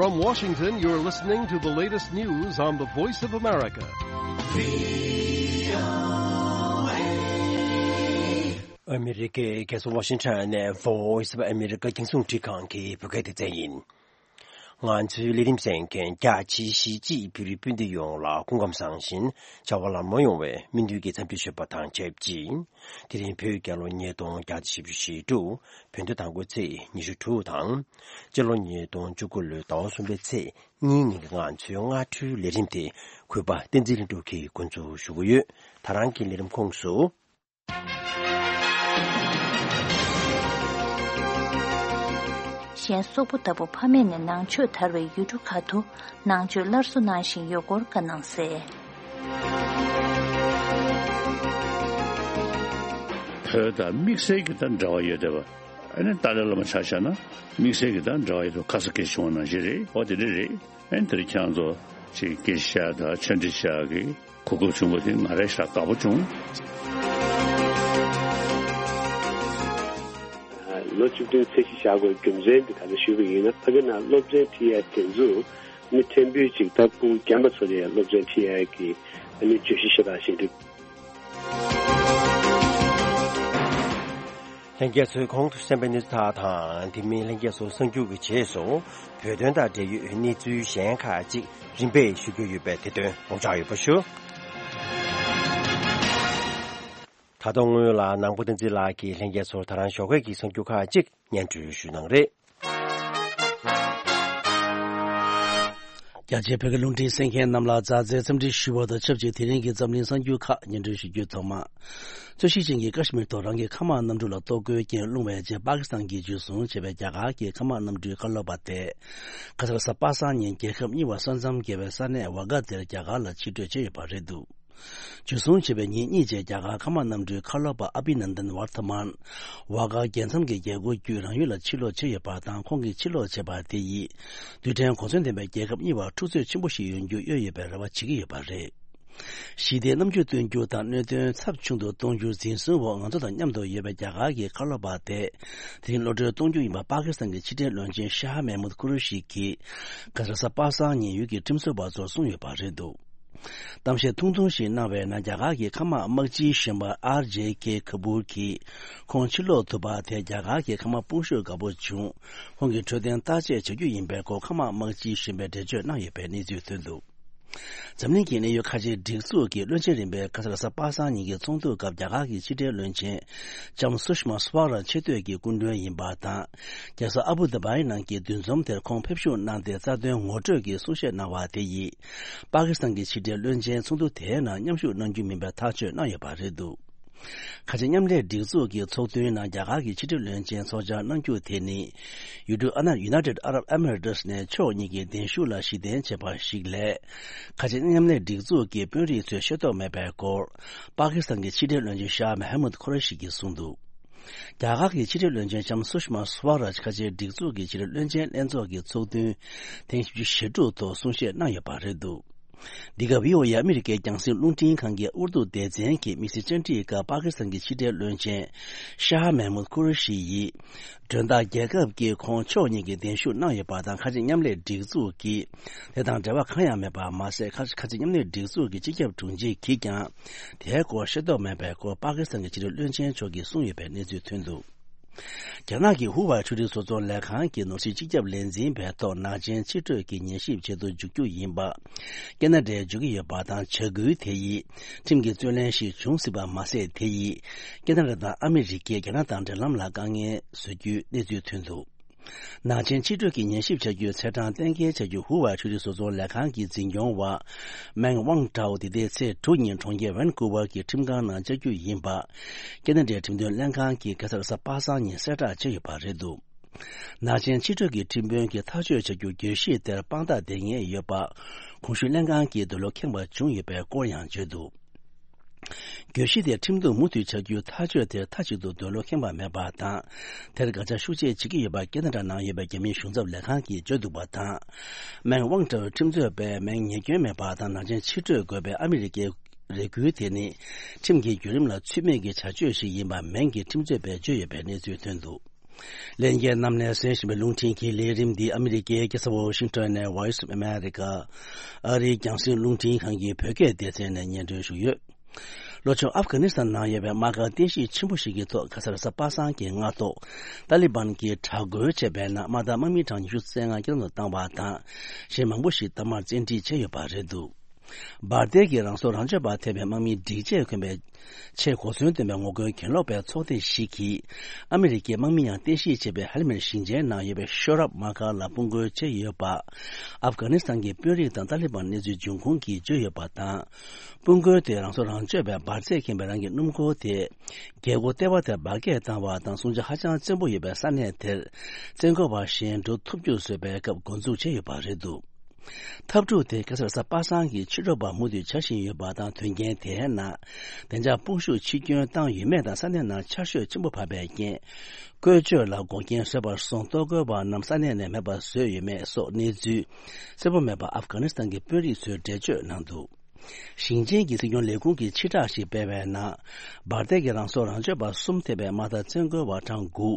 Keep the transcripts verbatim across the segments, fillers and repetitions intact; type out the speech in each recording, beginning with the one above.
From Washington, you're listening to the latest news on the Voice of America. ཨ་མི་རི་ཀའི་རྒྱལ་ས་ཝ་ཤིང་ཊོན་ནས་Voice of America རྒྱང་སྲིང་འཕྲིན་ཁང་གི་བོད་སྐད་སྡེ་ཚན་ཡིན། ང་ཚོའི་ལས་རིམ་གསན་མཁན་རྒྱ་ཆེའི་གཞིས་བྱེས་བོད་རིགས་སྤུན་ཟླ་ཡོངས་ལ་སྐུ་ཁམས་བཟང་ཞིང་བྱ་བ་ལམ་ལྷོང་ཡོང་བའི་སྨོན་འདུན་གྱི་འཚམས་འདྲི་ཞུ་བ་དང་ཆབས་ཅིག་དེ་རིང་བོད་རྒྱལ་ལོ་ཉིས་སྟོང་བརྒྱ་དང་བཞི་བཅུ་ཞེ་དྲུག་བོད་ཟླ་དང་པོའི་ཚེས་ཉི་ཤུ་དྲུག་དང་། སྤྱི་ལོ་ཉིས་སྟོང་བཅུ་དགུ་ལོའི་ཟླ་བ་གསུམ་པའི་ཚེས་གཉིས་ཉིན་གྱི་ང་ཚོའི་སྔ་དྲོའི་ལས་རིམ་དེ་གུས་པ་བསྟན་འཛིན་ལྷུན་གྲུབ་ཀྱིས་འགོ་འཛུགས་ཞུ་གི་ཡོད། ད་རང་གི་ལས་རིམ་ཁོངས་སུ། གཞན་སོག་པོ་ལྟ་བུ་ཕ་མེས་ནས་ནང་ཆོས་དར་བའི་ཡུལ་གྲུ་ཁག་ཏུ་ནང་ཆོས་སླར་གསོ་གནང་བཞིན་ཡོད་སྐོར་བཀའ་གནང་གསལ། བོད་དང་དམིགས་བསལ་གྱི་ད་འབྲེལ་བ་ཡོད་བསྡད་པ། ཨ་ནི་ཏཱ་ལའི་བླ་མ་ཆ་བཞག་ན་དམིགས་བསལ་གྱི་ད་འབྲེལ་བ་ཡོད་དུ་ཁ་ས་སྐད་བྱུང་བ་ནང་བཞིན་རེད། འོ་དེ་འདྲ་རེད། ཨ་ནི་དེར་ཁྱེད་རང་ཚོ་ཅིག་དགེ་བཤེས་དང་ཆོས་འབྲེལ་ཤག་གི་གོ་སྐབས་བྱུང་བ་དེ་ང་རང་ཞེ་དྲག་དགའ་པོ་བྱུང་། ལོ་བཅུ་བདུན་ཚེས་གཞི་བཞག་དགོས་རྒྱུ་མཚན་དེ་ག་རེ་ཞུས་པ་ཡིན་ན། ཕ་གི་ནང་སློབ་ཚན་ཁྲིད་ཡ་དེ་ཚོ་མི་ཕྲན་བུ་ཅིག་ད་སྤུ་གུ་རྒན་པ་ཚོ་ལ་ཡ་སློབ་ཚན་ཁྲིད་ཡ་གི་ཨ་ནི་བརྗོད་གཞི་ཞེ་དྲག་བཞེངས་འདུག་ལྷན་རྒྱས་ཚོས་གོང་དུ་གསན་པའི་གནས་ཚུལ་དག་དང་དེ་མིན་ལྷན་རྒྱས་ཚོ་གསར་འགྱུར་གྱི་རྗེས་སུ་བོད་དོན་དང་འབྲེལ་ཡོད་གནས་ཚུལ་གཞན་ཁག་ཅིག་རིམ་པས་ཞུ་རྒྱུ་ཡོད་པས་དེ་དོན་ངོ་སྤྲོད་ཡོད་པ་ཞུ། ད་དུང་སྔོན་ལ་ནང་པ་བསྟན་འཛིན་ལགས་ཀྱིས་ལྷན་རྒྱས་ཚོར་ད་རང་ཞོགས་ཀས་ཀྱི་གསར་འགྱུར་ཁག་ཅིག་སྙན་སྒྲོན་ཞུ་གནང་རེད། རྒྱ་ཆེའི་བོད་ཀྱི་རླུང་འཕྲིན་གསན་མཁན་རྣམས་ལ་མཛའ་བརྩེའི་འཚམས་འདྲི་ཞུ་བ་དང་ཆབས་ཅིག་དེ་རིང་གི་འཛམ་གླིང་གསར་འགྱུར་ཁག་སྙན་སྒྲོན་ཞུ་རྒྱུའི་ཐོག་མ། རྩོད་གཞི་ཅན་གྱི་ཀ་ཤི་མིར་ཐོག་རང་གི་མཁའ་དམག་གནམ་གྲུ་ལ་གཏོར་རྒོལ་རྐྱེན་སློང་བའི་རྗེས་པ་ཀི་སི་ཐན་གྱིས་འཇུ་བཟུང་བྱས་པའི་རྒྱ་གར་གྱི་མཁའ་དམག་གནམ་གྲུའི་ཁ་ལོ་པ་དེ་ཁ་སང་རེས་གཟའ་པ་སངས་ཉིན་རྒྱལ་ཁབ་གཉིས་བར་ས་མཚམས་བརྒལ་བའི་ས་གནས་ཝ་གྷ་དེར་རྒྱ་གར་ལ་ཕྱིར་སྤྲོད་བྱས་ཡོད་པ་རེད་འདུག་འཇུ་བཟུང་བྱས་པའི་ཉིན་གཉིས་རྗེས་རྒྱ་གར་མཁའ་དམག་གནམ་གྲུའི་ཁ་ལོ་པ་ཨ་བྷི་ནན་དན་ཝར་ཐ་མན། ཝ་གྷ་རྒྱལ་མཚམས་ཀྱི་རྒྱལ་སྒོ་བརྒྱུད་རང་ཡུལ་ལ་ཕྱིར་ལོག་བྱས་ཡོད་པ་དང་། ཁོང་གིས་ཕྱིར་ལོག་བྱས་པ་དེ་ཡིས་རྡུལ་ཕྲན་གོ་མཚོན་ལྡན་པའི་རྒྱལ་ཁབ་གཉིས་བར་འཁྲུག་རྩོད་ཆེན་པོ་ཞིག་ཡོང་རྒྱུ་གཡོལ་ཡོད་པའི་རེ་བ་བྱེད་ཀྱི་ཡོད་པ་རེད། ཞི་བདེའི་རྣམ་འགྱུར་སྟོན་རྒྱུ་དང་གནད་དོན་ཚབས་ཆུང་དུ་གཏོང་རྒྱུར་འཛིན་བཟུང་འོག་ང་ཚོ་དང་མཉམ་དུ་ཡོད་པའི་རྒྱ་གར་གྱི་མཁའ་སློབ་པ་དེ་དེ་རིང་གློད་གྲོལ་གཏོང་རྒྱུ་ཡིན་པ་པ་ཀི་སི་ཐན་གྱི་ཕྱི་འབྲེལ་བློན་ཆེན་ཤ་ཧ་མེ་མུད་ཁུ་རུ་ཤི་གིས་ག་ས་རེས་གཟའ་པ་སངས་ཉིན་ཡུལ་གྱི་ཁྲིམས་རྩོད་པ་ཚོར་གསུངས་ཡོད་པ་རེད་འདུག་གཏམ་བཤད་ཐུང་ཐུང་ཞིག་གནང་བའི་ནང་རྒྱ་གར་གྱི་མཁའ་དམག་དམག་སྤྱིའི་གཞོན་པ་ཨར་ཇེ་ཁེ་ཁ་པུར་གྱིས་ཁོང་ཕྱིར་ལོག་ཐུབ་པ་དེ་རྒྱ་གར་གྱི་མཁའ་དམག་དཔུང་ཤུགས་དགའ་པོ་བྱུང་། ཁོང་གིས་འཕྲོད་བསྟེན་བརྟག་དཔྱད་བྱ་རྒྱུ་ཡིན་པའི་སྐོར་མཁའ་དམག་དམག་སྤྱིའི་གཞོན་པས་འགྲེལ་བརྗོད་གནང་ཡོད་པའི་གནས་ཚུལ་ཐོན་འདུག་འཛམ་གླིང་གི་གནད་ཡོད་ཁ་ཆེའི་སྒྲིག་འཛུགས་ཀྱི་བློན་ཆེན་རིམ་པའི་ག་ས་རེས་གཟའ་པ་སངས་ཉིན་གྱི་ཚོགས་འདུ་སྐབས་རྒྱ་གར་གྱི་ཕྱི་འབྲེལ་བློན་ཆེན་ལྕམ་སུ་ཤི་མ་སུ་ཝ་རཱཇ་ཆེ་བསྟོད་ཀྱི་སྐུ་མགྲོན་ཡིན་པ་དང་། རྒྱལ་ས་ཨ་བུ་དྷ་བྷིའི་ནང་གི་འདུ་འཛོམས་དེར་ཁོང་ཕེབས་བཞུགས་གནང་སྟེ་རྩ་དོན་ངོ་སྤྲོད་ཀྱི་གསུང་བཤད་གནང་བ་དེ་ཡིས། པ་ཀི་སི་ཐན་གྱི་ཕྱི་འབྲེལ་བློན་ཆེན་ཚོགས་འདུ་དེའི་ནང་མཉམ་ཞུགས་གནང་རྒྱུ་མིན་པའི་ཐག་གཅོད་གནང་ཡོད་པ་རེད་འདུག་ཁ་ཆེ་མཉམ་ལས་སྒྲིག་འཛུགས་ཀྱི་ཚོགས་འདུའི་ནང་རྒྱ་གར་གྱི་ཕྱི་འབྲེལ་བློན་ཆེན་ཚོགས་བཅར་གནང་རྒྱུ་དེ་ནི། ཡུལ་གྲུ་ཨ་ན་United Arab Emirates ནས་ཕྱོགས་གཉིས་ཀྱི་གདན་ཞུ་ལ་གཞི་རྟེན་བྱས་པ་ཞིག་ལས། ཁ་ཆེ་མཉམ་ལས་སྒྲིག་འཛུགས་ཀྱི་དཔོན་རིགས་ཚོས་ཤེས་རྟོགས་མེད་པའི་སྐོར། པ་ཀི་སི་ཐན་གྱི་ཕྱི་འབྲེལ་བློན་ཆེན་ཤཱ་མེ་ཧ་མུད་ཁོ་རེ་ཤི་གིས་གསུངས་འདུག་རྒྱ་གར་གྱི་ཕྱི་འབྲེལ་བློན་ཆེན་ལྕམ་སུ་ཤི་མ་སུ་ཝ་རཱཇ་ཁ་ཆེའི་སྒྲིག་འཛུགས་ཀྱི་ཕྱི་འབྲེལ་བློན་ཆེན་ལྷན་ཚོགས་ཀྱི་ཚོགས་ཐུན་ཐེངས་བཞི་བཅུ་ཞེ་དྲུག་ཐོག་གསུང་བཤད་གནང་ཡོད་པ་རེད་འདུག་འདི་ག་བྷི་ཨོ་ཨེ་ཨ་མི་རི་ཀའི་རྒྱང་སྲིང་རླུང་འཕྲིན་ཁང་གི་ཨུར་དུ་སྡེ་ཚན་གྱི་དམིགས་བསལ་བཅར་འདྲིའི་སྐབས་པ་ཀི་སི་ཐན་གྱི་ཕྱི་འབྲེལ་བློན་ཆེན་ཤཱ་མེ་མུད་ཁུ་རུ་ཤི་ཡིས། མགྲོན་བདག་རྒྱལ་ཁབ་ཀྱིས་ཁོང་ཕྱོགས་གཉིས་ཀྱི་གདན་ཞུ་གནང་ཡོད་པ་དང་། ཁ་ཆེ་མཉམ་ལས་སྒྲིག་འཛུགས་ཀྱིས་དེ་དང་འབྲེལ་བ་གང་ཡང་མེད་པ་མ་ཟད། ཁ་ཁ་ཆེ་མཉམ་ལས་སྒྲིག་འཛུགས་ཀྱི་སྤྱི་ཁྱབ་དྲུང་ཆེ་གིས་ཀྱང་དེའི་སྐོར་ཤེས་རྟོགས་མེད་པའི་སྐོར་པ་ཀི་སི་ཐན་གྱི་ཕྱི་འབྲེལ་བློན་ཆེན་མཆོག་གིས་གསུངས་ཡོད་པའི་གནས་ཚུལ་ཐོན་འདུག་རྒྱ་ནག་གི་ཧུ་ཝའེ་ཕྱོགས་སྒྲིག་བཟོ་ཚོང་ལས་ཁང་གི་ནོར་སྲིད་སྤྱི་ཁྱབ་ལས་འཛིན་པའི་ཐོག་ནག་ཆེན་ཕྱིར་སྤྲོད་ཀྱི་ཉན་ཞིབ་བྱེད་དུ་འཇུག་རྒྱུ་ཡིན་པ། ཁེ་ན་ཌས་འཇུག་གི་ཡོད་པ་དང་། བྱ་འགུལ་དེ་ཡིས་ཁྲིམས་ཀྱི་རྩོད་གླེང་ཞིག་འབྱུང་སྲིད་པ་མ་ཟད། དེ་ཡིས་ཁེ་ན་ཌ་དང་ཨ་མི་རི་ཀས་རྒྱ་ནག་དང་འབྲེལ་ལམ་ལ་དཀའ་ངལ་བཟོ་རྒྱུའི་གནས་ཚུལ་ཐོན་འདུག་ནག་ཆེན་ཕྱིར་སྤྲོད་ཀྱི་ཉན་ཞིབ་བྱ་རྒྱུའི་ཚེས་གྲངས་གཏན་འཁེལ་བྱ་རྒྱུ་ཧུ་ཝའེ་ཕྱོགས་སྒྲིག་བཟོ་ཚོང་ལས་ཁང་གི་འཛིན་སྐྱོང་བ་མེང་ཝང་ཀྲའོ་འདི་ཟླའི་ཚེས་དྲུག་ཉིན་གྲོང་ཁྱེར་ཝན་ཀུ་ཝར་གྱི་ཁྲིམས་ཁང་ནང་བཅར་རྒྱུ་ཡིན་པ། ཁེ་ན་ཌའི་ཁྲིམས་དོན་ལྷན་ཁང་གིས་ག་ས་རེས་གཟའ་པ་སངས་ཉིན་གསལ་བསྒྲགས་བྱས་ཡོད་པ་རེད་འདུག་ནག་ཆེན་ཕྱིར་སྤྲོད་ཀྱི་ཁྲིམས་དཔོན་གྱིས་ཐག་གཅོད་བྱ་རྒྱུ་གྱོད་གཞི་དེར་དཔང་རྟགས་ལྡན་ངེས་ཡོད་པ། གོང་ཞུས་ལྷན་ཁང་གིས་འདོད་བློ་ཁེངས་པ་བྱུང་ཡོད་པའི་སྐོར་ཡང་བརྗོད་འདུག་གྱོད་གཞི་དེ་ཁྲིམས་གཏུག་མུ་མཐུད་བྱ་རྒྱུའི་ཐག་གཅོད་དེར་མཐའ་གཅིག་ཏུ་འདོད་བློ་ཁེངས་པ་མེད་པ་དང་། དེར་དགག་བྱ་ཤུགས་ཆེ་བྱེད་ཀྱི་ཡོད་པ་ཁེ་ན་ཌ་ནང་ཡོད་པའི་རྒྱ་མིའི་གཞུང་ཚབ་ལས་ཁང་གིས་བརྗོད་འདུག་པ་དང་། མེང་ཝང་ཀྲའོའི་ཁྲིམས་རྩོད་པས་མེང་ཉེས་སྐྱོན་མེད་པ་དང་ནག་ཆེན་ཕྱིར་སྤྲོད་དགོས་པའི་ཨ་མི་རི་ཀའི་རེ་སྐུལ་དེ་ནི་ཁྲིམས་ཀྱི་བརྒྱུད་རིམ་ལ་ཚུད་མེད་ཀྱི་བྱ་སྤྱོད་ཞིག་ཡིན་པ་མེང་གི་ཁྲིམས་རྩོད་པས་བརྗོད་ཡོད་པའི་གནས་ཚུལ་ཐོན་འདུག་ལྷན་རྒྱས་རྣམས་ནས་གསན་བཞིན་པའི་རླུང་འཕྲིན་གྱི་ལས་རིམ་འདི་ཨ་མི་རི་ཀའི་རྒྱལ་ས་ཝོ་ཤིང་ཊོན་ནས་Voice of America ཨ་རིའི་རྒྱང་སྲིང་རླུང་འཕྲིན་ཁང་གི་བོད་སྐད་སྡེ་ཚན་ནས་སྙན་སྒྲོན་ཞུས་ཡོད། ལྷོ་ཕྱོགས་ཨབ་གྷ་ནི་སི་ཐན་ནང་ཡོད་པའི་དམག་སྒར་རྟེན་གཞི་ཆེན་པོ་ཞིག་གི་ཐོག་ཁ་སང་རེས་གཟའ་པ་སངས་ཀྱི་སྔ་ཐོག་ཏཱ་ལི་བན་གྱིས་དྲག་རྒོལ་བྱས་པའི་ནང་དམག་འཐབ་དམག་མི་གྲངས་ཉི་ཤུ་རྩ་ལྔ་བསྐྱར་དུ་བཏང་བ་དང་། གཞན་མང་པོ་ཞིག་དམག་མར་བཙན་ཁྲིད་བྱས་ཡོད་པ་རེད་འདུག་འབར་མདེལ་གྱི་རང་སྲོག་རང་གཅོད་པ་ཐེ་བའི་དམག་མིའི་སྒྲིག་ཆས་གོན་པའི་ཆེས་གོ་མཚོན་ལྡན་པའི་ངོ་རྒོལ་གྱེན་ལོག་པའི་ཚོགས་སྡེ་ཞིག་གིས། ཨ་མི་རི་ཀའི་དམག་མི་ཡང་རྟེན་གཞི་བྱས་པའི་ཧལ་མེར་ཞིང་ཆེན་ནང་ཡོད་པའི་ཤོ་རབ་དམག་སྒར་ལ་དཔུང་རྒོལ་བྱས་ཡོད་པ། ཨབ་གྷ་ནི་སི་ཐན་གྱི་དཔོན་རིགས་དང་ཏཱ་ལི་བན་གནས་ཚུལ་འབྱུང་ཁུངས་ཀྱིས་བརྗོད་ཡོད་པ་དང་། དཔུང་རྒོལ་དེ་རང་སྲོག་རང་གཅོད་པའི་འབར་རྫས་ཁེངས་པའི་རང་གི་སྣུམ་འཁོར་དེ། རྒྱལ་སྒོ་ལྟེ་བ་དེར་འབར་གས་བཏང་བ་དང་། སྲུང་བྱ་ཧ་ཅང་བཙན་པོ་ཡོད་པའི་ས་གནས་དེར། བཙན་རྒོལ་བ་གཞན་འགྲོ་ཐུབ་རྒྱུ་བཟོས་པའི་སྐབས་འགོ་འཛུགས་བྱས་ཡོད་པ་རེད་འདུག་འཐབ་འཁྲུག་དེ་ཁ་སང་རེས་གཟའ་པ་སངས་ཀྱི་ཕྱི་དྲོ་བར་མུ་མཐུད་འཆར་བཞིན་ཡོད་པ་དང་། དོན་རྐྱེན་དེའི་ནང་བདེ་འཇགས་དཔུང་ཤུགས་ཕྱིར་སྐྱོན་བཏང་ཡོད་མེད་དང་། ས་གནས་ནང་ཆར་ཞོད་ཆེན་པོ་བབས་པའི་རྐྱེན། བཀོལ་སྤྱོད་ལ་འགོག་རྐྱེན་བཟོས་པར་སོང་། གཏོར་རྒོལ་བ་རྣམས་ས་གནས་ནས་མེད་པར་བཟོས་ཡོད་མེད་སོགས་གནས་ཚུལ་གསལ་པོ་མེད་པ་ཨབ་གྷ་ནི་སི་ཐན་གྱི་དཔོན་རིགས་ཚོས་འགྲེལ་བརྗོད་གནང་འདུག་ཞིང་ཆེན་གྱི་སྲིད་སྐྱོང་ལས་ཁུངས་ཀྱིས་ཕྱིར་བསྒྲགས་ཤིག་སྤེལ་བའི་ནང་། འབར་མདེལ་གྱི་རང་སྲོག་རང་གཅོད་པ་གསུམ་ཐེ་བའི་དམག་འཐབ་བཙན་རྒོལ་བ་གྲངས་དགུ།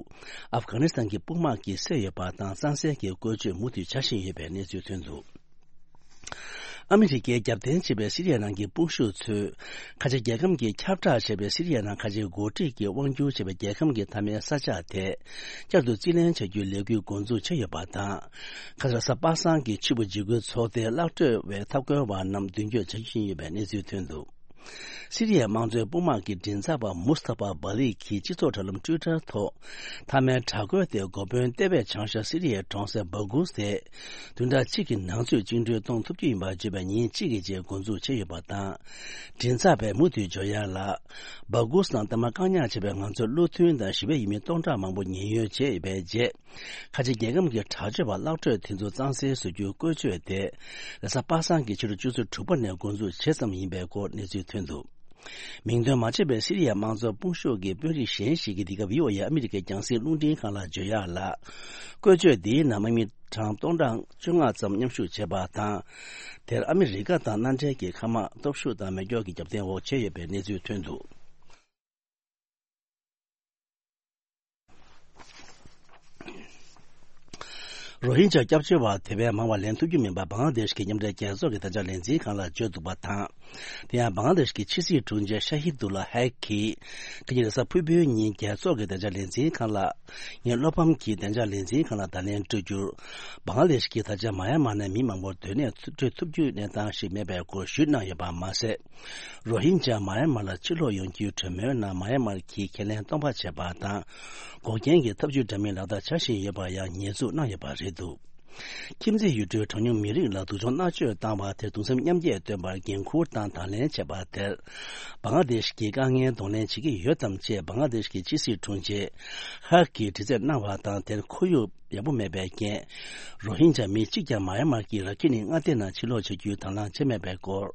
ཨབ་གྷ་ནི་སི་ཐན་གྱི་དཔུང་དམག་གིས་བསད་ཡོད་པ་དང་། གཙང་སེལ་གྱི་བཀོལ་སྤྱོད་མུ་མཐུད་འཆར་བཞིན་ཡོད་པའི་གནས་ཚུལ་ཐོན་འདུག་ཨ་མི་རི་ཀས་རྒྱབ་རྟེན་བྱས་པའི་སི་རི་ཡ་ནང་གི་དཔུང་ཤུགས་ཚོས། ཁ་ཆེ་རྒྱལ་ཁམས་ཀྱིས་ཁྱབ་བསྒྲགས་བྱས་པའི་སི་རི་ཡ་ནང་ཁ་ཆེ་འགོ་ཁྲིད་ཀྱིས་དབང་སྒྱུར་བྱས་པའི་རྒྱལ་ཁམས་ཀྱི་མཐའ་མའི་ས་ཆ་དེ། བསྐྱར་དུ་རྩིས་ལེན་བྱ་རྒྱུའི་ལས་འགུལ་འགོ་འཛུགས་བྱས་ཡོད་པ་དང་། ཁ་སང་རེས་གཟའ་པ་སངས་ཀྱི་ཕྱི་དྲོ་འཇིགས་སྐུལ་ཚོགས་སྡེའི་གླག་སྤྲོད་པའི་འཐབ་རྒོལ་བ་རྣམས་མདུན་སྐྱོད་བྱ་རྒྱུ་ཡིན་པའི་གནས་ཚུལ་ཐོན་འདུག་སི་རི་ཡའི་དམངས་གཙོའི་དཔུང་དམག་གི་མགྲིན་ཚབ་པ་མུས་ཐ་ཕ་བྷ་ལིག་གིས་སྤྱི་ཚོགས་དྲ་ལམ་ཊུའི་ཊར་ཐོག་མཐའ་མའི་དྲག་རྒོལ་དེའི་འགོ་དཔོན་ལྟེ་བའི་བྱང་ཤར་སི་རི་ཡའི་གྲོང་གསེབ་སྦ་གུས་དེ། བདུན་ཕྲག་གཅིག་གི་ནང་ཚུད་བཅིངས་འགྲོལ་གཏོང་ཐུབ་ཀྱི་ཡིན་པར་བརྗོད་པའི་ཉིན་གཅིག་གི་རྗེས་འགོ་འཛུགས་བྱས་ཡོད་པ་དང་། མགྲིན་ཚབ་པས་མུ་མཐུད་ཇོ་ཡ་ལ། སྦ་གུས་ནང་ལྟད་མོ་བཀག་ཉར་བྱས་པའི་ང་ཚོའི་བློ་མཐུན་དང་ཞི་བའི་ཡུལ་མི་སྟོང་ཕྲག་མང་པོ་ཉེན་གཡོལ་བྱས་ཡོད་པའི་རྗེས། ཁ་ཆེ་རྒྱལ་ཁམས་ཀྱི་དྲག་སྤྱོད་པ་གླག་སྤྲོད་དེ་ཚོ་གཙང་སེལ་བཟོ་རྒྱུའི་བཀོལ་སྤྱོད་དེ། རེས་གཟའ་པ་སངས་ཀྱི་ཕྱི་དྲོ་ཆུ་ཚོད་དྲུག་པ་ནས་འགོ་འཛུགས་བྱས་ཙམ་ཡིན་པའི་སྐོར་གནས་ཚུལ་ཐོན་འདུག་མིང་འདོན་མ་བྱས་པའི་སི་རི་ཡའི་དམངས་གཙོ་དཔུང་ཤུགས་ཀྱི་དཔོན་རིགས་གཞན་ཞིག་གིས་འདི་ག་བྷི་ཨོ་ཨེ་ཨ་མི་རི་ཀའི་རྒྱང་སྲིང་རླུང་འཕྲིན་ཁང་ལ་བརྗོད་ཡག་ལ། བཀོལ་སྤྱོད་འདིའི་ནང་དམག་མི་གྲངས་སྟོང་ཕྲག་བཅོ་ལྔ་ཙམ་མཉམ་ཞུགས་བྱས་པ་དང་། དེར་ཨ་མི་རི་ཀ་དང་མནའ་འབྲེལ་གྱི་མཁའ་དམག་སྟོབས་ཤུགས་དང་མེ་སྒྱོགས་ཀྱི་རྒྱབ་རྟེན་འོག་བྱས་ཡོད་པའི་གནས་ཚུལ་ཐོན་འདུག་རོ་ཧིན་ཇཱ་སྐྱབས་བཅོལ་བ་དེ་བས་མང་བ་ལེན་ཐུབ་རྒྱུ་མིན་པ་བང་ལ་དེཤ་གི་མཉམ་འབྲེལ་རྒྱལ་ཚོགས་ཀྱི་བདེ་འཇགས་ལས་འཛིན་ཁང་ལ་བརྗོད་འདུག་པ་དང་། དེ་ཡང་བང་ལ་དེཤ་གི་ཕྱི་སྲིད་དྲུང་ཆེ་ཤ་ཧི་དུ་ལ་ཧེག་གིས། ཁ་ཉིན་རེས་གཟའ་ཕུར་བུའི་ཉིན་རྒྱལ་ཚོགས་ཀྱི་བདེ་འཇགས་ལས་འཛིན་ཁང་ལ། ངས་བློ་ཕམ་གྱིས་བདེ་འཇགས་ལས་འཛིན་ཁང་ལ་བརྡ་ལན་སྤྲོད་རྒྱུར། བང་ལ་དེཤ་གིས་ད་ཆ་མ་ཡ་མར་ནས་མི་མང་པོར་སྡོད་གནས་སྤྲོད་ཐུབ་རྒྱུའི་གནས་སྟངས་ཤིག་མེད་པའི་སྐོར་ཞུས་གནང་ཡོད་པ་མ་ཟད། རོ་ཧིན་ཇཱ་མ་ཡ་མར་ལ་ཕྱིར་ལོག་ཡོང་རྒྱུའི་གྲོས་མོལ་ནང་མ་ཡ་མར་གྱིས་ཁས་ལེན་སྟོང་པ་བྱས་པ་དང་། འགོག་རྐྱེན་གྱི་ཐབས་ཇུས་འདྲ་མིན་ལག་བསྟར་བྱ་བཞིན་ཡོད་པར་ཡང་ཉེས་འཛུགས་གནང་ཡོད་པ་རེད་འདུག་ཁྱིམ་མཚེས་ཡུལ་གྲུའི་གྲངས་ཉུང་མི་རིགས་ལ་སྡུག་སྦྱོང་མནར་གཅོད་བཏང་བ་དེར་གདུང་སེམས་མཉམ་སྐྱེད་བཏོན་པར་འགན་འཁུར་དང་དང་ལེན་བྱས་པ་དེར། བང་ལ་དེཤ་གྱིས་དཀའ་ངལ་གདོང་ལེན་བྱེད་ཀྱི་ཡོད་དམ་ཅེས་བང་ལ་དེཤ་གི་ཕྱི་སྲིད་དྲུང་ཆེ་ཧག་གིས་དྲི་རྩད་གནང་བ་དང་། དེར་ཁོར་ཡུག་ཡག་པོ་མེད་པའི་རྐྱེན། རོ་ཧིན་ཇཱ་མི་གཅིག་ཀྱང་མ་ཡ་མར་གྱི་ར་ཁི་ནི་མངའ་སྡེ་ནང་ཕྱིར་ལོག་བྱ་རྒྱུའི་དང་བླངས་བྱས་མེད་པའི་སྐོར།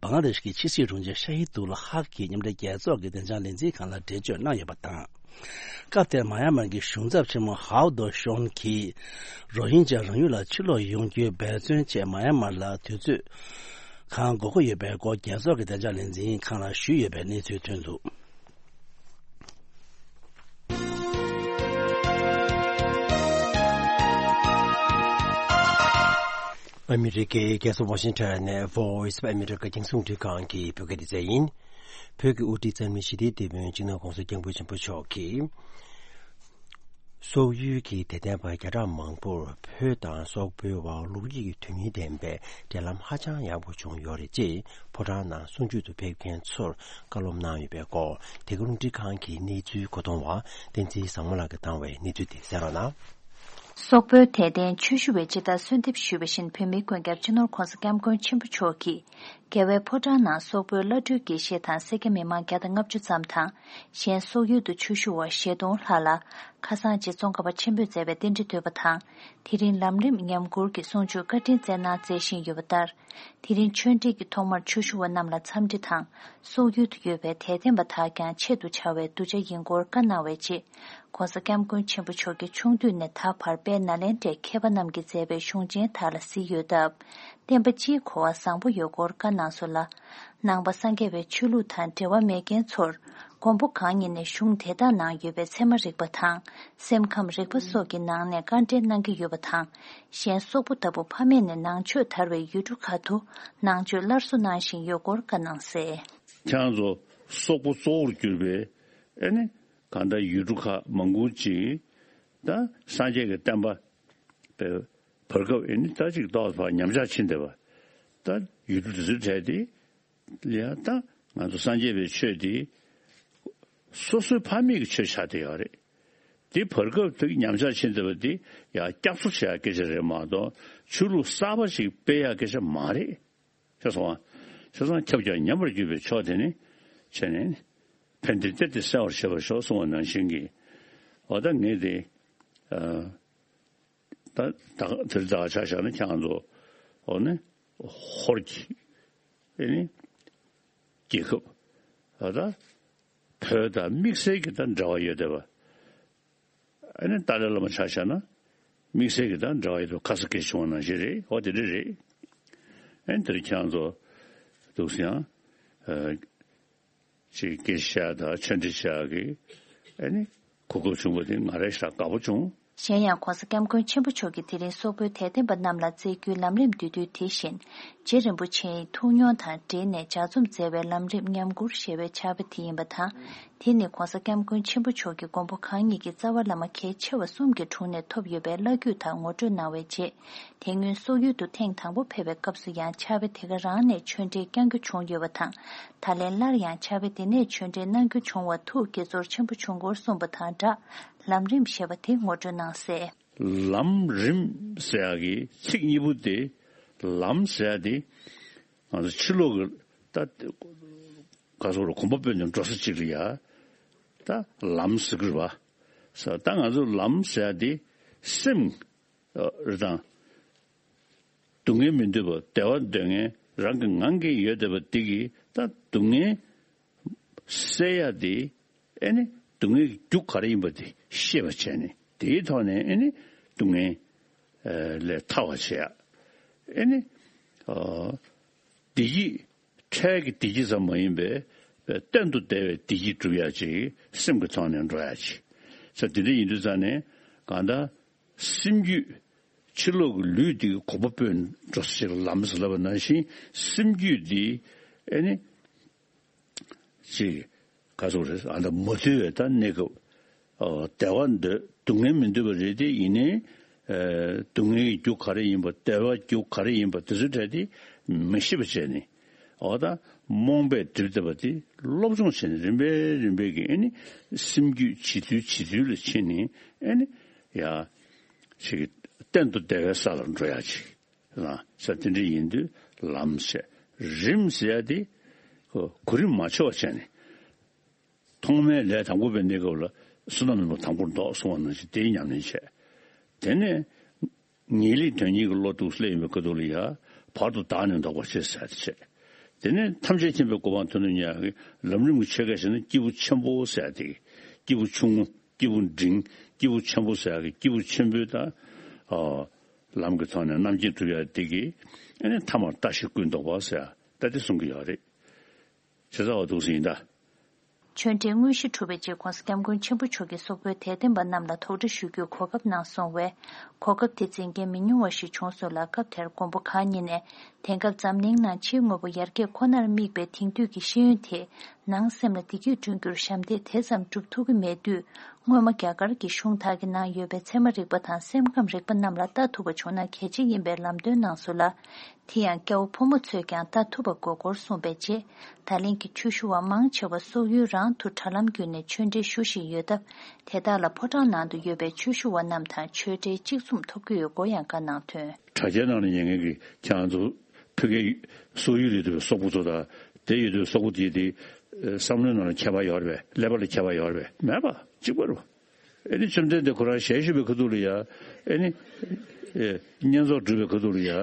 བང་ལ་དེཤ་གི་ཕྱི་སྲིད་དྲུང་ཆེ་ཤ་ཧི་དུ་ལ་ཧག་གིས་མཉམ་འབྲེལ་རྒྱལ་ཚོགས་ཀྱི་བདེ་འཇགས་ལས་འཛིན་ཁང་ལ་འགྲེལ་བརྗོད་གནང་ཡོད་པ་དང་། སྐབས་དེར་མ་ཡ་མར་གྱི་གཞུང་ཚབ་ཆེན་མོ་ཧའོ་དོ་ཤོན་གྱིས། རོ་ཧིན་ཇཱ་རང་ཡུལ་ལ་ཕྱིར་ལོག་ཡོང་རྒྱུའི་འབད་བརྩོན་ཆེད་མ་ཡ་མར་ལ་དུས་ཚོད་གང་འགོར་གྱི་ཡོད་པའི་སྐོར་རྒྱལ་ཚོགས་ཀྱི་བདེ་འཇགས་ལས་འཛིན་ཁང་ལ་ཞུས་ཡོད་པའི་གནས་ཚུལ་ཐོན་འདུག་ཨ་མི་རི་ཀའི་རྒྱལ་ས་ཝ་ཤིང་ཊོན་ནས་Voice of America རྒྱང་སྲིང་རླུང་འཕྲིན་ཁང་གི་བོད་སྐད་སྡེ་ཚན་ཡིན། བོད་ཀྱི་དབུ་ཁྲིད་འཚམས་མི་ཞི་བདེའི་དེད་དཔོན་སྤྱི་ནོར་༧གོང་ས་༧སྐྱབས་མགོན་ཆེན་པོ་མཆོག་གིས། སོག་ཡུལ་གྱི་དད་ལྡན་པ་བརྒྱ་ཕྲག་མང་པོར་བོད་དང་སོག་པོའི་བར་ལུགས་ཡིག་དོན་སྙིང་ལྡན་པའི་འབྲེལ་ལམ་ཧ་ཅང་ཡག་པོ་བྱུང་ཡོད་རེད་ཅེས་ཕོ་བྲང་ནང་གསུང་ཆོས་སུ་ཕེབས་མཁན་ཚོར་བཀའ་སློབ་གནང་ཡོད་པའི་སྐོར། དེ་ག་རླུང་འཕྲིན་ཁང་གི་གནས་ཚུལ་གོ་སྟོང་བ་བསྟན་འཛིན་བཟང་མོ་ལགས་ཀྱིས་བཏང་བའི་གནས་ཚུལ་དེ་གསན་རོགས་གནང་། སོག་པོའི་དད་ལྡན་ཆོས་ཞུ་བས་ཇི་ལྟར་གསོལ་འདེབས་ཞུས་པ་བཞིན། བོད་མིའི་མགོན་སྐྱབས་སྤྱི་ནོར་༧གོང་ས་༧སྐྱབས་མགོན་ཆེན་པོ་མཆོག་གིས། རྒྱལ་བའི་ཕོ་བྲང་ནང་སོག་པོའི་བླ་སྤྲུལ་དགེ་བཤེས་དང་། སེར་སྐྱ་མི་མང་བརྒྱ་དང་ལྔ་བཅུ་ཙམ་དང་། གཞན་སོག་ཡུལ་དུ་ཆོས་ཞུ་བ་བཞི་སྟོང་ལྷག་ལ། ཁ་སང་རྗེ་ཙོང་ཁ་པ་ཆེན་པོས་མཛད་པའི་རྟེན་འབྲེལ་བསྟོད་པ་དང་། དེ་རིང་ལམ་རིམ་ཉམས་མགུར་གྱི་གསུང་ཆོས་བཀའ་དྲིན་སྩལ་གནང་མཛད་བཞིན་ཡོད་པ་ལྟར། དེ་རིང་ཆོས་འབྲེལ་གྱི་ཐོག་མར་ཆོས་ཞུ་བ་རྣམས་ལ་འཚམས་འདྲི་དང་། སོག་ཡུལ་དུ་ཡོད་པའི་དད་ལྡན་པ་དག་ཀྱང་ཆེད་དུ་བྱ་བའི་གདུལ་བྱ་ཡིན་སྐོར་བཀའ་གནང་བའི་རྗེས། ༧གོང་ས་༧སྐྱབས་མགོན་ཆེན་པོ་མཆོག་གིས་ཆུང་དུས་ནས་ད་བར་དཔལ་ནཱ་ལེནྡྲའི་མཁས་པ་རྣམས་ཀྱིས་མཛད་པའི་གཞུང་ཆེན་དག་ལ་གཟིགས་ཡོད་སྟབས། བསྟན་པ་སྤྱིའི་གོ་བ་བཟང་པོ་ཡོད་སྐོར་བཀའ་གནང་སོང་ལ། ནང་པ་སངས་རྒྱས་པའི་ཆོས་ལུགས་དང་འབྲེལ་བ་མེད་མཁན་ཚོར། མགོན་པོ་གང་ཉིད་ནས་གཞུང་དེ་དག་ནང་ཡོད་པའི་ཚད་མ་རིག་པ་དང་སེམས་ཁམས་རིག་པ་སོགས་ཀྱི་ནང་ནས་དཀའ་འགྲེལ་གནང་གི་ཡོད་པ་དང་། གཞན་སོག་པོ་ལྟ་བུ་ཕ་མེས་ནས་ནང་ཆོས་དར་བའི་ཡུལ་གྲུ་ཁག་ཏུ་ནང་ཆོས་སླར་གསོ་གནང་བཞིན་ཡོད་སྐོར་བཀའ་གནང་གསལ། ཁྱེད་རང་ཚོ་སོག་པོ་གཙོ་བོར་གྱུར་པའི་ཨེ་ནི་གང་ལྟར་ཡུལ་གྲུ་ཁག་མང་པོ་ཅིག་ད་སངས་རྒྱས་ཀྱི་བསྟན་པ་བར་སྐབས་ཨེ་ནི་ད་ཅིག་ཏོག་ཙམ་ཉམས་ཆག་ཕྱིན་བསྡད་པ། ད་ཡུལ་གྲུ་དེ་ཚོའི་གྲས་དེ་ལ་ཡང་ད་ང་ཚོ་སངས་རྒྱས་པའི་ཆོས་དེ་སོ་སོའི་ཕ་མེས་ཀྱི་ཆོས་ཆགས་བསྡད་ཡོད་རེད། དེ་བར་སྐབས་དེ་ཉམས་ཆག་ཕྱིན་བསྡད་པ་དེ་ཡང་བསྐྱར་གསོ་བྱེད་ཡག་སྐད་ཆ་རེད་མ་གཏོགས་ཆོས་ལུགས་གསར་པ་ཞིག་སྤེལ་ཡག་སྐད་ཆ་མ་རེད། ཤེས་སོང་ང་། བྱས་ཙང་ཁྱབ་ཀྱང་ཉམས་པར་གྱུར་པའི་ཕྱོགས་དེ་ནི་བྱས་ནས་ཕན་བདེ་སྟེར་ཏེ་གསལ་བར་བྱེད་པར་ཤོག་གསུངས་པ་ནང་བཞིན་གྱི། འོ་ད་ངས་དེ་ད་ད་དེར་ད་ཆ་བཞག་ན་ཁྱེད་རང་ཚོ་འོ་ནི་ཧོར་གྱི་ཨེ་ནི་རྒྱལ་ཁབ་འོ་ད་བོད་དང་དམིགས་བསལ་གྱི་ད་འབྲེལ་བ་ཡོད་བསྡད་པ། ཨ་ནི་ཏཱ་ལའི་བླ་མ་ཆ་བཞག་ན་དམིགས་བསལ་གྱི་དང་འབྲེལ་བ་ཡོད་དུ་ཁ་ས་སྐད་བྱུང་བ་ནང་བཞིན་རེད། འོ་དེ་འདྲ་རེད། ཨ་ནི་དེར་ཁྱེད་རང་ཚོ་འདུག་སེ་ཡང་ཅིག་སྐད་ཆ་དང་ཆོས་འབྲེལ་བྱ་གི་ཨ་ནི་གོ་སྐབས་བྱུང་བ་དེ་ང་རང་ཞེ་དྲག་དགའ་པོ་བྱུང་། གཞན་ཡང་༸གོང་ས་༸སྐྱབས་མགོན་ཆེན་པོ་མཆོག་གིས་དེ་རིང་སོག་པོའི་དད་ལྡན་པ་རྣམས་ལ་སྩལ་རྒྱུའི་ལམ་རིམ་བསྡུས་དུས་དེ་བཞིན་རྗེ་རིན་པོ་ཆེའི་ཐུགས་མྱོང་དང་འབྲེལ་ནས་ལྗགས་རྩོམ་མཛད་པའི་ལམ་རིམ་ཉམས་མགུར་ཞེས་པའི་ཕྱག་དཔེ་དེ་ཡིན་པ་དང་། དེ་ནི་༸གོང་ས་༸སྐྱབས་མགོན་ཆེན་པོ་མཆོག་གིས་མགོན་པོ་གང་ཉིད་ཀྱི་རྩ་བ་བླ་མ་གལ་ཆེ་བ་གསུམ་གྱི་དྲུང་ནས་ཐོབ་ཡོད་པའི་བླ་བརྒྱུད་དག་ངོ་སྤྲོད་གནང་བའི་རྗེས། དེ་སྔོན་སོག་ཡུལ་དུ་ཐེངས་དང་པོ་ཕེབས་པའི་སྐབས་སུ་ཡང་ཕྱག་དཔེ་དེ་ག་རང་ནས་ཆོས་འབྲེལ་བསྐྱང་རྒྱུ་བྱུང་ཡོད་པ་དང་། ད་ལན་སླར་ཡང་ཕྱག་དཔེ་དེ་ནས་ཆོས་འབྲེལ་གནང་རྒྱུ་བྱུང་བ་ཐུགས་དགྱེས་ཚོར་ཆེན་པོ་བྱུང་སྐོར་གསུངས་པ་དང་སྦྲགས། ལམ་རིམ་ཞེས་པ་དེ་ངོ་སྤྲོད་གནང་གསལ། ལམ་རིམ་ཟེར་ཡག་གི་ཚིག་གཉིས་པོ་དེ། ལམ་ཟེར་ཡག་དེ་ང་ཚོ་ཕྱི་ལོགས་ཀྱི་ད་ག་སོག་རུ་གོམ་པ་སྤོས་ནས་འགྲོ་ས་གཅིག་ལ་ཡ་ད་ལམ་ཟེར་གི་རེད་པ། ས་ད་ང་ཚོ་ལམ་ཟེར་ཡག་དེ་སེམས་རེད་དང་། སྡུག་བསྔལ་མི་འདོད་པ་བདེ་བ་འདོད་མཁན་རང་གི་ངང་གིས་ཡོད་བསྡད་པ་འདི་གིས་ད་སྡུག་བསྔལ་སེལ་ཡ་དེ་ཨེ་ནི་སྡུག་བསྔལ་གྱི་རྒྱུ་ག་རེ་ཡིན་པ་དེ་ཤེས་པ་བྱས་ནས་དེའི་ཐོག་ནས་ཨེ་ནི་སྡུག་བསྔལ་ལས་ཐར་བ་བྱེད་ཡ། ཨེ་ནི་བདེ་སྐྱིད་འཕྲལ་གྱི་བདེ་སྐྱིད་ཙམ་མ་ཡིན་པའི་གཏན་དུ་བདེ་བའི་བདེ་སྐྱིད་སྒྲུབ་ཡ་ཅིག་སེམས་ཀྱི་ཐོག་ནས་འགྲོ་ཡ་ཅིག་ས་དེ་འདྲ་ཡིན་དུས་ཙང་ནས་གང་ལྟར། སེམས་རྒྱུད། ཕྱི་ལོགས་ཀྱི་ལུས་འདི་གོམ་པ་སྤོས་འགྲོ་ས་ཞིག་ལམ་ཟེར་ལབ་པ་ནང་བཞིན་སེམས་རྒྱུད་འདི་ཨེ་ནི་ཅིག་ག་ཚོད་རེད་ཨ་ད་མ་ཐུལ་བའི་ད་གནས་སྐབས་བདེ་བ་འདོད་སྡུག་བསྔལ་མི་འདོད་པ་རེད་དེ་ཡིན་ནའི་སྡུག་བསྔལ་གྱི་རྒྱུ་ག་རེ་ཡིན་པ་བདེ་བ་རྒྱུ་ག་རེ་ཡིན་པ་དེ་ཚོའི་གྲས་དེ་མི་ཤེས་པ་བྱས་ནས་འོ་ད་རྨོངས་པས་བསྒྲིབས་བསྡད་པ་དེ་སློབ་སྦྱོང་བྱས་ནས་རིམ་པས་རིམ་པས་ཀྱི་ཨེ་ནི་སེམས་རྒྱུད་བྱེད་ཚུལ་བྱེད་ཚུལ་ལ་ཕྱིན་ནས་ཨེ་ནི། ཡ། ཞིག་གཏན་དུ་བདེ་བའི་ས་ལ་འགྲོ་ཡ་ཅིག་ལ་ས་དེ་འདྲ་ཡིན་དུས་ལམ་ཟེར་རིམ་ཟེར་ཡ་དེ་གོ་རིམ་མ་ཆོག་བྱས་ནས་ཐོག་མའི་ལས་དང་པོ་པའི་གནས་སྐབས་ལ་བསོད་ནམས་ནོར་བུ་དང་པོར་འདོགས་གསུང་བ་ནང་བཞིན་དེའི་ཉམས་ལེན་བྱས། དེ་ནས་ངེས་ལེགས་དོན་གཉིས་ཀྱི་བློ་འདུག་སླེབས་ཡོང་བའི་སྐབས་དུ་ལ་ཡ་བར་དུ་བདག་ནི་ལྡོག་པར་བྱེད་ཟེར་ཡ་དེ་བྱས། དེ་ནས་ཐམས་ཅད་མཁྱེན་པའི་གོ་འཕང་ཐོབ་ནས་ཉག་གི་ལམ་རིམ་གྱི་ཆོས་སྐད་བཤད་ན་སྐྱེས་བུ་ཆེན་པོ་ཟེར་ཡ་དེ་སྐྱེས་བུ་ཆུང་ངུ། སྐྱེས་བུ་འབྲིང་། སྐྱེས་བུ་ཆེན་པོ་ཟེར་ཡག་གི་སྐྱེས་བུ་ཆེན་པོའི་ད། ཨ། ལམ་གྱི་ཐོག་ནས་རྣམ་མཁྱེན་གྲུབ་ཡག་དེ་གི། ཨ་ནི་ཐ་མར་ལྟ་ཞིག་ཀུན་ལྡོག་པ་ཟེར་ཡག་ད་དེ་གསུང་གི་ཡོད་རེད། བྱས་ཙང་འོ་འདུག་སེ་ཡིན་ད། ཆོས་འབྲེལ་དངོས་གཞི་གྲུབ་པའི་རྗེས་༸གོང་ས་༸སྐྱབས་མགོན་ཆེན་པོ་མཆོག་གིས་སོག་པོའི་དད་ལྡན་པ་རྣམས་ལ་དོགས་འདྲི་ཞུ་རྒྱུའི་གོ་སྐབས་གནང་སོང་བས། གོ་སྐབས་དེ་འཛིན་མཁན་མི་ཉུང་བ་ཞིག་བྱུང་སོང་ལ། སྐབས་དེར་མགོན་པོ་གང་ཉིད་ནས། དེང་སྐབས་འཛམ་གླིང་ནང་ཕྱིའི་དངོས་པོ་ཡར་རྒྱས་ཁོ་ནར་དམིགས་པའི་དེང་དུས་ཀྱི་ཤེས་ཡོན་དེས་ནང་སེམས་ལ་བདེ་སྐྱིད་བསྐྲུན་རྒྱུར་ཞབས་འདེགས་དེ་ཙམ་སྒྲུབ་ཐུབ་ཀྱི་མེད་དུས། སྔོན་མ་རྒྱ་གར་གྱི་གཞུང་དག་གི་ནང་ཡོད་པའི་ཚད་མ་རིག་པ་དང་སེམས་ཁམས་རིག་པ་རྣམས་ལ་ལྟ་ཐུབ་པ་བྱུང་ན་གལ་ཆེ་ཡིན་པའི་ལམ་སྟོན་གནང་སོང་ལ། དེ་ཡང་སྐྱ་བོ་ཕོ་མོ་ཚོས་ཀྱང་ལྟ་ཐུབ་པ་དགོས་སྐོར་གསུངས་པའི་རྗེས། ད་ལན་གྱི་ཆོས་ཞུ་བ་མང་ཆེ་བ་སོག་ཡུལ་རང་དུ་དྲ་ལམ་བརྒྱུད་ནས་ཆོས་འབྲེལ་ཞུ་བཞིན་ཡོད་སྟབས། དེ་དག་ལ་ཕོ་བྲང་ནང་དུ་ཡོད་པའི་ཆོས་ཞུ་བ་རྣམས་དང་ཆོས་འབྲེལ་གཅིག་མཚུངས་ཐོབ་ཀྱི་ཡོད་སྐོར་ཡང་བཀའ་གནང་དོན། དྲ་རྒྱའི་ནང་ལ་ཉན་མཁན་གྱི་ཁྱེད་རང་ཚོ་ཕ་གིའི་སོག་ཡུལ་ལ་ཡོད་པའི་སོག་པོ་ཚོ་དང་དེ་ཡོད་པའི་སོག་པོ་དེ་དེ་བསམ་བློའི་ནང་ལ་ཁྱད་པར་ཡོད་རེད་པས། ཀླད་པ་ལ་ཁྱད་པར་ཡོད་རེད་པས། མེད་པ་གཅིག་པ་རེད་པ། ཨེ་ནི་བཅོམ་ལྡན་འདས་ཁོ་རང་ཞལ་བཞུགས་པའི་ཁ་ཐུག་ལ་ཡ། ཨེ་ནི། ཨེ། བསྙེན་རྫོགས་སྒྲུབ་པའི་ཁ་ཐུག་ལ་ཡ།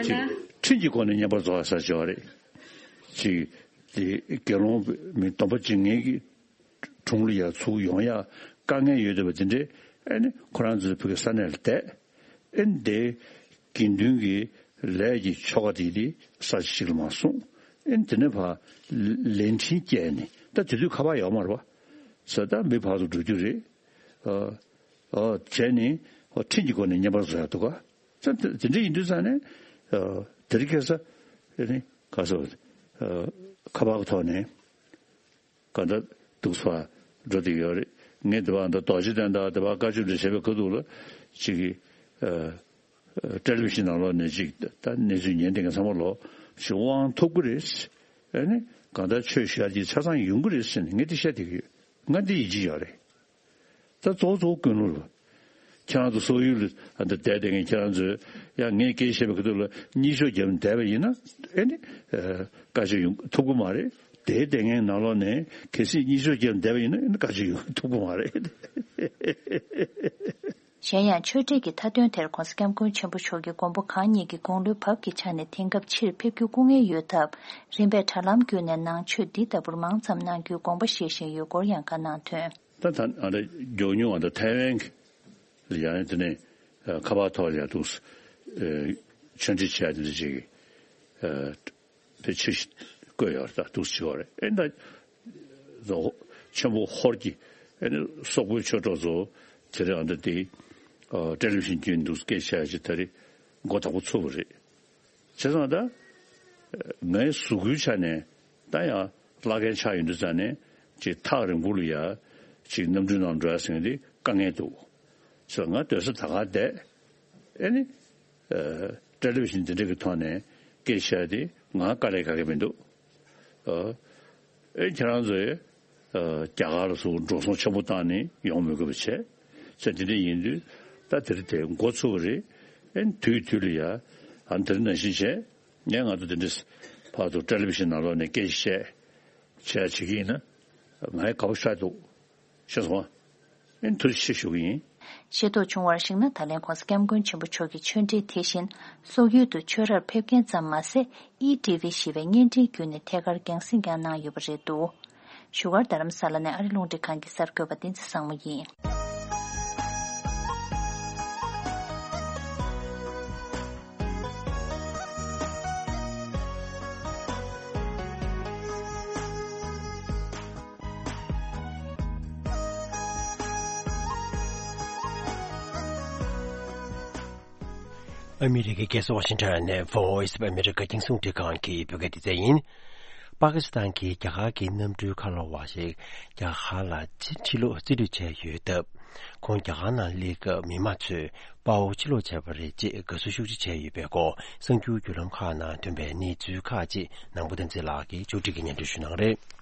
ཅིག་ཁྲིམས་ཀྱི་སྒོ་ནས་བསྙེན་པར་རྫོགས་ཡ་ཟེར་བྱས་པ་རེད། ཅིག་དེ་དགེ་སློང་མི་སྡོམ་པ་བྱེད་མཁན་གྱི་དྲུང་ལ་ཡ་ཚུར་ཡོང་ཡ་དཀའ་ངལ་ཡོད་བསྡད་པ་དེ་འདྲས་ཨེ་ནི་ཁོ་རང་ཚོའི་ཕ་གི་ས་གནས་ལ་བསྡད། ཨེ་ནི་དེ་དགེ་འདུན་གྱི་ལས་ཀྱི་ཆོ་ག་དེ་དེ་ས་ཆ་ཞིག་ལ་མར་གསུངས། ཨེ་དེ་ནས་ཕར་ལན་ཕྲིན་བསྐྱལ་ནས་ད་དེ་དུས་ཁ་པར་ཡོད་མ་རེད་པ། ས་ད་མི་ཕར་ཚུར་འགྲོ་རྒྱུ་རེད། ཨ་ཨ་བྱས་ནས་ཨ་འཕྲིན་གྱི་སྒོ་ནས་བརྙན་པར་བཟོ་ཡག་འདུག་ག་ས་དེ་འདྲ་ཡིན་དུས་ཙང་ནས་ཨ་དེ་རིང་ཁ་སང་ཨེ་ནི་ག་ས་ཨ་ཁ་པར་གི་ཐོག་ནས། གང་ལྟར་འདུག་སེ་འགྲོ་བསྡད་ཡོད་རེད། ངས་དེ་བར་ད་རྡོ་རྗེ་གདན་དང་དེ་བར་བཀའ་ཆོས་འདྲ་བྱས་པའི་ཁ་ཐུག་ལ་ཅིག་གིས་ཨ་ཨ་ཊེ་ལི་བི་ཤན་ནང་ལོགས་ནས་ཅིག་ད་གནས་ཚུལ་ཉན་བསྡད་མཁན་ཚང་མ་ལོ་ཞིག་དབང་ཐོབ་ཀྱི་རེད། ཨ་ནི་གང་ལྟར་ཆོས་ཞུ་ཡག་ཅིག་ཆ་ཚང་ཡོང་གི་རེད་ཟེར་ནས་ངས་དེ་བཤད་བསྡད་ཀྱི་ཡོད། ང་འདི་ཡིད་ཆེས་ཡོད་རེད། ད་གཙོ་བོ་གཙོ་བོ་ཀུན་སློང་རེད། ཁྱེད་རང་ཚོ་སོག་ཡུལ་ལ་ཨ་འདི་བསྡད་བསྡད་མཁན་ཁྱེད་རང་ཚོས་ཡང་ངས་སྐད་ཆ་བཤད་པའི་ཁ་ཐུག་ལ་གཉིད་ཤོག་བརྒྱབ་ནས་བསྡད་པ་ཡིན་ན་ཨེ་ནི་ཨ་བཀའ་ཆོས་ཡོང་ཐུབ་ཀྱི་མ་རེད། དེ་བསྡད་མཁན་ནང་ལོགས་ནས་གལ་སྲིད་གཉིད་ཤོག་བརྒྱབ་ནས་བསྡད་པ་ཡིན་ན་ཨེ་ནི་བཀའ་ཆོས་ཡོང་ཐུབ་ཀྱི་མ་རེད། གཞན་ཡང་ཆོས་འབྲེལ་གྱི་མཐའ་དོན་དེར་༸གོང་ས་༸སྐྱབས་མགོན་ཆེན་པོ་མཆོག་གིས་མགོན་པོ་གང་ཉིད་ཀྱི་དགུང་ལོའི་བབ་ཀྱི་ཆ་ནས་དེང་སྐབས་ཕྱིར་ཕེབས་རྒྱུ་སྐུ་ངལ་ཡོད་སྟབས། རིམ་པས་དྲ་ལམ་བརྒྱུད་ནས་ནང་ཆོས་འདི་ལྟ་བུར་མང་ཙམ་གནང་རྒྱུའི་དགོངས་པ་བཞེས་བཞིན་ཡོད་སྐོར་ཡང་བཀའ་གནང་དོན། ད་ད་ཨ་འདྲ་མགྱོགས་མྱུར་ཨ་འདྲ་ཐའེ་ཝན་གྱི་ལ་ཡང་དེ་ནས་ཁ་པར་ཐོག་ལ་ཡང་འདུག་ཆོས་འབྲེལ་བྱས་དེ་འདྲ་ཅིག་དེ་ཆེ་བསྐོས་ཡོད་རེད། ད་འདུག་ཆེ་བ་རེད། ཨེ་ད་ཆེན་པོ་ཧོར་གྱི་ཨེ་ནི་སོག་པོའི་ཆོས་གྲོགས་ཚོ་དེ་རིང་ཨ་འདྲ་དེ་ཊེ་ལི་བི་ཤན་བརྒྱུད་འདུག་སྐད་ཆ་ཅིག་ད་རེས་མགོ་དོག་པོ་ཚུགས་པ་རེད། བྱས་ཙང་ད་ངའི་གཟུགས་པོའི་ཆ་ནས་ད་ཡང་བླ་རྒན་ཆགས་ཡོང་དུས་ཙང་ནས་ཅིག་ཐག་རིང་པོ་ལ་ཡ་ཅིག་གནམ་གྲུའི་ནང་འགྲོ་ཡ་ཟེར་མཁན་དེ་དཀའ་ངལ་འདུག་ཟེར། ང་སྡོད་ས་ད་ག་བསྡད་ཨེ་ནི་ཨ་ཊེ་ལི་བི་ཤན་འདི་འདྲ་གི་ཐོག་ནས་སྐད་ཆ་དེ་ང་དཀའ་ལས་ཁག་གི་མི་འདུག་ཨ་ཨེ་ཁྱེད་རང་ཚོས་ཨ་རྒྱ་གར་ལ་སོགས་འགྲོ་སོང་ཆེན་པོ་བཏང་ནས་ཡོང་མི་དགོས་པ་བྱས་ཟེར། འདི་འདྲ་ཡིན་དུས་ད་དེ་རིང་དེ་འགོ་ཚུགས་པ་རེད། ཨེ་དུས་དུས་ལ་ཡ་ཨ་དེ་རིང་ནང་བཞིན་བྱས། ངས་ང་ཚོ་དེ་འདྲས་ཕར་ཚུར་ཊེ་ལི་བི་ཤན་ནང་ལོགས་ནས་སྐད་ཆ་བཤད་བྱས་བྱེད་ཀྱི་ཡིན་ན་ང་ཡི་དགའ་པོ་ཤར་འདུག་ཤེས་སོང་ཨ། ཨེ་ཐུགས་རྗེ་ཆེ་ཞུ་གི་ཡིན། ཤེས་རྟོགས་བྱུང་བར་གཞིགས་ན། ད་ལན་༸གོང་ས་༸སྐྱབས་མགོན་ཆེན་པོ་མཆོག་གི་ཆོས་འབྲེལ་དེ་བཞིན་སོག་ཡུལ་དུ་ཆོས་རར་ཕེབས་མཁན་ཙམ་མ་ཟད། ཨི་ཊི་ཝི་ཞེས་པའི་བརྙན་འཕྲིན་བརྒྱུད་ནས་ཐད་ཀར་རྒྱང་སྲིང་ཀྱང་གནང་ཡོད་པ་རེད་འདུག་བཞུགས་སྒར་རྡ་རམ་ས་ལ་ནས་ཨ་རི་རླུང་འཕྲིན་ཁང་གི་གསར་འགོད་པ་བསྟན་འཛིན་བཟང་མོ་ཡིན། ཨ་མི་རི་ཀའི་རྒྱལ་ས་ཝ་ཤིང་ཊོན་ནས་Voice of America རྒྱང་སྲིང་རླུང་འཕྲིན་ཁང་གི་བོད་སྐད་སྡེ་ཚན་ཡིན། པ་ཀི་སི་ཐན་གྱིས་རྒྱ་གར་གྱི་གནམ་གྲུའི་ཁ་ལོ་བ་ཞིག་རྒྱ་གར་ལ་ཕྱིར་ཕྱིར་ལོག་རྩིས་སྤྲོད་བྱས་ཡོད་སྟབས། ཁོང་རྒྱ་གར་ནང་སླེབས་སྐབས་མི་མང་ཚོས་དཔའ་བོ་ཕྱིར་ལོག་བྱས་པ་རེད་ཅེས་དགའ་བསུ་ཤུགས་ཆེ་བྱས་ཡོད་པའི་སྐོར། གསར་འགྱུར་བརྒྱུད་ལམ་ཁག་ནང་ཐོན་པའི་གནས་ཚུལ་ཁག་ཅིག་ནང་པོ་བསྟན་འཛིན་ལགས་ཀྱིས་ཕྱོགས་སྒྲིག་གིས་སྙན་སྒྲོན་ཞུ་གནང་རེད།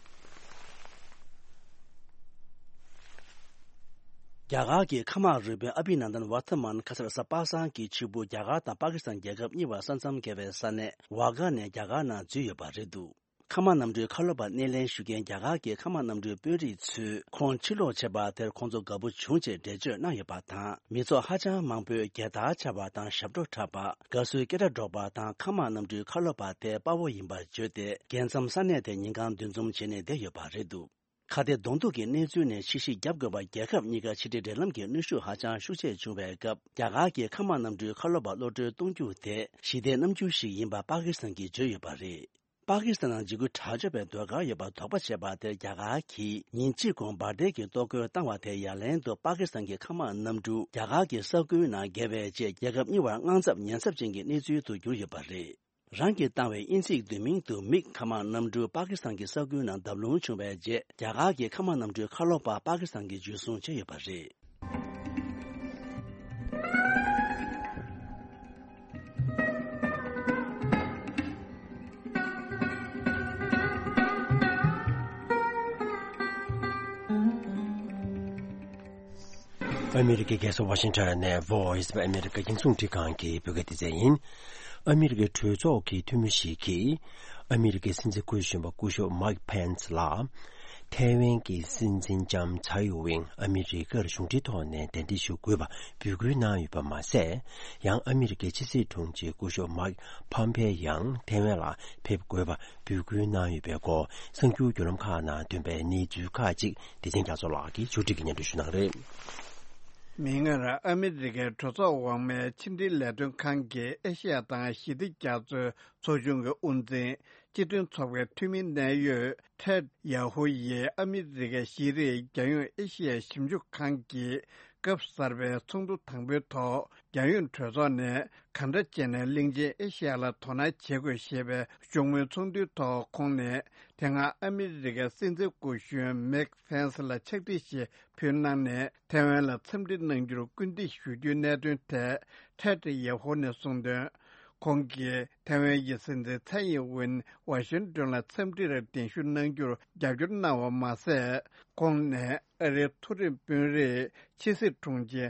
རྒྱ་གར་གྱི་མཁའ་དམག་རུ་དཔོན་ཨ་བྷི་ནན་དན་ཝར་ཐ་མན་ཁ་སང་རེས་གཟའ་པ་སངས་ཀྱི་ཕྱི་པོ་རྒྱ་གར་དང་པ་ཀི་སི་ཐན་རྒྱལ་ཁབ་གཉིས་བར་ས་མཚམས་འགལ་བའི་ས་གནས་ཝ་གྷ་ནས་རྒྱ་གར་ནང་འཛུལ་ཡོད་པ་རེད་འདུག་མཁའ་དམག་གནམ་གྲུའི་ཁ་ལོ་པ་སྣེ་ལེན་ཞུ་མཁན་རྒྱ་གར་གྱི་མཁའ་དམག་གནམ་གྲུའི་དཔོན་རིགས་ཚོས་ཁོང་ཕྱིར་ལོག་བྱས་པ་དེར་ཁོང་ཚོ་དགའ་པོ་བྱུང་ཅེས་འགྲེལ་བརྗོད་གནང་ཡོད་པ་དང་། མི་ཚོགས་ཧ་ཅང་མང་པོས་རྒྱལ་དར་འཕྱར་བ་དང་ཞབས་བྲོ་འཁྲབ་པ། དགའ་བསུའི་སྐད་སྒྲ་སྒྲོག་པ་དང་། མཁའ་དམག་གནམ་གྲུའི་ཁ་ལོ་པ་དེ་དཔའ་བོ་ཡིན་པར་བརྗོད་དེ། རྒྱལ་མཚམས་ས་གནས་དེ་ཉིན་གང་འདུ་འཛོམས་བྱས་ནས་བསྡད་ཡོད་པ་རེད་འདུག་ཁ་གཏད་གདོང་ཐུག་གི་གནས་ཚུལ་ནས་ཕྱིར་བཤིག་བརྒྱབ་དགོས་པར་རྒྱལ་ཁབ་གཉིས་ཀ་ཕྱི་འབྲེལ་འབྲེལ་ལམ་གྱི་གནོན་ཤུགས་ཧ་ཅང་ཤུགས་ཆེ་བྱུང་བའི་སྐབས། རྒྱ་གར་གྱི་མཁའ་དམག་གནམ་གྲུའི་ཁ་ལོ་པ་གློད་གྲོལ་གཏོང་རྒྱུ་དེ་ཞི་བདེའི་རྣམ་འགྱུར་ཞིག་ཡིན་པ་པ་ཀི་སི་ཐན་གྱིས་བརྗོད་ཡོད་པ་རེད། པ་ཀི་སི་ཐན་ནང་འཇིགས་སྐུལ་དྲག་སྤྱོད་པའི་ཟློས་གར་ཡོད་པར་དོགས་པ་བྱས་པ་དེར་རྒྱ་གར་གྱིས་ཉིན་གཅིག་གོང་འབར་མདེལ་གྱི་གཏོར་རྒོལ་བཏང་བ་དེ་ཡ་ལན་དུ་པ་ཀི་སི་ཐན་གྱི་མཁའ་དམག་གནམ་གྲུ་རྒྱ་གར་གྱི་ས་ཁུལ་ནང་བརྒལ་བའི་རྗེས། རྒྱལ་ཁབ་གཉིས་བར་དངངས་འཚབ་ཉེན་ཚབས་ཅན་གྱི་གནས་ཚུལ་དུ་གྱུར་ཡོད་པ་རེད། རང་གིས་བཏང་བའི་དབྱིན་ཚིག་བསྡུས་མིང་དུ་མིག་མཁའ་དམག་གནམ་གྲུ་པ་ཀི་སི་ཐན་གྱི་ས་ཁུལ་ནང་བརྡབ་ལྷུང་བྱུང་བའི་རྗེས། རྒྱ་གར་གྱི་མཁའ་དམག་གནམ་གྲུའི་ཁ་ལོ་པ་པ་ཀི་སི་ཐན་གྱིས་འཇུ་བཟུང་བྱས་ཡོད་པ་རེད། ཨ་མི་རི་ཀའི་རྒྱལ་ས་ཝ་ཤིང་ཊོན་ནས་Voice of America རྒྱང་སྲིང་རླུང་འཕྲིན་ཁང་གི་བོད་སྐད་སྡེ་ཚན་ཡིན། ཨ་མི་རི་ཀའི་གྲོས་ཚོགས་ཀྱི་འཐུས་མི་ཞིག་གིས། ཨ་མི་རི་ཀའི་སྲིད་འཛིན་སྐུ་གཞོན་པ་སྐུ་ཞབས་མའིག་ཕེན་སི་ལ། ཐའེ་ཝན་གྱི་སྲིད་འཛིན་ལྕམ་ཚའེ་ཨིན་ཝེན་ཨ་མི་རི་ཀར་གཞུང་འབྲེལ་ཐོག་ནས་གདན་འདྲེན་ཞུ་དགོས་པ་འབོད་སྐུལ་གནང་ཡོད་པ་མ་ཟད། ཡང་ཨ་མི་རི་ཀའི་ཕྱི་སྲིད་དྲུང་ཆེ་སྐུ་ཞབས་མའིག་ཕོམ་པེ་ཡང་ཐའེ་ཝན་ལ་ཕེབས་དགོས་པ་འབོད་སྐུལ་གནང་ཡོད་པའི་སྐོར། གསར་འགྱུར་བརྒྱུད་ལམ་ཁག་ནང་ཐོན་པའི་གནས་ཚུལ་ཁག་ཅིག་བདེ་ཆེན་རྒྱ་མཚོ་ལགས་ཀྱིས་ཕྱོགས་སྒྲིག་གིས་སྙན་སྒྲོན་ཞུ་གནང་གི་རེད། མིག་སྔར་ཨ་མི་རི་ཀའི་གྲོས་ཚོགས་འོག་མའི་ཕྱི་འབྲེལ་ལས་དོན་ཁང་གི་ཨེ་ཤེ་ཡ་དང་ཞི་བདེ་རྒྱ་མཚོའི་ཚོགས་ཆུང་གི་དབུ་འཛིན་ སྤྱི་མཐུན་ཚོགས་པའི་འཐུས་མི་གནད་ཡོད་ཊེཌ་ཡ་ཧུ་ཡིས་ཨ་མི་རི་ཀའི་ཤེས་རིག་རྒྱལ་ཡོངས་ཨེ་ཤི་ཡའི་ཞིབ་འཇུག་ཁང་གི་སྐབས་གསར་པའི་ཚོགས་འདུ་དང་པོའི་ཐོག་རྒྱལ་ཡོངས་གྲོས་ཚོགས་ནས་གང་འདྲ་བྱས་ནས་གླིང་ཆེན་ཨེ་ཤི་ཡ་ལ་དོ་སྣང་བྱེད་དགོས་ཞེས་པའི་བཞུགས་མོལ་ཚོགས་འདུའི་ཐོག་ཁོང་ནས། དེ་སྔ་ཨ་མི་རི་ཀའི་སྲིད་འཛིན་སྐུ་གཞོན་མེག་ཕེན་སི་ལ་ཕྱག་བྲིས་ཤིག་ཕུལ་གནང་ནས། ཐའེ་ཝན་ལ་འཚམས་འདྲི་གནང་རྒྱུར་སྐུལ་འདེད་ཞུ་རྒྱུའི་གནད་དོན་ཐད་ཊེཌ་ཡེ་ཧོ་ནས་གསུངས་དོན། ཁོང་གིས་ཐའེ་ཝན་གྱི་སྲིད་འཛིན་ཚའེ་ཡིན་ཝིན་ཝ་ཤིང་ཏོན་ལ་འཚམས་འདྲིར་གདན་ཞུ་གནང་རྒྱུར་རྒྱབ་སྐྱོར་གནང་བ་མ་ཟད། ཁོང་ནས་ཨ་རིའི་མཐོ་རིམ་དཔོན་རིགས་ཕྱི་སྲིད་དྲུང་ཆེ་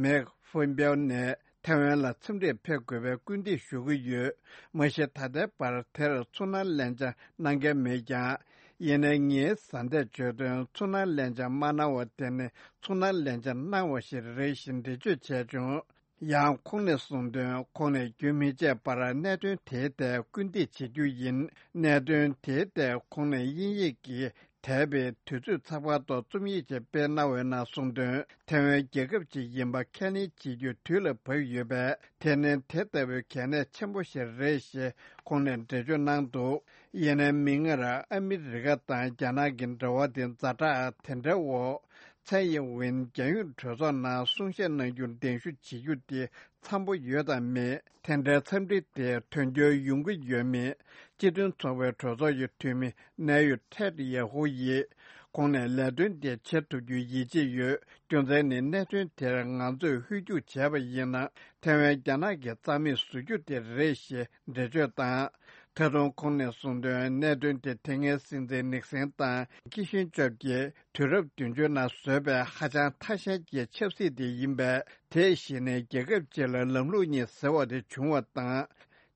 མེག་ཧྥོན་པེའོ་ནས་ཐའེ་ཝན་ལ་འཚམས་འདྲིར་ཕེབས་དགོས་པའི་སྐུལ་འདེད་ཞུ་གི་ཡོད། མ་གཞི་ད་ལྟའི་བར་དེར་ཚུར་སྣང་ལན་ཆ་གནང་མཁན་མེད་ཀྱང་། ཡིན་ནའི་ངའི་བཟའ་ཟླས་བརྗོད་དོན། ཚུར་སྣང་ལན་ཆ་མ་གནང་བ་དེ་ནི་ཚུར་སྣང་ལན་ཆ་གནང་བ་ཞིག་རེད་ཞེས་འགྲེལ་བརྗོད་བྱས་བྱུང་། ཡང་ཁོང་ནས་གསུངས་དོན། ཁོང་ནས་རྒྱུན་མི་ཆད་པར་གནད་དོན་དེའི་ཐད་སྐུལ་འདེད་བྱེད་རྒྱུ་ཡིན། གནད་དོན་དེའི་ཐད་ཁོང་ནས་དབྱིན་ཡིག་གི་འདས་པའི་དུས་ཚོད་ཚགས་པར་ཐོག་རྩོམ་ཡིག་ཅིག་སྤེལ་གནང་བའི་ནང་གསུངས་དོན། ཐའེ་ཝན་རྒྱལ་ཁབ་ཅིག་ཡིན་པ་ཁས་ལེན་བྱེད་རྒྱུ་དུས་ལ་བབ་ཡོད་པས། དེ་ནི་དེ་ལྟ་བུའི་གལ་གནད་ཆེན་པོ་ཞིག་རེད་ཞེས་ཁོང་ནས་འགྲེལ་བརྗོད་གནང་འདུག་ཡིན་ནའི་མིག་སྔར་ཨ་མི་རི་ཀ་དང་རྒྱ་ནག་གི་འབྲེལ་བ་དེ་ཛ་དྲག་དེ་འདྲའི་འོག་ཚའེ་ཡིན་ཝིན་རྒྱལ་ཡོངས་གྲོས་ཚོགས་ནང་གསུང་བཤད་གནང་རྒྱུར་གདན་ཞུ་བྱེད་རྒྱུ་དེ་འཚམ་པོ་ཡོད་དམ་མེད། དེ་འདྲའི་འཚམས་འདྲི་དེ་དོན་འཁྱོལ་ཡོང་གི་ཡོད་མེད། སྤྱི་མཐུན་ཚོགས་པའི་གྲོས་ཚོགས་ཀྱི་འཐུས་མི་གནད་ཡོད་ཊེཌ་ཡེ་ཧུ་ཡིས། ཁོང་ནས་ལས་དོན་དེ་བྱེད་ཐུབ་རྒྱུའི་ཡིད་ཆེས་ཡོད། རྒྱུ་མཚན་ནི་གནད་དོན་དེར་ང་ཚོས་ཧུར་རྒྱུག་བྱས་པ་ཡིན་ན། ཐའེ་ཝན་རྒྱ་ནག་གིས་རྩ་མེད་བཟོ་རྒྱུ་དེ་རེད་ཞེས་འགྲེལ་བརྗོད་དང་། ད་དུང་ཁོང་ནས་གསུངས་དོན། གནད་དོན་དེ་དེ་སྔའི་སྲིད་འཛིན་ནིག་སན་དང་ཁི་ཤིན་ཇོབ་ཀྱིས་དུས་རབས་བདུན་ཅུ་ནང་བཟོས་པའི་ཧ་ཅང་ཐ་ཤལ་གྱི་ཆབ་སྲིད་དེ་ཡིན་པས། དེས་གཞི་ནས་རྒྱལ་ཁབ་ཅིག་ལ་ལམ་ལུགས་གཉིས་ཟེར་བ་དེ་བྱུང་བ་དང་།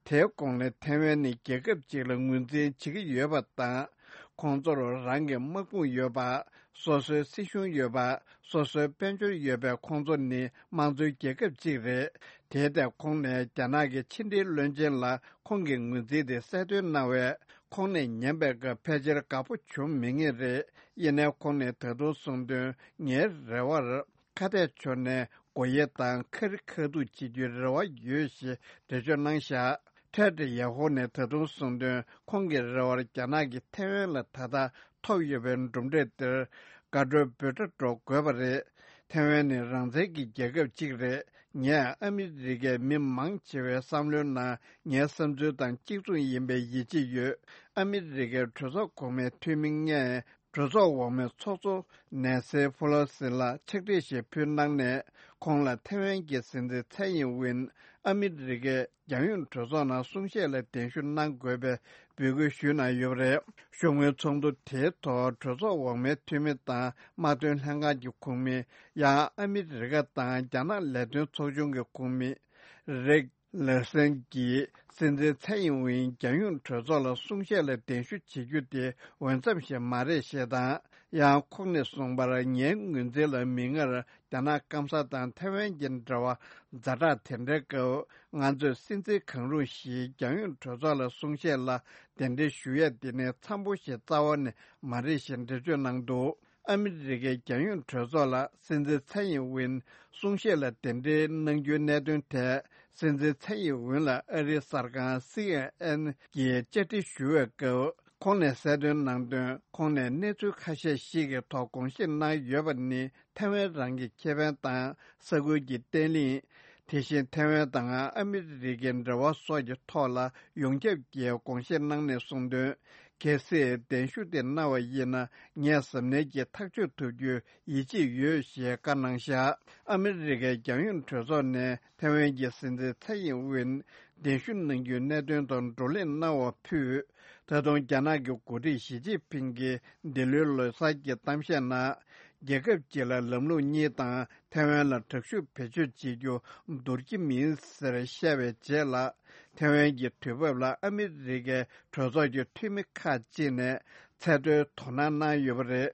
དེའི་གོང་ནས་ཐའེ་ཝན་ནི་རྒྱལ་ཁབ་ཅིག་ལ་ངོས་འཛིན་བྱེད་ཀྱི་ཡོད་པ་དང་། ཁོང་ཚོར་རང་གི་དམག་དཔུང་ཡོད་པ། སོ་སོའི་སྲིད་གཞུང་ཡོད་པ། སོ་སོའི་དཔལ་འབྱོར་ཡོད་པའི་ཁོང་ཚོ་ནི་དམངས་གཙོའི་རྒྱལ་ཁབ་ཅིག་རེད། དེའི་ཐད་ཁོང་ནས་རྒྱ་ནག་གི་ཕྱི་འབྲེལ་བློན་ཆེན་ལ་ཁོང་གི་ངོས་འཛིན་དེ་གསལ་སྟོན་གནང་བས། ཁོང་ནས་ཉན་པའི་སྐབས་ཕལ་ཆེར་དགའ་པོ་བྱུང་མེད་ངེས་རེད། ཡིན་ནའི་ཁོང་ནས་ད་དུང་གསུངས་དོན། ངའི་རེ་བར། ཁ་གཏད་ཕྱོགས་ནས་སྒོ་དབྱེ་དང་ཁ་རི་ཁ་ཐུག་བྱེད་རྒྱུའི་རེ་བ་ཡོད་ཞེས་འགྲེལ་བརྗོད་གནང་བཞག་ཊེཌ་ཡེ་ཧོ་ནས་ད་དུང་གསུངས་དོན། ཁོང་གི་རེ་བར་རྒྱ་ནག་གིས་ཐའེ་ཝན་ལ་ད་ལྟ་ཐོབ་ཡོད་པའི་གྲུབ་འབྲས་དེར་དགའ་སྤྲོའི་འབོད་སྒྲ་སྒྲོག་དགོས་པ་རེད། ཐའེ་ཝན་ནི་རང་བཙན་གྱི་རྒྱལ་ཁབ་ཅིག་རེད། ངས་ཨ་མི་རི་ཀའི་མི་མང་ཆེ་བའི་བསམ་བློའི་ནང་ངའི་བསམ་ཚུལ་དང་གཅིག་མཚུངས་ཡིན་པའི་ཡིད་ཆེས་ཡོད། ཨ་མི་རི་ཀའི་གྲོས་ཚོགས་གོང་མའི་འཐུས་མི་ལྔས། གྲོས་ཚོགས་འོག་མའི་ཚོགས་གཙོ་ནན་སི་ཕོ་ལོ་སི་ལ་ཕྱག་བྲིས་ཤིག་ཕུལ་གནང་ནས། ཁོང་ལ་ཐའེ་ཝན་གྱི་སྲིད་འཛིན་ཚའེ་ཡིན་ཝིན་ཨ་མི་རི་ཀའི་རྒྱལ་ཡོངས་གྲོས་ཚོགས་ནང་གསུང་བཤད་ལ་གདན་ཞུ་གནང་དགོས་པའི་འབོད་སྐུལ་ཞུས་གནང་ཡོད་པ་རེད། བཞུགས་མོལ་ཚོགས་འདུ་དེའི་ཐོག་གྲོས་ཚོགས་འོག་མའི་འཐུས་མི་དང་། དམག་དོན་ལྷན་ཁང་གི་ཁོངས་མི། ཡང་ཨ་མི་རི་ཀ་དང་རྒྱ་ནག་ལས་དོན་ཚོགས་ཆུང་གི་ཁོངས་མི་རིག་ལར་སན་གྱིས། སྲིད་འཛིན་ཚའེ་ཡིན་ཝིན་རྒྱལ་ཡོངས་གྲོས་ཚོགས་ལ་གསུང་བཤད་ལ་གདན་ཞུ་བྱེད་རྒྱུ་དེ་འོས་འཚམ་ཞིག་མ་རེད་ཞེས་དང་། ཡང་ཁོང་ནས་གསུངས་པར། ངའི་ངོས་འཛིན་ལ་མིག་སྔར་རྒྱ་ནག་སྐམ་ས་དང་ཐའེ་ཝན་གྱི་འབྲེལ་བ་ཛ་དྲག་དེ་འདྲའི་སྐབས། ང་ཚོས་སྲིད་འཛིན་གང་རུང་ཞིག་རྒྱལ་ཡོངས་གྲོས་ཚོགས་ལ་གསུང་བཤད་ལ་གདན་འདྲེན་ཞུ་ཡས་དེ་ནི་འཚམ་པོ་ཞིག་རྩ་བ་ནས་མ་རེད་ཞེས་འགྲེལ་བརྗོད་གནང་འདུག་ཨ་མི་རི་ཀའི་རྒྱལ་ཡོངས་གྲོས་ཚོགས་ལ་སྲིད་འཛིན་ཚའེ་ཡིན་ཝིན་གསུང་བཤད་ལ་གདན་འདྲེན་གནང་རྒྱུའི་གནད་དོན་ཐད། སྲིད་འཛིན་ཚའེ་ཡིན་ཝིན་ལ་ཨ་རིའི་གསར་ཁང་སི་ཨེན་ཨེན་གྱིས་བཅར་འདྲི་ཞུ་བའི་སྐབས། ཁོང་ནས་གསལ་སྟོན་གནང་དོན། ཁོང་ནས་གནས་ཚུལ་ཁ་ཤས་ཤིག་གི་ཐོག་དགོངས་བཞེས་གནང་ཡོད་པ་ནི། ཐའེ་ཝན་རང་གི་ཁེ་ཕན་དང་། ས་ཁུལ་གྱི་བརྟན་ལྷིང་། དེ་བཞིན་ཐའེ་ཝན་དང་ཨ་མི་རི་ཀའི་འབྲེལ་བ་སོགས་ཀྱི་ཐོག་ལ་ཡོངས་ཁྱབ་ཀྱིས་དགོངས་བཞེས་གནང་ནས་གསུངས་དོན། གལ་སྲིད་གདན་ཞུ་དེ་གནང་བ་ཡིན་ན། ངས་གཟབ་ནན་གྱིས་ཐག་གཅོད་ཐུབ་རྒྱུའི་ཡིད་ཆེས་ཡོད་ཞེས་བཀའ་གནང་བཞག་ཨ་མི་རི་ཀའི་རྒྱལ་ཡོངས་གྲོས་ཚོགས་ནས་ཐའེ་ཝན་གྱི་སྲིད་འཛིན་ཚའེ་ཡིན་ཝིན་གདན་ཞུ་གནང་རྒྱུའི་གནད་དོན་ཐོག་བགྲོ་གླེང་གནང་བ་ཕུད། ད་དུང་རྒྱ་ནག་གི་འགོ་ཁྲིད་ཞི་ཅིན་ཕིང་གིས་འདི་ལོའི་ལོ་གསར་གྱི་གཏམ་བཤད་ནང་། རྒྱལ་ཁབ་གཅིག་ལ་ལམ་ལུགས་གཉིས་དང་། ཐའེ་ཝན་ལ་དྲག་ཤུགས་བེད་སྤྱོད་བྱེད་རྒྱུ་འདོར་གྱི་མིན་ཟེར་བཤད་པའི་རྗེས་ལ། ཐའེ་ཝན་གྱི་དུས་བབ་ལ་ཨ་མི་རི་ཀའི་གྲོས་ཚོགས་ཀྱི་འཐུས་མི་ཁག་ཅིག་ནས་ཚད་མཐོའི་དོ་སྣང་གནང་ཡོད་པ་རེད།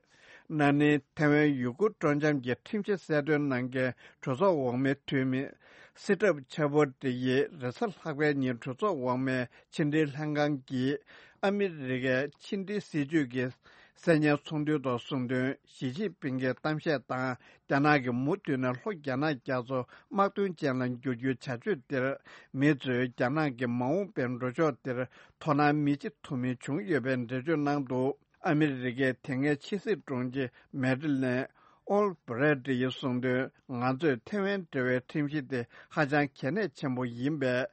ན་ནིང་ཐའེ་ཝན་ཡུ་གུར་སྤྲོ་འཆམ་གྱི་ཁྲིམས་གཞི་གསལ་སྟོན་གནང་མཁན་གྲོས་ཚོགས་འོག་མའི་འཐུས་མི་སི་ཀྲབ་ཆ་པོ་ཏི་ཡིས་རེས་གཟའ་ལྷག་པའི་ཉིན་གྲོས་ཚོགས་འོག་མའི་ཕྱི་འབྲེལ་ལྷན་ཁང་གིས་ཨ་མི་རི་ཀའི་ཕྱི་འབྲེལ་སྲིད་ཇུས་ཀྱི་ གསན་མཁན་ཚོགས་འདུའི་ཐོག་གསུངས་དོན། ཞི་ཅིན་ཕིང་གི་གཏམ་བཤད་དང་། རྒྱ་ནག་གིས་མུ་མཐུད་ནས་ལྷོ་རྒྱ་ནག་རྒྱ་མཚོ་དམག་དོན་ཅན་ལ་འགྱུར་རྒྱུའི་བྱ་སྤྱོད་དེར། མི་ཚོས་རྒྱ་ནག་གི་མ་འོངས་པའི་འགྲོ་ཕྱོགས་དེར་དོ་སྣང་མི་བྱེད་ཐུབ་མིན་བྱུང་ཡོད་པའི་འགྲེལ་བརྗོད་གནང་འདུག་ཨ་མི་རི་ཀའི་དེ་སྔའི་ཕྱི་སྲིད་དྲུང་ཆེ་མེ་ཏི་ལན་ཨོལ་བྷི་རེ་ཏི་ཡིས་གསུངས་དོན། ང་ཚོས་ཐེ་ཝན་འབྲེལ་བའི་ཁྲིམས་གཞི་དེ་ཧ་ཅང་གལ་གནད་ཆེན་པོ་ཡིན་པས།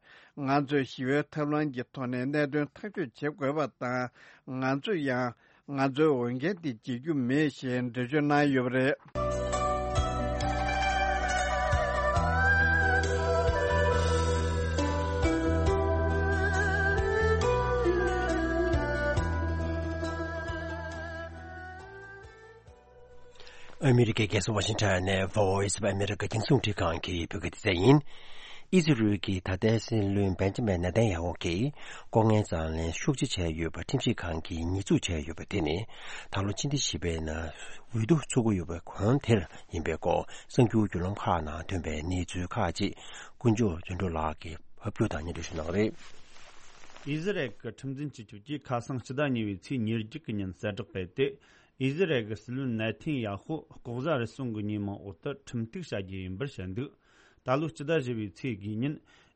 ང་ཚོས་ཞི་བའི་ཐབས་ལམ་གྱི་ཐོག་ནས་གནད་དོན་ཐག་གཅོད་བྱེད་དགོས་པ་དང་། ང་ཚོས་ཡང་ང་ཚོའི་འོས་འགན་དེ་བརྗེད་རྒྱུ་མེད་ཞེས་འགྲེལ་བརྗོད་གནང་ཡོད་པ་རེད། ཨ་མི་རི་ཀའི་རྒྱལ་ས་ཝ་ཤིང་ཊོན་ནས་Voice of America རྒྱང་སྲིང་རླུང་འཕྲིན་ཁང་གི་བོད་སྐད་སྡེ་ཚན་ཡིན། ཨི་ཟི་རུལ་གྱི་ད་ལྟའི་སྲིད་བློན་བེན་ཇ་མིན་ནེ་ཐན་ཡ་ཧུ་གྱིས་ལྐོག་རྔན་དང་ལེན་ཤུགས་ཆེ་བྱས་ཡོད་པ་ཁྲིམས་ཞིབ་ཁང་གིས་ཉེས་འཛུགས་བྱས་ཡོད་པ་དེ་ནི་ད་ལོ་ཕྱི་ཟླ་བཞི་པའི་ནང་འོས་བསྡུ་ཚུགས་ཀྱི་ཡོད་པའི་གོང་དེར་ཡིན་པའི་སྐོར་གསར་འགྱུར་བརྒྱུད་ལམ་ཁག་ནང་ཐོན་པའི་གནས་ཚུལ་ཁག་ཅིག་དཀོན་མཆོག་དོན་གྲུབ་ལགས་ཀྱིས་ཕབ་སྒྱུར་དང་སྙན་སྒྲོན་ཞུ་གནང་བ་རེད། ཨི་ཟི་རལ་གྱི་ཁྲིམས་འཛིན་སྤྱི་ཁྱབ་ཀྱིས་ཁ་སང་ཕྱི་ཟླ་གཉིས་པའི་ཚེས་ཉེར་བརྒྱད་ཀྱི་ཉིན་གསལ་བསྒྲགས་སྤེལ་ཏེ། ཨི་ཟི་རལ་གྱི་སྲིད་བློན་ནེ་ཐན་ཡ་ཧུ་ལྐོག་ཟ་རུལ་སུངས་ཀྱི་ཉེས་མིང་འོག་ཏུ་ཁྲིམས་གཏུག་བྱ་རྒྱུ་ཡིན་པར་བཤད་འདུག་ད་ལོའི་ཕྱི་ཟླ་བཞི་པའི་ཚེས་དགུའི་ཉིན་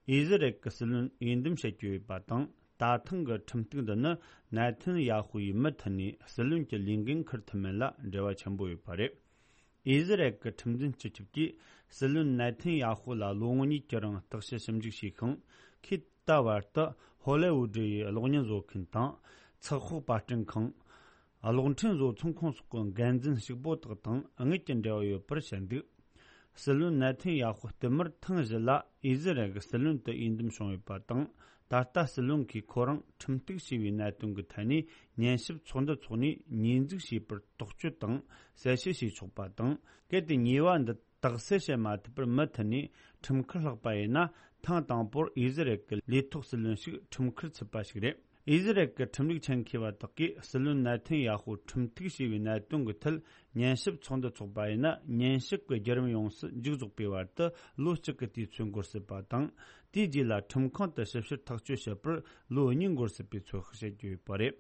ཨི་ཟི་རལ་གྱི་སྲིད་བློན་འོས་འདེམས་བྱེད་རྒྱུ་ཡོད་པ་དང་། ད་ཐེངས་ཀྱི་ཁྲིམས་གཏུག་འདི་ནི་ནེ་ཐན་ཡ་ཧུ་ཡིས་མུ་མཐུད་ནས་སྲིད་བློན་གྱི་ལས་འགན་འཁུར་ཐུབ་མིན་ལ་འབྲེལ་བ་ཆེན་པོ་ཡོད་པ་རེད། ཨི་ཟི་རལ་གྱི་ཁྲིམས་འཛིན་སྤྱི་ཁྱབ་ཀྱིས་སྲིད་བློན་ནེ་ཐན་ཡ་ཧུ་ལ་ལོ་ངོ་གཉིས་ཀྱི་རིང་བརྟག་དཔྱད་ཞིབ་འཇུག་བྱས་ཤིང་། ཁོས་ད་བར་དུ་ཧོ་ལེ་ཝུ་ཌི་ཡི་གློག་བརྙན་བཟོ་མཁན་དང་། ཚགས་ཤོག་པར་སྐྲུན་ཁང་། གློག་འཕྲིན་བཟོ་ཚོང་ཁང་སོགས་ཀྱི་འགན་འཛིན་ཕྱུག་པོ་དག་དང་དངུལ་གྱི་འབྲེལ་བ་ཡོད་པར་བཤད་འདུག་སྲིད་བློན་ནེ་ཐན་ཡ་ཧུ་བསྟུད་མར་ཐེངས་བཞི་ལ་ཨི་ཟི་རལ་གྱི་སྲིད་བློན་དུ་འོས་འདེམས་བྱུང་ཡོད་པ་དང་། ད་ལྟ་སྲིད་བློན་གྱིས་ཁོ་རང་ཁྲིམས་གཏུག་བྱས་པའི་གནད་དོན་གྱི་ཐད་ནས་ཉན་ཞིབ་ཚོགས་འདུ་འཚོགས་ནས་ཉེས་འཛུགས་བྱས་པར་དོགས་གཅོད་དང་གསལ་བཤད་བྱས་ཆོག་པ་དང་། གལ་ཏེ་ཉེས་པ་འདི་དག་སེལ་བྱེད་མ་ཐུབ་པར་མུ་མཐུད་ནས་ཁྲིམས་འཁུར་ལྷག་པ་ཡིན་ན། ཐེངས་དང་པོར་ཨི་ཟི་རལ་གྱི་ལས་ཐོག་སྲིད་བློན་ཞིག་ཁྲིམས་འཁུར་ཚུད་པ་ཞིག་རེད། ཨི་ཟི་རལ་གྱི་ཁྲིམས་ལུགས་ཆེད་མཁས་པ་དག་གིས་སྲིད་བློན་ནེ་ཐན་ཡ་ཧུ་ཁྲིམས་གཏུག་བྱས་པའི་གནད་དོན་གྱི་ཐད་ཉན་ཞིབ་ཚོགས་འདུ་འཚོགས་པ་ཡིན་ན། ཉན་ཞིབ་ཀྱི་བརྒྱུད་རིམ་ཡོངས་སུ་མཇུག་རྫོགས་པའི་བར་དུ་ལོ་གཅིག་གི་དུས་ཚོད་འགོར་སྲིད་པ་དང་། དེའི་རྗེས་ལ་ཁྲིམས་ཁང་དུ་ཞིབ་བཤེར་ཐག་གཅོད་བྱེད་པར་ལོ་གཉིས་འགོར་སྲིད་པའི་ཚོད་དཔག་བྱེད་ཀྱི་ཡོད་པ་རེད།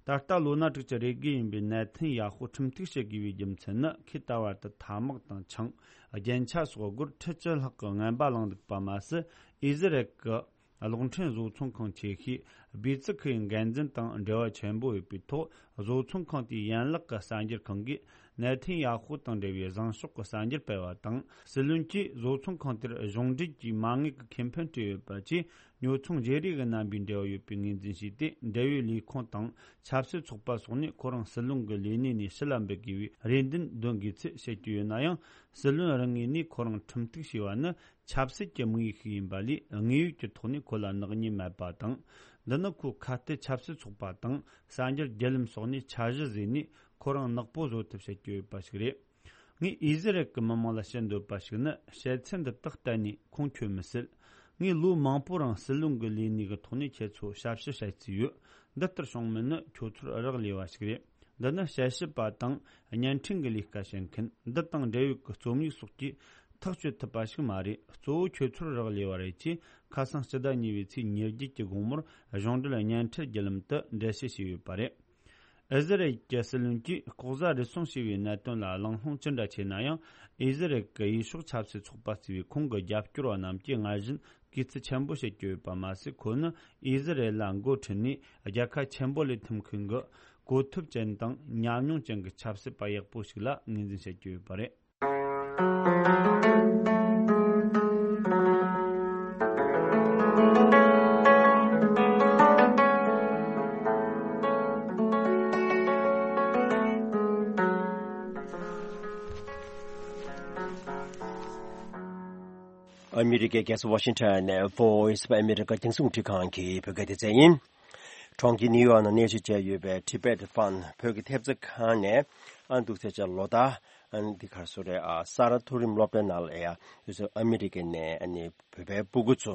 ད་ལྟ་ལོ་ན་དྲུག་ཅུ་རེ་དགུ་ཡིན་པའི་ནེ་ཐན་ཡ་ཧུ་ཁྲིམས་གཏུག་བྱེད་དགོས་པའི་རྒྱུ་མཚན་ནི། ཁོས་ད་བར་དུ་ཐ་དམག་དང་ཆང་། རྒྱན་ཆ་སོགས་སྒོར་ཁྲི་བཅུ་ལྷག་གི་རྔན་པ་བླངས་འདུག་པ་མ་ཟད། ཨི་ཟི་རལ་གྱི་གློག་འཕྲིན་བཟོ་ཚོང་ཁང་ཆེ་ཤོས་སྦི་ཙི་ཁི་ཡི་འགན་འཛིན་དང་འབྲེལ་བ་ཆེན་པོ་ཡོད་པའི་ཐོག་བཟོ་ཚོང་ཁང་དེའི་ཡན་ལག་གི་གསར་འགྱུར་ཁང་གིས་ནེ་ཐན་ཡ་ཧུ་དང་འབྲེལ་བའི་བཟང་ཕྱོགས་ཀྱི་གསར་འགྱུར་སྤེལ་བ་དང་། སྲིད་བློན་གྱིས་བཟོ་ཚོང་ཁང་དེར་གཞུང་འབྲེལ་གྱི་མ་དངུལ་གྱི་ཁེ་ཕན་སྤྲད་ཡོད་པ་བཅས། ཉོ་ཚོང་བརྗེ་རེས་ཀྱི་རྣམ་པའི་འབྲེལ་བ་ཡོད་པའི་ངོས་འཛིན་བྱས་ཏེ། འབྲེལ་ཡོད་ལས་ཁུངས་དང་ཆབ་སྲིད་ཚོགས་པ་སོགས་ནས་ཁོ་རང་སྲིད་བློན་གྱི་ལས་གནས་ནས་ཕྱི་ལ་འབུད་དགོས་པའི་རེ་འདུན་འདོན་དགོས་ཚུལ་བཤད་ཀྱི་ཡོད་ན་ཡང་། སྲིད་བློན་རང་ངོས་ནས་ཁོ་རང་ཁྲིམས་གཏུག་བྱས་པ་ནི་ཆབ་སྲིད་ཀྱི་དམིགས་ཡུལ་ཞིག་ཡིན་པ་ལས། དངོས་ཡོད་ཀྱི་ཐོག་ནས་ཁོ་ལ་ནག་ཉེས་མེད་པ་དང་། འདི་ནི་ཁོས་ཁ་གཏད་ཆབ་སྲིད་ཚོགས་པ་དང་གསར་འགྱུར་བརྒྱུད་ལམ་སོགས་ནས་འཆར་གཞི་བཟོས་ནས་ཁོ་རང་ནག་པོ་བཟོ་ཐབས་བྱེད་ཀྱི་ཡོད་པ་ཞིག་རེད། ངས་ཨི་ཟི་རལ་གྱི་མི་མང་ལ་བཤད་འདོད་པ་ཞིག་ནི། བཤད་ཚུལ་འདི་དག་གཏན་ནས་ཁུངས་འཁྱོལ་མི་སྲིད། ངས་ལོ་མང་པོའི་རིང་སྲིད་བློན་གྱི་ལས་གནས་ཀྱི་ཐོག་ནས་ཁྱེད་ཚོར་ཞབས་ཞུ་བྱས་ཚུལ་ཡོད། འདི་ལྟར་བྱུང་མིན་ནི་ཁྱོད་ཚོར་རག་ལས་པ་ཞིག་རེད། འདི་ནི་དཔྱད་ཞིབ་པ་དང་བརྙན་འཕྲིན་གྱི་ལས་ཀ་བྱེད་མཁན་འདི་དང་འབྲེལ་ཡོད་ཀྱི་རྩོམ་ཡིག་སོགས་ཀྱིས་ཐག་གཅོད་ཐུབ་པ་ཞིག་མ་རེད། གཙོ་བོ་ཁྱོད་ཚོར་རག་ལས་པ་རེད་ཅེས། ཁ་སང་སྤྱི་ཟླ་གཉིས་པའི་ཚེས་ཉེར་བརྒྱད་ཀྱི་དགོང་མོར་གཞུང་འབྲེལ་བརྙན་འཕྲིན་བརྒྱུད་ལམ་དུ་འགྲེལ་བཤད་བྱས་ཡོད་པ་རེད། ཨི་ཟི་རལ་གྱི་སྲིད་བློན་གྱིས་ལྐོག་ཟ་རུལ་སུངས་བྱས་པའི་གནད་དོན་ལ་གླེང་སློང་ཅི་འདྲ་བྱས་ན་ཡང་། ཨི་ཟི་རལ་གྱི་ཡུལ་ཤུལ་ཆབ་སྲིད་ཚོགས་པ་གཙོས་པའི་ཁོང་གི་རྒྱབ་སྐྱོར་བ་རྣམས་ཀྱིས་སྔར་བཞིན་གུས་བརྩི་ཆེན་པོ་བྱེད་ཀྱི་ཡོད་པ་མ་ཟད། ཁོ་ནི་ཨི་ཟི་རལ་ལ་འགོ་ཁྲིད་ནས་རྒྱལ་ཁ་ཆེན་པོ་ལེན་ཐུབ་མཁན་གྱི་གོ་ཐོབ་ཅན་དང་ཉམས་མྱོང་ཅན་གྱི་ཆབ་སྲིད་པ་ཡག་པོ་ཞིག་ལ་ངོས་འཛིན་བྱེད་ཀྱི་ཡོད་པ་རེད། ཨ་མི་རི་ཀའི་རྒྱལ་ས་ཝ་ཤིང་ཊོན་ནས་Voice of America རྒྱང་སྲིང་རླུང་འཕྲིན་ཁང་གི་བོད་སྐད་སྡེ་ཚན་ཡིན། གྲོང་ཁྱེར་ནིའུ་ཡོག་ནང་གནས་མཇལ་བྱས་ཡོད་པའི་Tibet Fund བོད་ཀྱི་ཐེབས་རྩ་ཁང་ནས། ཨ་འདུག་ཟེར་བྱས་ལོ་ལྟར་ཨ་འདི་གར་སོ་རེད། ཨ་ས་རཱ་མཐོ་རིམ་སློབ་གྲྭའི་ནང་ལ་ཡ་ཡོད་ཚད་ཨ་མི་རི་ཀའི་ནས་ཨ་ནི་བོད་པའི་སྤུ་གུ་ཚོ་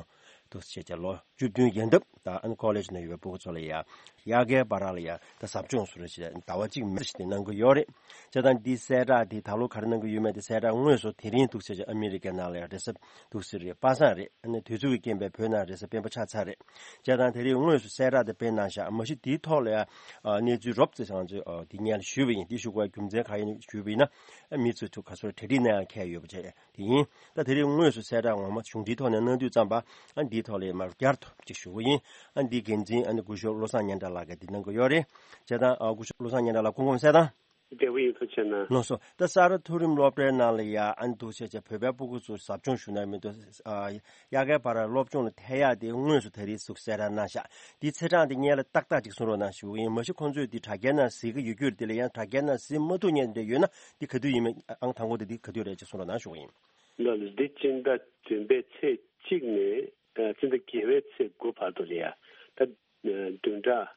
འདུག་ཟེར་བྱས་ལོ་བཅུ་བདུན་ཡན་འདབ་ ད་ཨ་ནི་ཀོ་ལེ་ཇི་ནང་ཡོད་པའི་ཕྲུ་གུ་ཚོ་ལ་ཡ་དབྱར་ཁའི་བར་ལ་ཡ་ད་ཟབ་སྦྱོང་བཟོ་འདྲ་ཞིག་ཟླ་བ་གཅིག་མི་ཞིག་དེ་གནང་གི་ཡོད་རེད། བྱས་ཙང་འདི་གསལ་བསྒྲགས་དེ་ད་ལོ་ག་རེ་གནང་གི་ཡོད་མེད་དེ་གསལ་བསྒྲགས་དངོས་སུ་དེ་རིང་འདུག་ཟེར་ཅིག་ཨ་མི་རི་ཀའི་ནང་ལ་ཡ་རེས་གཟའ་འདུག་ཟེར་རེད། པ་སངས་རེད། ཨ་ནི་དུས་ཚོད་ཀྱི་རྐྱེན་པས་བོད་ནང་རེས་གཟའ་སྤེན་པ་ཆགས་ཚར་རེད། བྱས་ཙང་དེ་རིང་དངོས་སུ་གསལ་བསྒྲགས་དེ་སྤེལ་གནང་བཞག་མ་གཞི་དེའི་ཐོག་ལ་ཡ་གནས་ཚུལ་རོབ་ཙམ་ང་ཚོས་དེ་སྔོན་ལ་ཞུས་པ་ཡིན། དེ་ཞུ་དགོས་རྒྱུ་མཚན་ག་ཡིན་ཞུས་པ་ཡིན་ན། མི་ཚོས་ཐུགས་ཁ་སོར་གྲ་སྒྲིག་གནང་ཡག་འཁེལ་ཡོད་པ་བྱས། དེ་ཡིན། ད་དེ་རིང་དངོས་སུ་གསལ་བསྒྲགས་ངོ་མ་གཞུང་འབྲེལ་ཐོག་ནས་གནང་དུས་ཙམ་པ། ཨ་འདིའི་ཐོག་ལ་མར་བསྐྱར་དུ་ཅིག་ཞུ་གི་ཡིན། ཨ་འདིའི་འགན་འཛིན་ཨ་ནི་སྐུ་ཞབས་བློ་བཟང་སྙན་གྲགས་ལགས་ཀྱིས་འདི་གནང་གི་ཡོད་རེད། བྱས་ཙང་ཨ་སྐུ་ཞབས་བློ་བཟང་སྙན་གྲགས་ལགས་སྐུ་ཁམས་གསལ་ཐང་། བདེ་པོ་ཡིན། ཐུགས་རྗེ་གནང་། ལགས་སོ། ད་ས་རཱ་མཐོ་རིམ་སློབ་གྲྭའི་ནང་ལ་ཡ་ཨ་ནི་འདུག་བྱས་བྱས་བོད་པའི་ཕྲུ་གུ་ཚོ་ཟབ་སྦྱོང་ཞུ་ན་མི་འདུག་ཨ་དབྱར་ཁའི་བར་སློབ་སྦྱོང་ལ་ཐད་ཡག་དེ་དངོས་སུ་ད་རེས་ཚུགས་གསལ་བསྒྲགས་གནང་ཤག་འདིའི་ཚེས་གྲངས་དེ་སྔོན་ལ་ཏག་ཏག་ཅིག་གསུང་རོགས་གནང་ཞུ་གི་ཡིན། མ་གཞི་ཁོང་ཚོས་འདི་དྲ་རྒྱའི་ནང་གཟིགས་ཀྱི་ཡོད་རྒྱུ་དེ་ལ་ཡང་དྲ་རྒྱའི་ནང་གཟིགས་མ་ཐུབ་མཁན་དེ་ཡོད་ན་འདི་ག་དུས་ཡིན་མིན་ཨང་དང་པོ་དེ་འདི་ག་དུས་རེད་ཅེས་གསུང་རོགས་གནང་ཞུ་གི་ཡིན། ལགས་ལགས། འདི་སྤྱི་ཟླ་བདུན་པའི་ཚེས་གཅིག་ནས་ཨ་སྤྱི་ཟླ་བརྒྱད་པའི་ཚེས་དགུ་བར་དུ་ལ་ཡ་ད་བདུན་ཕྲག་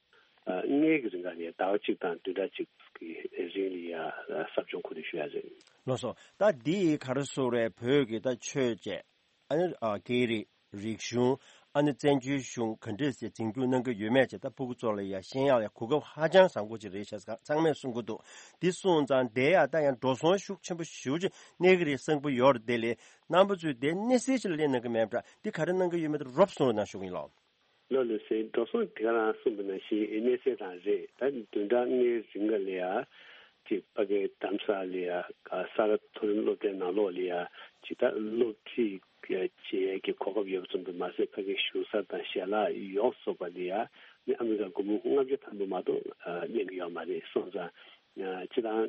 ཨ་ལྔའི་གི་རིང་ག་ལ་ཡ་ཟླ་བ་གཅིག་དང་བདུན་ཕྲག་གཅིག་གི་རིང་ལ་ཡ་ཟབ་སྦྱོང་གོ་སྒྲིག་ཞུ་ཡ་རེད། ལགས་སོ། ད་འདི་ག་རེ་ཟེར་རེད། བོད་ཀྱི་ད་ཆོས་བཅས། ཨ་ནི་ཨ་སྐད་རིགས། རིག་གཞུང་། ཨ་ནི་བཙན་བྱོལ་གཞུང་ག་འདྲས་སེ་འཛིན་སྐྱོང་གནང་གི་ཡོད་མེད་བཅས་ད་ཕྲུ་གུ་ཚོ་ལ་ཡ་ཤེས་ཡག་ལ་གོ་སྐབས་ཧ་ཅང་བཟང་པོ་ཅིག་རེད་ཤག་ཚང་མས་གསུང་གི་འདུག་འདི་སོང་ཙང་དེ་ཡ་ད་ཡང་འགྲོ་སོང་ཤུགས་ཆེན་པོ་ཞེ་པོ་ཅིག་གནས་ཀྱི་རེད་བསམ་གྱི་ཡོད་རེད། དེ་ལས་རྣམ་པ་ཚོས་དེ་གནས་ཚུལ་ཞིག་ལ་གླེང་གནང་གི་མེད་པ་འདྲ། འདི་ག་རེ་གནང་གི་ཡོད་མེད་དེ་རོབ་གསུང་རོགས་གནང་ཞུ་གི་ཡིན་ལགས། ལགས་ལགས་སེ། འགྲོ་སོང་དེ་ག་རང་གསུངས་པ་ནང་བཞིན་གནས་ཚད་རང་རེད། ད་བདུན་ཕྲག་ལྔའི་རིང་ག་ལ་ཡ་ཅིག་ཕ་གིའི་རྡ་རམ་ས་ལ་ཡ་ས་རཱ་མཐོ་རིམ་སློབ་གྲྭའི་ནང་ལོགས་ལ་ཡ་ཅིག་ད་སློབ་ཁྲིད་བྱེད་ཡས་ཀྱི་གོ་སྐབས་ཡོད་པ་ཙམ་དུ་མ་ཟད་ཕ་གིའི་བཞུགས་ས་དང་ཞལ་ལག་ཡོངས་སུ་རྫོགས་པ་ལ་ཡ་ནི་ཨ་མི་རི་ཀ་སྒོར་མོ་ལྔ་བརྒྱ་ཐམ་པ་མ་གཏོགས་ཨ་ལེན་གྱི་ཡོད་མ་རེད། སོང་ཙང་ཨ་སྤྱིར་བཏང་ཨ་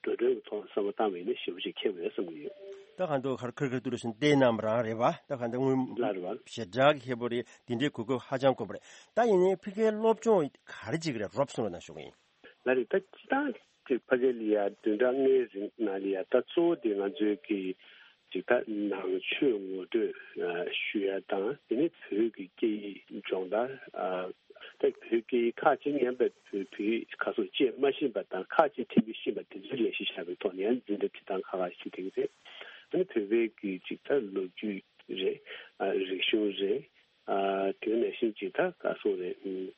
འགྲོ་གྲོན་གྱི་ཐོག་བསམ་བློ་བཏང་བ་ཡིན་ན་ཞེ་པོ་ཅིག་ཁེ་པོ་རེད་བསམ་གྱི་ཡོད། ད་ག་འདུག་ཁར་ཁུར་ཁུར་ཏུ་རུ་ཞིང་བལྟས་གནང་བ་རང་རེད་པ། ད་ག་འདུག་དངུལ་ལགས་རེད་པ། ཞེ་དྲག་གི་ཁེ་པོ་རེད། འདི་འདྲའི་གོ་སྐབས་ཧ་ཅང་དཀོན་པོ་རེད། ད་ཡིན་ནའི་ཕ་གིའི་སློབ་སྦྱོང་ག་རེ་བྱེད་ཀྱི་རེད། རོབ་གསུང་རོགས་གནང་ཞུ་གི་ཡིན། ལགས་རེད། ད་སྤྱིར་བཏང་གི་ཕ་གི་ལ་ཡ་བདུན་ཕྲག་ལྔའི་རིང་ནང་ལ་ཡ་ད་གཙོ་བོ་དེ་ང་ཚོའི་གི་ཅིག་ད་ནང་ཆོས་ངོ་སྤྲོད་ཨ་ཞུ་ཡ་དང་དེ་ནས་བོད་ཀྱི་སྐད་ཡིག་སྦྱོང་བརྡར་ཨ་ད་བོད་སྐད་ཡིག་ཁག་ཅིག་ཉན་པའི་བོད་བོད་ཁ་སོགས་བཅད་མ་ཤེས་པ་དང་ཁག་ཅིག་ཐེ་བྱུས་ཤེས་པ་དེ་ཚོའི་ལས་གཞི་བཞག་པའི་ཐོག་ནས་ཡང་འཛིན་གྲྭ་ཁྲིད་སྟངས་ཁག་ཁག་ཞིག་དེ་གི་རེད། ཨ་ནི་བོད་པའི་གི་ཅིག་ད་ལོ་རྒྱུས་རེད། ཨ་རིག་གཞུང་རེད། ཨ་དེ་ནང་བཞིན་ཅིག་ད་ག་སོང་རེད། ཨུམ།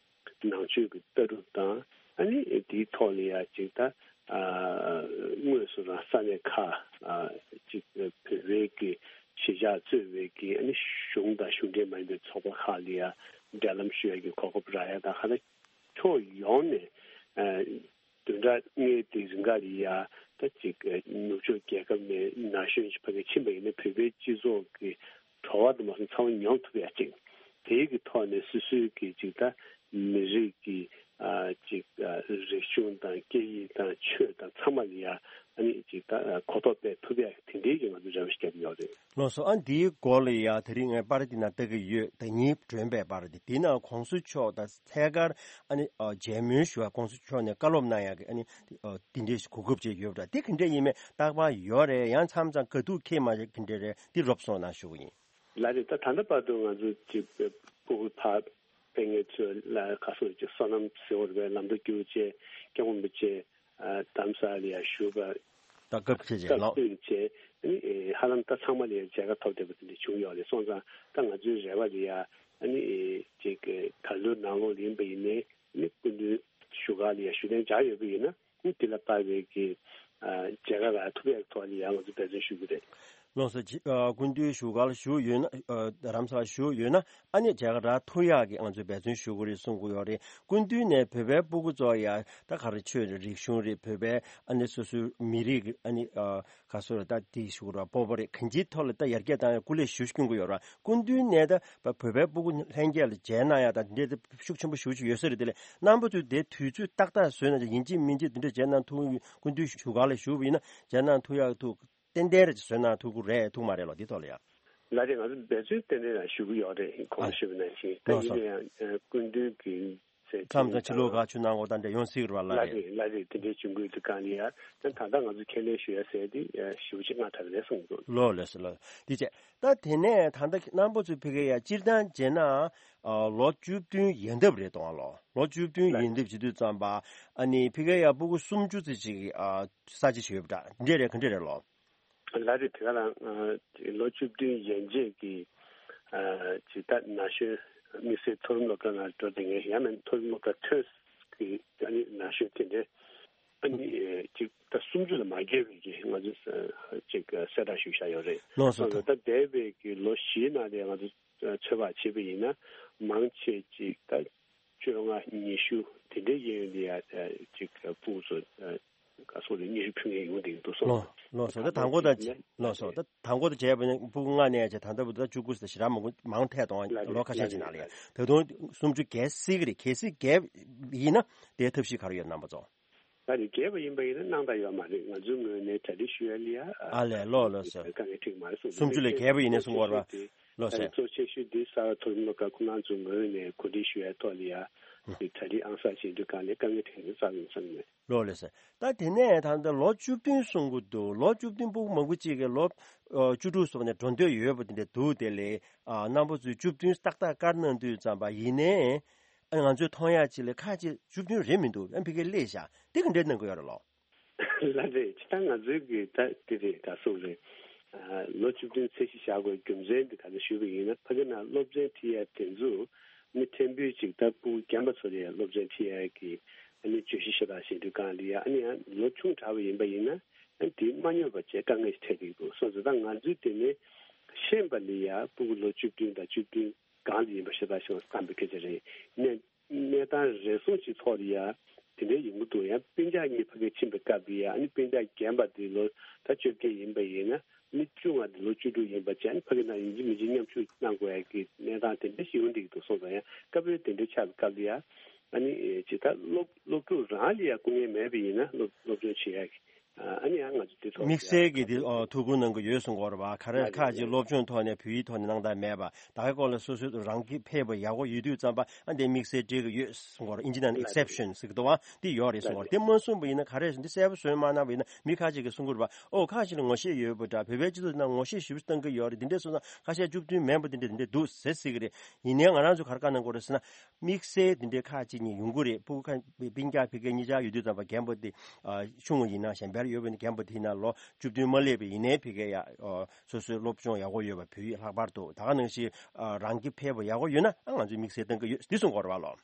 ནང་ཆོས་ཀྱི་ལྟ་གྲུབ་དང་ཨ་ནི་དེའི་ཐོག་ལ་ཡ་ཅིག་ད་ཨ་དངོས་སུ་རང་ས་གནས་ཁག་ཨ་ཅིག་བོད་པའི་གི་གཞིས་ཆགས་གཙོས་པའི་གི་ཨ་ནི་གཞུང་དང་གཞུང་འབྲེལ་མ་ཡིན་པའི་ཚོགས་པ་ཁག་ལ་ཡ་འབྲེལ་ལམ་ཞུ་ཡ་གི་གོ་སྐབས་རག་ཡ་དང་ཧ་ད་ཕྱོགས་ཡོངས་ནས་ཨ་བདུན་ཕྲག་ལྔའི་དེ་རིང་ག་ལ་ཡ་ད་ཅིག་ནུབ་ཕྱོགས་རྒྱལ་ཁབ་ནས་ན་གཞོན་ཞིག་ཕ་གི་ཕྱིན་པ་ཡིན་ན་བོད་པའི་སྤྱི་ཚོགས་ཀྱི་བྲོ་བ་དུ་མ་སོང་ཚང་མ་མྱོང་ཐུབ་ཡ་ཅིག་དེའི་གི་ཐོག་ནས་སོ་སོའི་གི་ཅིག་ད་མི་རིགས་ཀྱི་ཨ་ཅིག་ཨ་རིག་གཞུང་དང་སྐད་ཡིག་དང་ཆོས་དང་ཚང་མ་ལ་ཡ་ཨ་ནི་ཅིག་ད་གོ་རྟོགས་སྤེལ་ཐུབ་ཡ་དེ་འདྲའི་གི་ང་ཚོ་རེ་བ་ཞིག་བརྒྱབ་ཡོད་རེད། ལགས་སོ། ཨ་འདིའི་སྐོར་ལ་ཡ་དེ་རིང་ངས་པར་འདི་ན་ལྟ་གི་ཡོད། ད་ཉིན་སྒྲོན་པའི་པར་འདི་འདི་ན་གོང་ས་མཆོག་ད་ཐད་ཀར་ཨ་ནི་ཨ་མཇལ་མོལ་ཞུ་བ་གོང་ས་མཆོག་ནས་བཀའ་སློབ་གནང་ཡ་གི་ཨ་ནི་ཨ་འདི་འདྲའི་གོ་སྐབས་ཅིག་ཡོད་པ་འདྲ། འདི་ག་འདྲ་ཡིན་མིན་རྟག་པར་ཡོད་རེད། ཡང་མཚམས་མཚམས་དགའ་སྡུག་ཁེལ་མ་རེད། ག་འདྲ་རེད། འདི་རོབ་གསུང་གནང་ཞུ་གི་ཡིན། ལགས་རེད། ད་ད་ལྟ་བར་དུ་ང་ཚོ་ཅིག་སྤུ་གུ་ཕར་ཕེབས་མཁན་ཚོ་ལ་ག་སོགས་ཀྱི་སོ་ནམ་ཟེར་བ་རེད་པས། ལམ་འགྲོ་རྒྱུག་བྱས་སྐྱབས་མགོན་རིན་པོ་ཆེ་ཨ་རྡ་རམ་ས་ལ་ཡ་བཞུགས་པ་ད་སྐབས་ཁེལ་བྱས་སྐབས་ལགས། བསྟུན་བྱས་ཨ་ནི་ཨེ་ཧ་ལམ་ད་ཚང་མ་ལ་ཡ་མཇལ་ཁ་ཐོབ་བསྡད་པ་དེ་འདྲ་བྱུང་ཡོད་རེད། སོང་ཙང་ད་ང་ཚོའི་རེ་བ་ལ་ཡ་ཨ་ནི་ཨེ་ཅིག་ད་ལོའི་ནང་ལོགས་ལ་ཡིན་པ་ཡིན་ནའི་ཨ་ནི་སྐུ་མདུན་བཞུགས་སྒར་ལ་ཡ་བཞུགས་གདན་འཇགས་ཡོད་པ་ཡིན་ན། དེ་ལ་དཔག་པའི་གི་ཨ་མཇལ་ཁ་རག་ཐུབ་ཡག་ཐོག་ལ་ཡང་ང་ཚོ་འབད་བརྩོན་ཞུ་གི་རེད། ལགས་སོ། ཅི་ཨ་སྐུ་མདུན་བཞུགས་སྒར་ལ་བཞུགས་ཡོད་ན། ཨ་རྡ་རམ་ས་ལ་བཞུགས་ཡོད་ན་ཨ་ནི་མཇལ་ཁ་རག་ཐུབ་ཡག་གི་ང་ཚོས་འབད་བརྩོན་ཞུ་གི་རེད་གསུང་གི་ཡོད་རེད། སྐུ་མདུན་ནས་བོད་པའི་སྤུ་གུ་ཚོ་ཡ་ད་ག་རེ་ཆོས་རེད། རིག་གཞུང་རེད། བོད་པའི་ཨ་ནི་སོ་སོའི་མི་རིགས་ཀྱི་ཨ་ནི་ཨ་ག་སོ་རེད། ད་དེ་ཞུ་གི་རེད། སྤོབས་པ་རེད། གང་ཅིའི་ཐོག་ལ་ད་ཡར་རྒྱས་བཏང་ཡ་སྐུ་ལས་ཞུ་སྐྱོན་གི་ཡོད་རེད། སྐུ་མདུན་ནས་ད་བོད་པའི་སྤུ་གུ་ལྷན་རྒྱས་ལ་མཇལ་གནང་ཡ་ད་འདི་འདྲའི་ཤུགས་ཆེན་པོ་ཞེ་པོ་ཅིག་ཡོད་ས་རེད། དེ་ལས་རྣམ་པ་ཚོས་དེ་དུས་ཚོད་ཏག་ཏག་བཟོས་གནང་། ཡིན་གཅིག་མིན་གཅིག་དེ་འདྲ་མཇལ་གནང་ཐུབ། སྐུ་མདུན་བཞུགས་སྒར་ལ་བཞུགས་པ་ཡིན་ན་མཇལ་གནང་ཐུབ་ཡག་ཐུག་ཏན་ཏན་རེ་བཟོས་གནང་ཐུབ་ཀྱི་རེད་ཐུག་མ་རེད་ལོ། འདི་ཐོག་ལ་ཡ། ལགས་རེད། ང་ཚོ་འབད་བརྩོན་ཏན་ཏན་རང་ཞུ་གི་ཡོད་རེད། གོང་ཨ་ཞུས་པ་ནང་བཞིན་ད་ལགས་སོ། ཡིན་ན་ཡང་ཨ་སྐུ་མདུན་གྱི་ཚེ་མཚམས་མཚམས་ཕྱི་ལོགས་ཁག་ཆུ་ནང་འོག་ད་འདྲ་ཡོང་སྲིད་རེད་པ། ལགས་ལགས་རེད། རེད། ལགས་རེད། དེ་འདྲའི་འབྱུང་ཁུངས་དེ་གང་ལ་ཡ་ད་ད་ལྟ་ང་ཚོ་ཁས་ལེན་ཞུ་ཡ་ཟེར་དེ་ཞེ་པོ་ཅིག་སྔ་དྲགས་རེད་གསུངས་འདུག་ལོ་ལགས་སོ་ལགས། དེ་བྱས་ད་དེ་ནས་ད་ལྟ་རྣམ་པ་ཚོས་ཕ་གི་ཡ་སྤྱིར་བཏང་བྱས་ན་ཨ་ལོ་བཅུ་བདུན་ཡན་འདབ་རེད་དོ། ལོ་ལོ་བཅུ་བདུན་ལགས་ཡན་འདབ་བྱེད་དུས་ཙམ་པ་ཨ་ནི་ཕ་གི་ཡ་སྤུ་གུ་སུམ་ཅུ་ཙམ་ཅིག་ཨ་ས་བྱི་ཞིག་ཡོད་པ་འདྲ། འདྲ་རེད། ག་འདྲ་རེད་ལོ། ལགས་རེད། དེ་ག་རང་ཨ་ལོ་བཅུ་བདུན་ཡན་ཆད་ཀྱི་ ཨ་ཅིག་ད་ན་གཞོན་དམིགས་བསལ་མཐོ་རིམ་སློབ་གྲྭ་ནང་འགྲོ་བསྡད་མཁན་ཡང་ན་མཐོ་རིམ་སློབ་གྲྭ་ཐོན་གྱི་ཨ་ནི་ན་གཞོན་དེ་འདྲའི་ཨ་ནི་ཨེ་ཅིག་ད་སུམ་ཅུ་ལ་མ་བརྒལ་བའི་གི་ང་ཚོས་ཨ་ཅིག་གསལ་བསྒྲགས་ཞུས་བཞག་ཡོད་རེད། ལགས་སོ། ད་ད་འདས་པའི་གི་ལོ་བཞིའི་ནང་ལ་ང་ཚོ་ཚོད་དཔག་བྱས་པ་ཡིན་ན་མང་ཆེ་ཅིག་ད་བཅོ་ལྔ་ཉི་ཤུ་དེ་འདྲའི་གཡས་གཡོན་དེ་ཡ་ཅིག་ཕྲུ་གུ་ཚོ་ག་སོགས་ལ་སྙན་ཞུ་ཕུལ་མཁན་ཡོང་བསྡད་ཀྱི་འདུག་སོང་། ལགས་ལགས་སོ། ད་དང་པོ་ད་ལགས་སོ། ད་དང་པོ་ད་བྱས་པ་ཡིན་ན་ཕྲུ་གུ་ལྔ་ནས་བྱས་ད་ལྟ་བུ་ད་བཅུ་དགུ་ཟེར་ཞེ་དྲག་མང་མང་ཐལ་གཏོང་ལོ་ཁ་ཤས་ཅིག་ནང་ལ་ཡ་ད་དུང་སུམ་ཅུ་བརྒལ་སྲིད་ཀྱི་རེད། གལ་སྲིད་བརྒལ་ཡིན་ན་དེའི་ཐབས་ཤེས་ག་རེ་ཡོད་རྣམ་པ་ཚོ། ད་ནི་བརྒལ་བ་ཡིན་པ་ཡིན་ན་སྣང་དག་ཡོད་མ་རེད། ང་ཚོའི་ངོས་ནས་གྲ་སྒྲིག་ཞུ་ཡ་ལ་ཡ་ཨ་ལས་ལོ་ལོ་སོ། དཀའ་ངལ་འཕྲད་མ་རེད་གསུངས། སུམ་ཅུ་ལས་བརྒལ་བ་ཡིན་ནའི་གསུང་གི་ཡོད་རེད་པ། ལོ་ད་སོ། གཙོ་ཆེ་ཤོས་འདི་གསར་པ་མཐོ་རིམ་སློབ་གྲྭ་ཁོ་རང་ཚོའི་ངོས་ནས་གོ་སྒྲིག་ཞུ་ཡ་ཐོག་ལ་ཡ་དེ་གྲ་སྒྲིག་ཨང་གསར་བྱེད་དུས་གང་ལས་དཀའ་ངལ་འཕྲད་ནས་རྩ་བའི་མཚམས་ནས། ལོ་ལོ་སོ། ད་དེ་ནས་ད་ལྟ་ལོ་བཅུ་བདུན་གསུང་གི་འདུག་ལོ་བཅུ་བདུན་ཕྲུ་གུ་མང་པོ་ཅིག་གིས་ལོ་ཨ་བཅུ་དྲུག་སོགས་ནས་འགྲོ་འདོད་ཡོད་པ་དེ་འདྲ་འདུག་དེ་ལས་ཨ་རྣམ་པ་ཚོས་བཅུ་བདུན་ཏག་ཏག་བཀར་གནང་དུས་ཙམ་པ་ཡིན་ནའི། ཨ་ང་ཚོས་མཐོང་ཡག་ཅིག་ལ་ཁ་ཅིག་བཅུ་བདུན་རེད་མི་འདུག་ཨ་ཕ་གིར་སླེབས་ཤག་དེ་ག་འདྲས་གནང་གི་ཡོད་རེད་ལོ། ལགས་རེད། ཇི་ལྟར་ང་ཚོའི་གི་ད་དེ་རེད་ག་སོགས་རེད། ཨ་ལོ་བཅུ་བདུན་ཚད་གཞི་བཞག་དགོས་རྒྱུ་མཚན་འདི་ག་ཚོད་ཞུས་པ་ཡིན་ན་ཕ་གི་ནང་སློབ་ཚན་ཁྲིད་ཡ་དེ་ཚོ་ནི་ཕྲན་བུ་ཅིག་ད་ཕྲུ་གུ་རྒན་པ་ཚོ་ལ་ཡ་སློབ་ཚན་ཁྲིད་ཡ་གི་ཨ་ནི་བརྗོད་གཞི་ཤ་སྟག་བཤད་དུས་གང་ལ་ཡ་ཨ་ནི་ཡང་ལོ་ཆུང་དྲགས་པ་ཡིན་པ་ཡིན་ན་ཨ་ནི་དེ་མ་སྙོར་བ་བྱས་དཀའ་ངལ་ཞིག་འཕྲད་ཀྱི་འདུག་སོང་ཙང་ད་ང་ཚོའི་དེ་ནི་ཤེས་པ་ལ་ཡ་ཕྲུ་གུ་ལོ་བཅུ་བདུན་དང་བཅུ་བདུན་སྒང་ལ་ཡིན་པ་ཤ་སྟག་ཤོད་བསམ་པའི་སྐད་ཆ་རེད། གནས་གནས་སྟངས་རེ་ཟུང་ཅིག་ཐོག་ལ་ཡ་དེ་འདྲའི་ཡོང་གི་འདུག་ཡང་སྤུན་ཀྱག་གཉིས་ཕ་གིར་ཕྱིན་པའི་སྐབས་ལ་ཡ་ཨ་ནི་སྤུན་ཀྱག་རྒན་པ་དེ་ལོ་ད་བཅོ་བརྒྱད་ཡིན་པ་ཡིན་ན་ཨ་ནི་བཅུ་ལྔ་དེ་ལོ་བཅུ་དྲུག་ཡིན་པ་བྱས་ཨ་ནི་ཕ་གི་ནང་ཡིན་གཅིག་མིན་གཅིག་མཉམ་ཞུགས་གནང་དགོས་ཡ་གི་གནས་སྟངས་དེ་འདྲ་ཞིག་ཡོང་བསྡད་ཀྱི་འདུག་སོང་ཙང་ཡང་སྐབས་རེ་དེ་འདྲ་ཆགས་པའི་སྐབས་ལ་ཡ་ཨ་ནི་ཇི་ལྟར་སློབ་སློབ་ཕྲུག་རང་ལ་ཡ་སྐུ་ངལ་མེད་པ་ཡིན་ན་སློབ་སློབ་སྦྱོང་བྱེད་ཡ་གི་ཨ་ནི་ཡང་ང་ཚོ་དེ་ཐོག་དམིགས་བསལ་གྱི་དེ་ཨོ་ཐུགས་ཁུར་གནང་གི་ཡོད་གསུང་གི་ཡོད་རེད་བ། ག་རེ་ལགས་ཁག་ཅིག་རེད། སློབ་སྦྱོང་ཐོག་ནས་བོད་ཡིག་ཐོག་ནས་སྣང་དག་མེད་པ། ད་གའི་སྐོར་ལ་སོ་སོའི་རང་གི་ཕེབས་པ་ཡག་པོ་ཡོད་དུས་ཙམ་པ་ཨ་འདི་དམིགས་བསལ་སྤྲད་གི་ཡོད་གསུང་གི་ཡོད་རེད། ཨིན་ཇི་ནང་ལ་ལགས་རེད། ཨེག་སེབ་ཤན་ཟེར་གི་འདུག་བ། འདི་ཡོད་རེད་གསུང་གི་ཡོད་རེད། དེ་མ་གསུངས་པ་ཡིན་ན་ག་རེ་འདི་གསལ་པོ་བཟོས་མ་གནང་བ་ཡིན་ན་མི་ཁག་ཅིག་གིས་གསུང་གི་རེད་བ། ཨོ་ཁག་ཅིག་ལ་ངོ་ཤེས་ཡོད་པ་འདྲ། བོད་པའི་སྤྱི་ཚོགས་ནང་ངོ་ཤེས་ཞེ་པོ་བཏང་གི་ཡོད་རེད། འདི་འདྲས་སོང་ཙང་ཁ་ཤས་བཅུ་བདུན་མིན་པ་འདི་འདྲས་འདི་འདྲས་འདུག་ཟེར་སྲིད་གི་རེད། ཡིན་ནའི་ང་རང་ཚོ་ག་རེ་བཀའ་གནང་དགོས་རེད་ཟེར་ན། དམིགས་བསལ་འདི་འདྲའི་ཁག་ཅིག་ནས་ཡོང་གི་རེད། ཕྲུ་གུ་ཁ་སྤུན་ཀྱག་ཕ་གིར་གཉིས་ཆར་ཡོད་དུས་ཙམ་པ་རྒན་པ་དེ་ཨ་ཆུང་བ་ཡིན་ན་གཞན་པར་ཡོད་པ་ཡིན་ན་རྒན་པ་དེ་ཡིན་ན་ལོ་བཅུ་བདུན་མ་སླེབས་པ་ཡིན་ནའི་ཕ་གིར་ཡ་ཨ་སོ་སོའི་སློབ་སྦྱོང་ཡག་པོ་ཡོད་པ། བོད་ཡིག་ལྷག་པར་དུ་ད་ག་ནང་བཞིན་ཨ་རང་གི་ཕེབས་པ་ཡག་པོ་ཡོད་ན་ཨ་ང་ཚོས་དམིགས་བསལ་གཏོང་གི་ཡོད་འདི་གསུང་གི་ཡོད་རེད་བ་ལོ།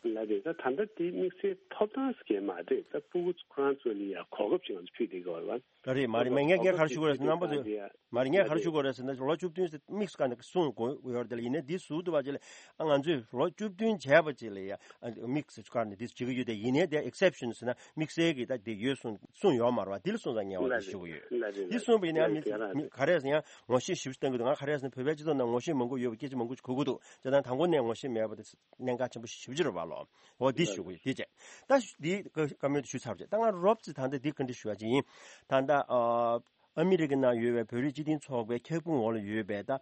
ལགས་རེད། ད་ད་ལྟ་དེ་དམིགས་བསལ་ཐོབ་ཐང་ཟེར་མཁན་མ་རེད། ད་ཕྲུ་གུ་ཁོ་རང་ཚོ་ལ་ཡ་གོ་སྐབས་ཤིག་ང་ཚོ་ཕུལ་བསྡད་ཀྱི་ཡོད་རེད་བ། ལགས་རེད། མ་རེད་མ་རེད། ངས་ངས་ག་རེ་ཞུ་དགོས་རེད་ཟེར་ན་རྣམ་པ་ཚོས། མ་རེད། ངས་ག་རེ་ཞུ་དགོས་རེད་ཟེར་ན་ལོ་བཅུ་བདུན་ཟེར་དམིགས་སུ་བཀར་ནས་གསུང་དགོས་ཡོད་རེད་དེ་ལ། ཡིན་ནའི་འདི་ཟུར་དུ་བ་ཅིག་ལ་ཨ་ང་ཚོས་ལོ་བཅུ་བདུན་བྱས་པ་ཅིག་ལ་ཡ་ཨ་དམིགས་སུ་བཀར་ནས་འདི་བྱེད་ཀྱི་ཡོད་དེ། ཡིན་ནའི་དེ་ཨེག་སེབ་ཤན་ཟེར་ན་དམིགས་བསལ་གྱི་ད་དེ་ཡོད་གསུང་གསུང་ཡོད་མ་རེད་བ། འདི་ལ་སོང་ཙང་ངས་འོ་འདི་ཞུ་གི་ཡོད། འདི་གསུངས་པ་ཡིན་ན་ཡང་མི་ག་རེ་ཟེར་ཡང་ངོ་ཤེས་ཞེ་པོ་ཅིག་བཏང་གི་འདུག་ང་ག་རེ་ཟེར་ན་བོད་པའི་སྤྱི་ཚོགས་ནང་ངོ་ཤེས་མང་པོ་ཡོད་པའི་སྐད་ཆ་མང་པོ་ཞིག་གོ་གི་འདུག་བྱས་ཙང་དང་པོ་ནས་ངོ་ཤེས་མེད་པ་དེ་གནད་འགག་ཆེན་པོ་ཞེ་པོ་ཅིག་རེད་བ་ལོ། འོ་འདི་ཞུ་གི་ཡོད། འདི་བྱས་ད་འདི་བཀའ་མོལ་དུ་ཞུས་ཚར་བ་བྱས། ད་ང་རོབ་ཙམ་ད་ལྟ་འདི་བཀའ་འདྲི་ཞུ་བ་ཅིག་ཡིན། ད་ལྟ་ཨ་ཨ་མི་རི་ཀའི་ནང་ཡོད་པའི་བོད་རིགས་སྤྱི་མཐུན་ཚོགས་པའི་ཁྱབ་ཁོངས་འོག་ལ་ཡོད་པའི་ད་ཨ་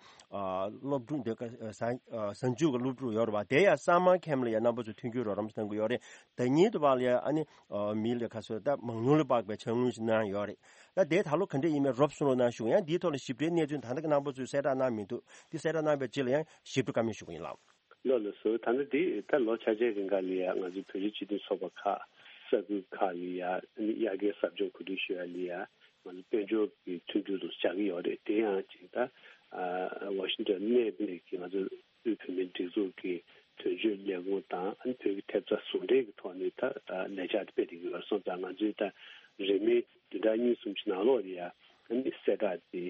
སློབ་ཕྲུག་འདི་ག་ཨ་གཟའ་མཇུག་གི་སློབ་ཕྲུག་ཡོད་རེད་བ། དེ་ཡང་སམ་མར་ཁེམ་ལ་ཡང་རྣམ་པ་ཚོས་མཐུན་འགྱུར་རོགས་རམ་གཏང་གི་ཡོད་རེད། ཟླ་ཉིན་དུ་བ་ལ་ཡང་ཨ་ནི་ཨ་མི་ལ་ཁ་སོ་ད་མང་ཉུང་ལ་དཔག་པའི་ཕྱག་དངུལ་ཞིག་གནང་ཡོད་རེད། ད་དེ་ད་ལོ་ག་འདྲ་ཡིན་མིན་རོབ་གསུང་རོགས་གནང་ཞུ། ཡང་འདིའི་ཐོག་ལ་ཞིབ་ཕྲའི་གནས་ཚུལ་ད་ལྟ་གི་རྣམ་པ་ཚོས་གསལ་བསྒྲགས་གནང་མི་འདུག་འདི་གསལ་བསྒྲགས་གནང་བའི་རྗེས་ལ་ཡང་ཞིབ་ཏུ་བཀའ་མོལ་ཞུ་གི་ཡིན་ལགས། ལགས་ལགས་སོ། ད་ལྟ་འདི་ད་ལོ་ཆ་ཆའི་རིང་ག་ལ་ཡ་ང་ཚོའི་བོད་རིགས་སྤྱི་མཐུན་ཚོགས་པ་ཁག་ས་ཁུལ་ཁག་ལ་ཡ་ཨ་ནི་དབྱར་ཁའི་ཟབ་སྦྱོང་གོ་སྒྲིག་ཞུ་ཡ་ལ་ཡ་ང་ཚོ་དཔལ་འབྱོར་གྱི་མཐུན་འགྱུར་དུ་བྱ་གི་ཡོད་རེད། དེ་ཡང་ཅིག་ད་ཨ་ཝ་ཤིང་ཊོན་གནས་སྤོས་ཀྱི་ང་ཚོ་དབུས་བོད་མིའི་སྒྲིག་འཛུགས་ཀྱི་དོན་གཅོད་ལས་ཁུངས་དང་ཨ་ནི་བོད་ཀྱི་ཐེབས་རྩ་ཟུང་འབྲེལ་གྱི་ཐོག་ནས་ད་ལས་འཆར་དེ་སྤེལ་བསྡད་ཀྱི་ཡོད་སོང་ཙང་ང་ཚོས་ད་རེས་མོས་བདུན་ཕྲག་གཉིས་གསུམ་གྱི་ནང་ལོགས་ལ་ཡ་ཨ་ནི་གསལ་བསྒྲགས་དེ་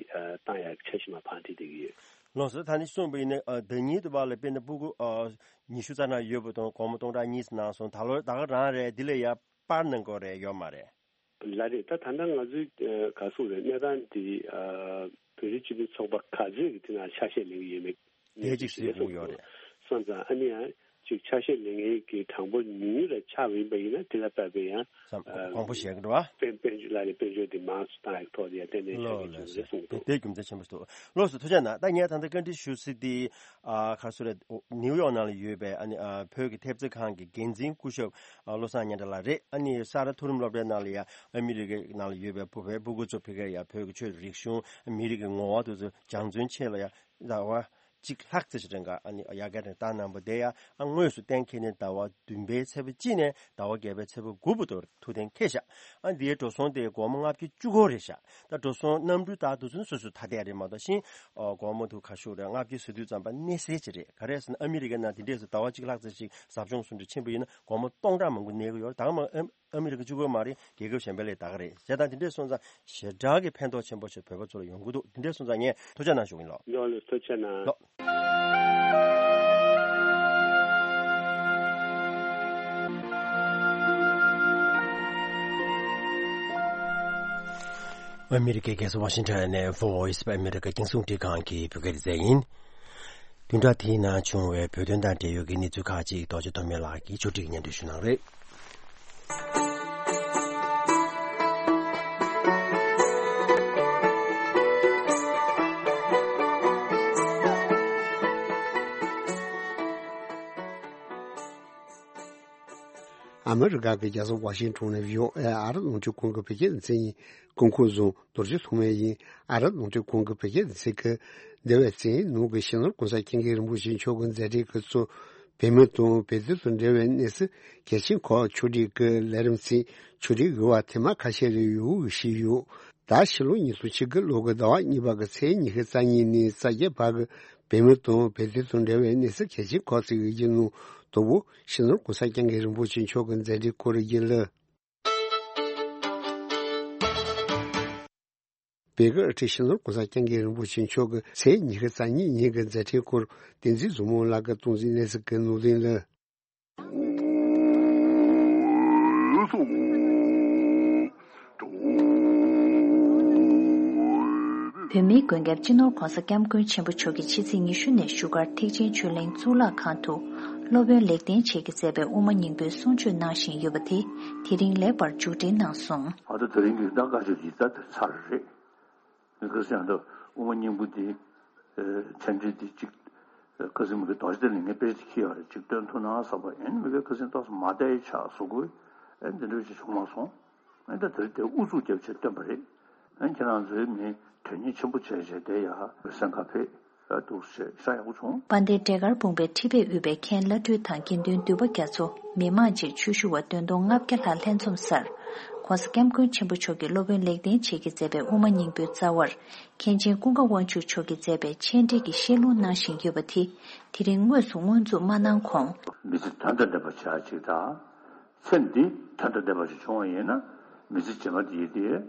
བཏང་ཡག་འཆར་གཞི་མར་ཕར་འཁྲིད་བསྡད་ཀྱི་ཡོད། ལགས་སོ། ད་ནི་གསུངས་པ་ཡིན་ན་ཨ་ཟླ་ཉིན་དུ་བ་ལ་དཔེར་ན་ཕྲུ་གུ་ཨ་ཉི་ཤུ་རྩ་ལྔ་ཡོད་པ་དང་སྒོར་མོ་སྟོང་ཕྲག་གཉིས་གནང་སོང་། ད་ལོ་ད་ག་རང་རེད། འདི་ལས་ཡར་སྤར་གནང་དགོས་རེད་ཡོད་མ་རེད། ལགས་རེད། ད་ད་ལྟ་ང་ཚོའི་ཨ་ག་ཟེར་རེད་གནས་སྟངས་འདི་ཨ་བོད་རིགས་སྤྱི་མཐུན་ཚོགས་པ་ག་ཚོད་ཀྱི་དེ་ནང་ཆ་ཤས་ལེན་གྱི་ཡོད་མེད་དེ་གཅིག་གཟིགས་དགོས་ཡོད་རེད། སོང་ཙང་ཨ་ནི་ཡང་ཅིག་ཆ་ཤས་ལེན་མཁན་གྱི་གྲངས་འབོར་ཉུང་ཉུང་རེ་ཆགས་པ་ཡིན་པ་ཡིན་ན་དེ་ལ་བབས་པའི་ཡང་ཙམ་ཨ་དབང་པོ་བཞེས་ཀྱི་འགྲོ་བ། དཔལ་དཔལ་འབྱོར་ལ་ནི་དཔལ་འབྱོར་འདི་མང་སུ་བཏང་ཡག་ཐོག་ལ་ཡང་ཏན་ཏན་ཆ་ལོ་ཤས་ལོ་ཅིག་ལོ་རེད་གསུངས་འདུག་དེ་རྒྱུ་མཚན་ཆེན་པོ་ཞིག་འདུག་ལགས་སོ། ཐུགས་རྗེ་གནང་། ད་ངས་ད་ལྟ་བཀའ་འདྲི་ཞུ་སྲིད་དེ་ཨ་ག་རེ་ཟེར་རེད། ནིའུ་ཡོག་ནང་ལ་ཡོད་པའི་ཨ་ནི་ཨ་བོད་ཀྱི་ཐེབས་རྩ་ཁང་གི་འགན་འཛིན་སྐུ་ཞབས་ཨ་བློ་བཟང་སྙན་གྲགས་ལགས་རེད། ཨ་ནི་ས་རཱ་མཐོ་རིམ་སློབ་གྲྭའི་ནང་ལ་ཡ་ཨ་མི་རི་ཀའི་ནང་ལ་ཡོད་པའི་བོད་པའི་ཕྲུ་གུ་ཚོ་ཕ་གིར་ཡ་བོད་ཀྱི་ཆོས་རིག་གཞུང་མི་རིགས་ཀྱི་ངོ་བོ་དེ་ཚོ་སྦྱང་བརྩོན་ཆེད་ལ་ཡ་ཟླ་བ་ གཅིག་ལྷག་ཙམ་ཞིག་རིང་ག་ཨ་ནི་ཡ་ག་རེ་ད་གནང་བ་དེ་ཡ་ཨ་དངོས་སུ་གཏན་འཁེལ་ནས་ཟླ་བ་བདུན་པའི་ཚེས་པ་གཅིག་ནས་ཟླ་བ་བརྒྱད་པའི་ཚེས་པ་དགུ་བར་དུ་ཐུགས་གཏན་འཁེལ་བཞག་ཨ་འདིའི་འགྲོ་སོང་དེ་སྒོར་མོ་ལྔ་བརྒྱ་བཅུ་གོ་རེད་བཞག་ད་འགྲོ་སོང་གནམ་གྲུ་ད་དུས་ཚོད་སོ་སོ་ཐ་དད་རེད་མ་གཏོགས་ཤིང་སྒོར་མོ་དུ་ཁ་ཤུག་རེད་ལྔ་བརྒྱ་ཟེར་དུས་ཙམ་པ་གནས་སེལ་ཅིག་རེད། ག་རེ་ཟེར་ན་ཨ་མི་རི་ཀའི་ནང་དེ་འདྲས་སུ་ཟླ་བ་གཅིག་ལྷག་ཙམ་ཞིག་ཟབ་སྦྱོང་སུ་འདྲ་ཆེན་པོ་ཡིན་ན་སྒོར་མོ་སྟོང་ཕྲག་མང་པོ་གནས་ཀྱི་ཡོད་རེད། ད་ག་མ་ཨ་མི་རི་ཀ་གཅིག་པོ་མ་རེད། རྒྱལ་ཁབ་གཞན་པའི་ལས་ད་ག་རེད། བྱས་ཙང་དེ་འདྲས་སོང་ཙང་ཞེ་དྲག་གི་ཕན་ཐོགས་ཆེན་པོ་ཞིག་བོད་པ་ཚོ་ལ་ཡོང་གི་འདུག་དེ་འདྲས་སོང་ཙང་ངས་ཐུགས་རྗེ་གནང་ཞུ་གི་ཡིན་ལགས། ཡོང་ལེ་ཐུགས་རྗེ་གནང་། ལགས། ཨ་མི་རི་ཀའི་རྒྱལ་ས་ཝ་ཤིང་ཊོན་ནས་Voice of America རྒྱང་སྲིང་རླུང་འཕྲིན་ཁང་གི་བོད་སྐད་སྡེ་ཚན་ཡིན། བདུན་ཕྲག་འདིའི་ནང་བྱུང་བའི་བོད་དོན་དང་འབྲེལ་ཡོད་ཀྱི་གནས་ཚུལ་ཁག་ཅིག་རྡོ་རྗེ་ཐོགས་མེད་ལགས་ཀྱིས་ཕྱོགས་སྒྲིག་སྙན་སྒྲོན་ཞུ་གནང་རེད། ཨ་མི་རི་ཀ་གི་རྒྱལ་ས་ཝ་ཤིང་ཊོན་ནས་བྷི་ཨོ་ཨེ་ཨ་རི་རླུང་འཕྲིན་ཁང་གི་བོད་སྐད་སྡེ་ཚན་ཡིན། སྐུ་ཁམས་བཟང་། རྡོ་རྗེ་ཐོགས་མེད་ཡིན། ཨ་རི་རླུང་འཕྲིན་ཁང་གི་བོད་སྐད་སྡེ་ཚན་གྱིས་འདས་པའི་ཚེས་ཉི་ཤུ་ཉིན་གྱི་སྤྱི་ནོར་༸གོང་ས་༸སྐྱབས་མགོན་རིན་པོ་ཆེ་མཆོག་གི་མཛད་འཕྲིན་ཁག་གཙོ་བོད་མི་དང་བོད་དོན་དང་འབྲེལ་བའི་གནས་ཚུལ་གལ་ཆེན་ཁག་ཕྱོགས་སྒྲིག་གི་ལས་རིམ་ཚིག་ཕྱོགས་སྒྲིག་ཡོད་པ་ཐེངས་མ་ཁ་ཤས་ལ་ཡོད་ཞུས་ཡོད། ད་ཕྱི་ལོ་ཉིས་སྟོང་ཆིག་ལོ་གི་ཟླ་བ་གཉིས་པ་གི་ཚེས་ཉི་ཤུ་རྩ་གཉིས་ནས་རྩ་བརྒྱད་བར་གྱི་བོད་མི་དང་བོད་དོན་དང་འབྲེལ་བའི་གནས་ཚུལ་གལ་ཆེན་ཁག་ཅིག་ཡིན་ནོ། དང་པོ་སྤྱི་ནོར་༸གོང་ས་༸སྐྱབས་མགོན་རིན་པོ་ཆེ་མཆོག་གི་མཛད་འཕྲིན་སྐོར་ཡིན་ལ། བོད་ཀྱི་སྤྱི་ནོར་༸གོང་ས་༸སྐྱབས་མགོན་རིན་པོ་ཆེ་མཆོག་གི་ཚེས་ཉི་ཤུ་རྩ་གཉིས་ཉིན་གྱི་མཛད་འཕྲིན་སྐོར་བསྟན་འཛིན་བཟང་མོ་ལགས་ཀྱིས་གཏོང་ཟིན་གནས་ཚུལ་གྱི་ནང་དོན་ལ། བོད་མིའི་མགོན་སྐྱབས་སྤྱི་ནོར་༸གོང་ས་༸སྐྱབས་མགོན་ཆེན་པོ་མཆོག་གིས་ཕྱི་ཚེས་ཉི་ཤུ་ནས་བཞུགས་སྒར་ཐེག་ཆེན་ཆོས་གླིང་གཙུག་ལག་ཁང་དུ་སློབ་དཔོན་ལེགས་ལྡན་འབྱེད་ཀྱིས་མཛད་པའི་དབུ་མ་སྙིང་པོའི་གསུང་ཆོས་གནང་བཞིན་ཡོད་པ་དེ་དེ་རིང་ལེགས་པར་མཇུག་སྒྲིལ་གནང་སོང་། ཨ་ད་དེ་རིང་གི་ད་བཀའ་ཆོས་ཀྱི་ད་དེ་ཚར་རེད། ཁ་སང་ད་དབུ་མ་སྙིང་པོ་འདི་མཚན་འབྲེལ་འདི་གཅིག་ཁ་སང་མི་གི་རྡོ་རྗེ་གདན་ལ་ངས་དཔེ་ཅིག་ཁྱེར་ཡོད་རེད། གཅིག་སྟོན་ཐུབ་ན་བསམ་པ་ཡིན། མི་གི་ཁ་སང་ཏོག་ཙམ་མ་བསྡད་ཆགས་བཟོ་དགོས་ཨེ་འདི་འདྲ་ཅིག་བྱུང་མ་སོང་། ཨེ་ད་དེར་དེ་ཨུ་ཚུགས་རྒྱབ་བྱས་སྟོན་པ་རེད། ཨེ་ཁྱེད་རང་ཚོའི་མི་དོན་གཉེར་ཆེན་པོ་བྱས་བྱས་དེ་ཡ་སེམས་ཁ་ཕེབས་ཨེ་འདུག་ཞེས་ཤ་ཡག་པོ་བྱུང་། དཔལ་ལྡན་འབྲས་དཀར་སྤུངས་པའི་ཁྲི་པས་དབུས་པའི་མཁན་བླ་སྤྲུལ་དང་དགེ་འདུན་འདུས་པ་རྒྱ་མཚོ། མི་མང་བཅས་ཆོས་ཞུ་བ་བདུན་སྟོང་ལྔ་བརྒྱ་ལྷག་ལྷན་འཛོམས་སར། ༸གོང་ས་༸སྐྱབས་མགོན་ཆེན་པོ་མཆོག་གིས་སློབ་དཔོན་ལེགས་ལྡན་འབྱེད་ཀྱིས་མཛད་པའི་དབུ་མ་སྙིང་པོའི་རྩ་བར། མཁན་ཆེན་ཀུན་དགའ་དབང་ཕྱུག་མཆོག་གིས་མཛད་པའི་མཆན་འགྲེལ་གྱི་བཤད་ལུང་གནང་བཞིན་ཡོད་པ་དེ། དེ་རིང་དངོས་སུ་སྔོན་འཛུགས་མ་གནང་གོང་། མི་ཚེ་དོན་དང་ལྡན་པ་བྱ་ཅིག་དང་། ཚེ་འདི་དོན་དང་ལྡན་པ་ཞིག་བྱུང་བ་ཡིན་ན། མི་ཚེ་རྗེས་མ་དེ་ཡི་དེ།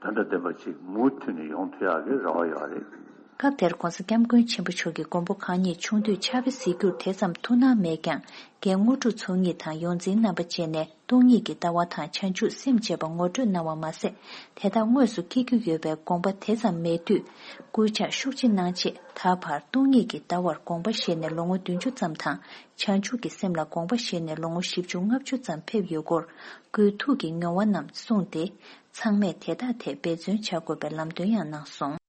དོན་དང་ལྡན་པ་ཅིག་མུ་མཐུད་ནས་ཡོང་ཐུབ་ཡག་གི་རེ་བ་ཡོད་རེད། སྐབས་དེར་༸གོང་ས་༸སྐྱབས་མགོན་ཆེན་པོ་མཆོག་གིས་མགོན་པོ་གང་ཉིད་ཆུང་དུས་ཕྱག་དཔེ་གཟིགས་རྒྱུར་དེ་ཙམ་ཐུགས་སྣང་མེད་ཀྱང་། རྒན་དངོས་གྲུབ་ཚོགས་གཉིས་དང་ཡོངས་འཛིན་རྣམ་པ་བཅས་ནས་སྟོང་ཉིད་ཀྱི་ལྟ་བ་དང་བྱང་ཆུབ་སེམས་བཅས་པ་ངོ་སྤྲོད་གནང་བ་མ་ཟད། དེ་དག་དངོས་སུ་སྐྱེ་རྒྱུ་ཡོད་པའི་དགོངས་པ་དེ་ཙམ་མེད་དུས། སྐུལ་ལྕག་ཤུགས་ཆེ་གནང་རྗེས་ད་བར་སྟོང་ཉིད་ཀྱི་ལྟ་བར་དགོངས་པ་བཞེས་ནས་ལོ་ངོ་བདུན་ཅུ་ཙམ་དང་། བྱང་ཆུབ་ཀྱི་སེམས་ལ་དགོངས་པ་བཞེས་ནས་ལོ་ངོ་བཞི་བཅུ་ལྔ་བཅུ་ཙམ་ཕེབས་ཡོད་སྐོར། སྐུའི་ཐུགས་ཀྱི་མྱོང་བ་རྣམས་གསུངས་ཏེ། ཚང་མས་དེ་དག་ཐད་འབད་བརྩོན་བྱ་དགོས་པའི་ལམ་སྟོན་ཡང་གནང་སོང་།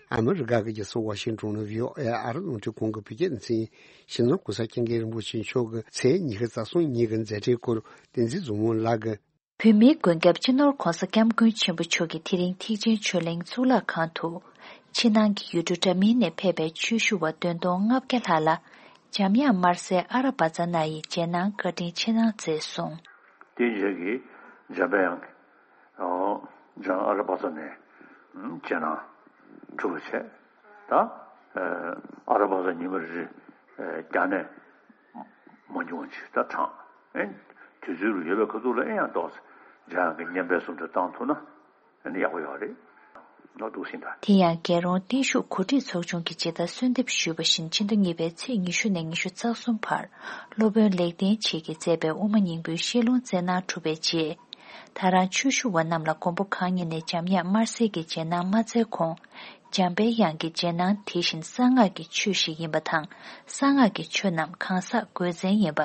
ཨ་མི་རི་ཀ་གི་རྒྱལ་ས་ཝ་ཤིང་ཊོན་ནས་བྷི་ཨོ་ཨེ་ཨ་རི་རླུང་འཕྲིན་ཁང་གི་བོད་སྐད་སྡེ་ཚན་ཡིན། སྤྱི་ནོར་༸གོང་ས་༸སྐྱབས་མགོན་རིན་པོ་ཆེ་མཆོག་གི་ཚེས་ཉི་ཤུ་རྩ་གསུམ་ཉིན་གྱི་མཛད་འཕྲིན་སྐོར་བསྟན་འཛིན་བཟང་མོ་ལགས་ཀྱིས། བོད་མིའི་མགོན་སྐྱབས་སྤྱི་ནོར་༸གོང་ས་༸སྐྱབས་མགོན་ཆེན་པོ་མཆོག་གིས་དེ་རིང་ཐེག་ཆེན་ཆོས་གླིང་གཙུག་ལག་ཁང་དུ། ཕྱི་ནང་གི་ཡུལ་གྲུ་འདྲ་མིན་ནས་ཕེབས་པའི་ཆོས་ཞུ་བ་བདུན་སྟོང་ལྔ་བརྒྱ་ལྷག་ལ། འཇམ་དབྱངས་དམར་གསལ་ཨ་ར་བ་ཙ་ན་ཡི་རྗེས་གནང་བཀའ་དྲིན་ཆེ་གནང་མཛད་སོང་། དེའི་རྗེས་ཀྱི་འཇམ་དབྱངས་ཀྱིས་འཇམ་ཨ་ར་བ་ཙ་ནས་རྗེས་གནང་གྲུབ་པ་བྱས། ད་ཨ་ར་བ་ཙ་ཉི་མ་རེ་རེ་རྒྱ་ནས་མ་འབྱུང་བ་ཅིག་ད་དྲངས། ཨེ་དུས་ཚོད་ལ་ཡོད་པའི་ཁ་ཐུག་ལ་ཨེ་ཡང་ཏོག་ཙམ་འཇམ་དབྱངས་ཀྱི་བསྙེན་པའི་གསུང་གྲོས་བཏང་ཐུབ་ན། ཨ་ནི་ཡག་པོ་ཡོད་རེད། ནོར་འདུག་ཟིན་ད། དེ་ཡང་རྒྱལ་རོང་བརྟན་བཞུགས་གོ་སྒྲིག་ཚོགས་ཆུང་གིས་ཇི་ལྟར་གསོལ་འདེབས་ཞུས་པ་བཞིན་ཕྱི་ཟླ་གཉིས་པའི་ཚེས་ཉི་ཤུ་ནས་ཉི་ཤུ་རྩ་གསུམ་བར་སློབ་དཔོན་ལེགས་ལྡན་འབྱེད་ཀྱིས་མཛད་པའི་དབུ་མ་སྙིང་པོའི་བཤད་ལུང་སྩལ་གནང་གྲུབ་པའི་རྗེས། ད་རང་ཆོས་ཞུ་བ་རྣམས་ལ་མགོན་པོ་གང་ཉིད་ནས་འཇམ་དབྱངས་དམར་གསལ་གྱི་རྗེས་གནང་མ་སྩལ་གོང་། འཇམ་པའི་དབྱངས་ཀྱི་རྗེས་གནང་དེ་བཞིན་གསང་སྔགས་ཀྱི་ཆོས་ཤིག་ཡིན་པ་དང་། གསང་སྔགས་ཀྱི་ཆོས་རྣམས་གང་ཟག་དགོས་མཚན་ཡིན་པ།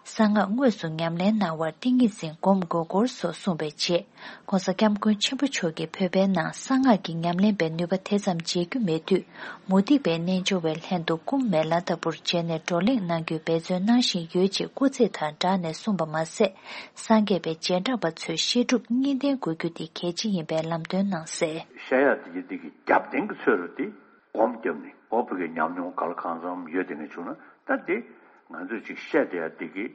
གསང་སྔགས་དངོས་སུ་ཉམས་ལེན་གནང་བར་ཏིང་ངེ་འཛིན་སྒོམ་དགོས་སྐོར་སོགས་གསུངས་པའི་རྗེས། ྋགོང་ས་ྋསྐྱབས་མགོན་ཆེན་པོ་མཆོག་གིས་བོད་པའི་ནང་གསང་སྔགས་ཀྱི་ཉམས་ལེན་པའི་ནུས་པ་དེ་ཙམ་མཇལ་རྒྱུ་མེད་དུས། མུ་སྟེགས་པའི་རྣལ་འབྱོར་བའི་ལྷན་དུ་སྐུ་མེ་ལྷ་ལྟ་བུར་མཇལ་ནས་བགྲོ་གླེང་གནང་རྒྱུའི་འབད་བརྩོན་གནང་བཞིན་ཡོད་ཅེས་སྐུ་ཚེ་དང་སྦྲགས་ནས་གསུངས་པ་མ་ཟད། སངས་རྒྱས་པའི་རྗེས་འབྲང་པ་ཚོས་བཤད་སྒྲུབ་གཉིས་ལྡན་དགོས་རྒྱུ་དེ་གལ་ཆེ་ཡིན་པའི་ལམ་སྟོན་གནང་གསལ། བཤད་ཡག་དེ་གི་དེ་གི་རྒྱབ་རྟེན་གྱི་ཚོད་རུ་དེ་སྒོམ་བརྒྱབ་ནས། ཨོ་བོད་ཀྱི་ཉམས་མྱོང་ག་ལ་གང་འཚམ་ཡོད་དེ་ནས་བྱུང་ན། ད་དེ་ང་ཚོས་ཅིག་བཤད་བསྡད་ཡ་དེ་གི་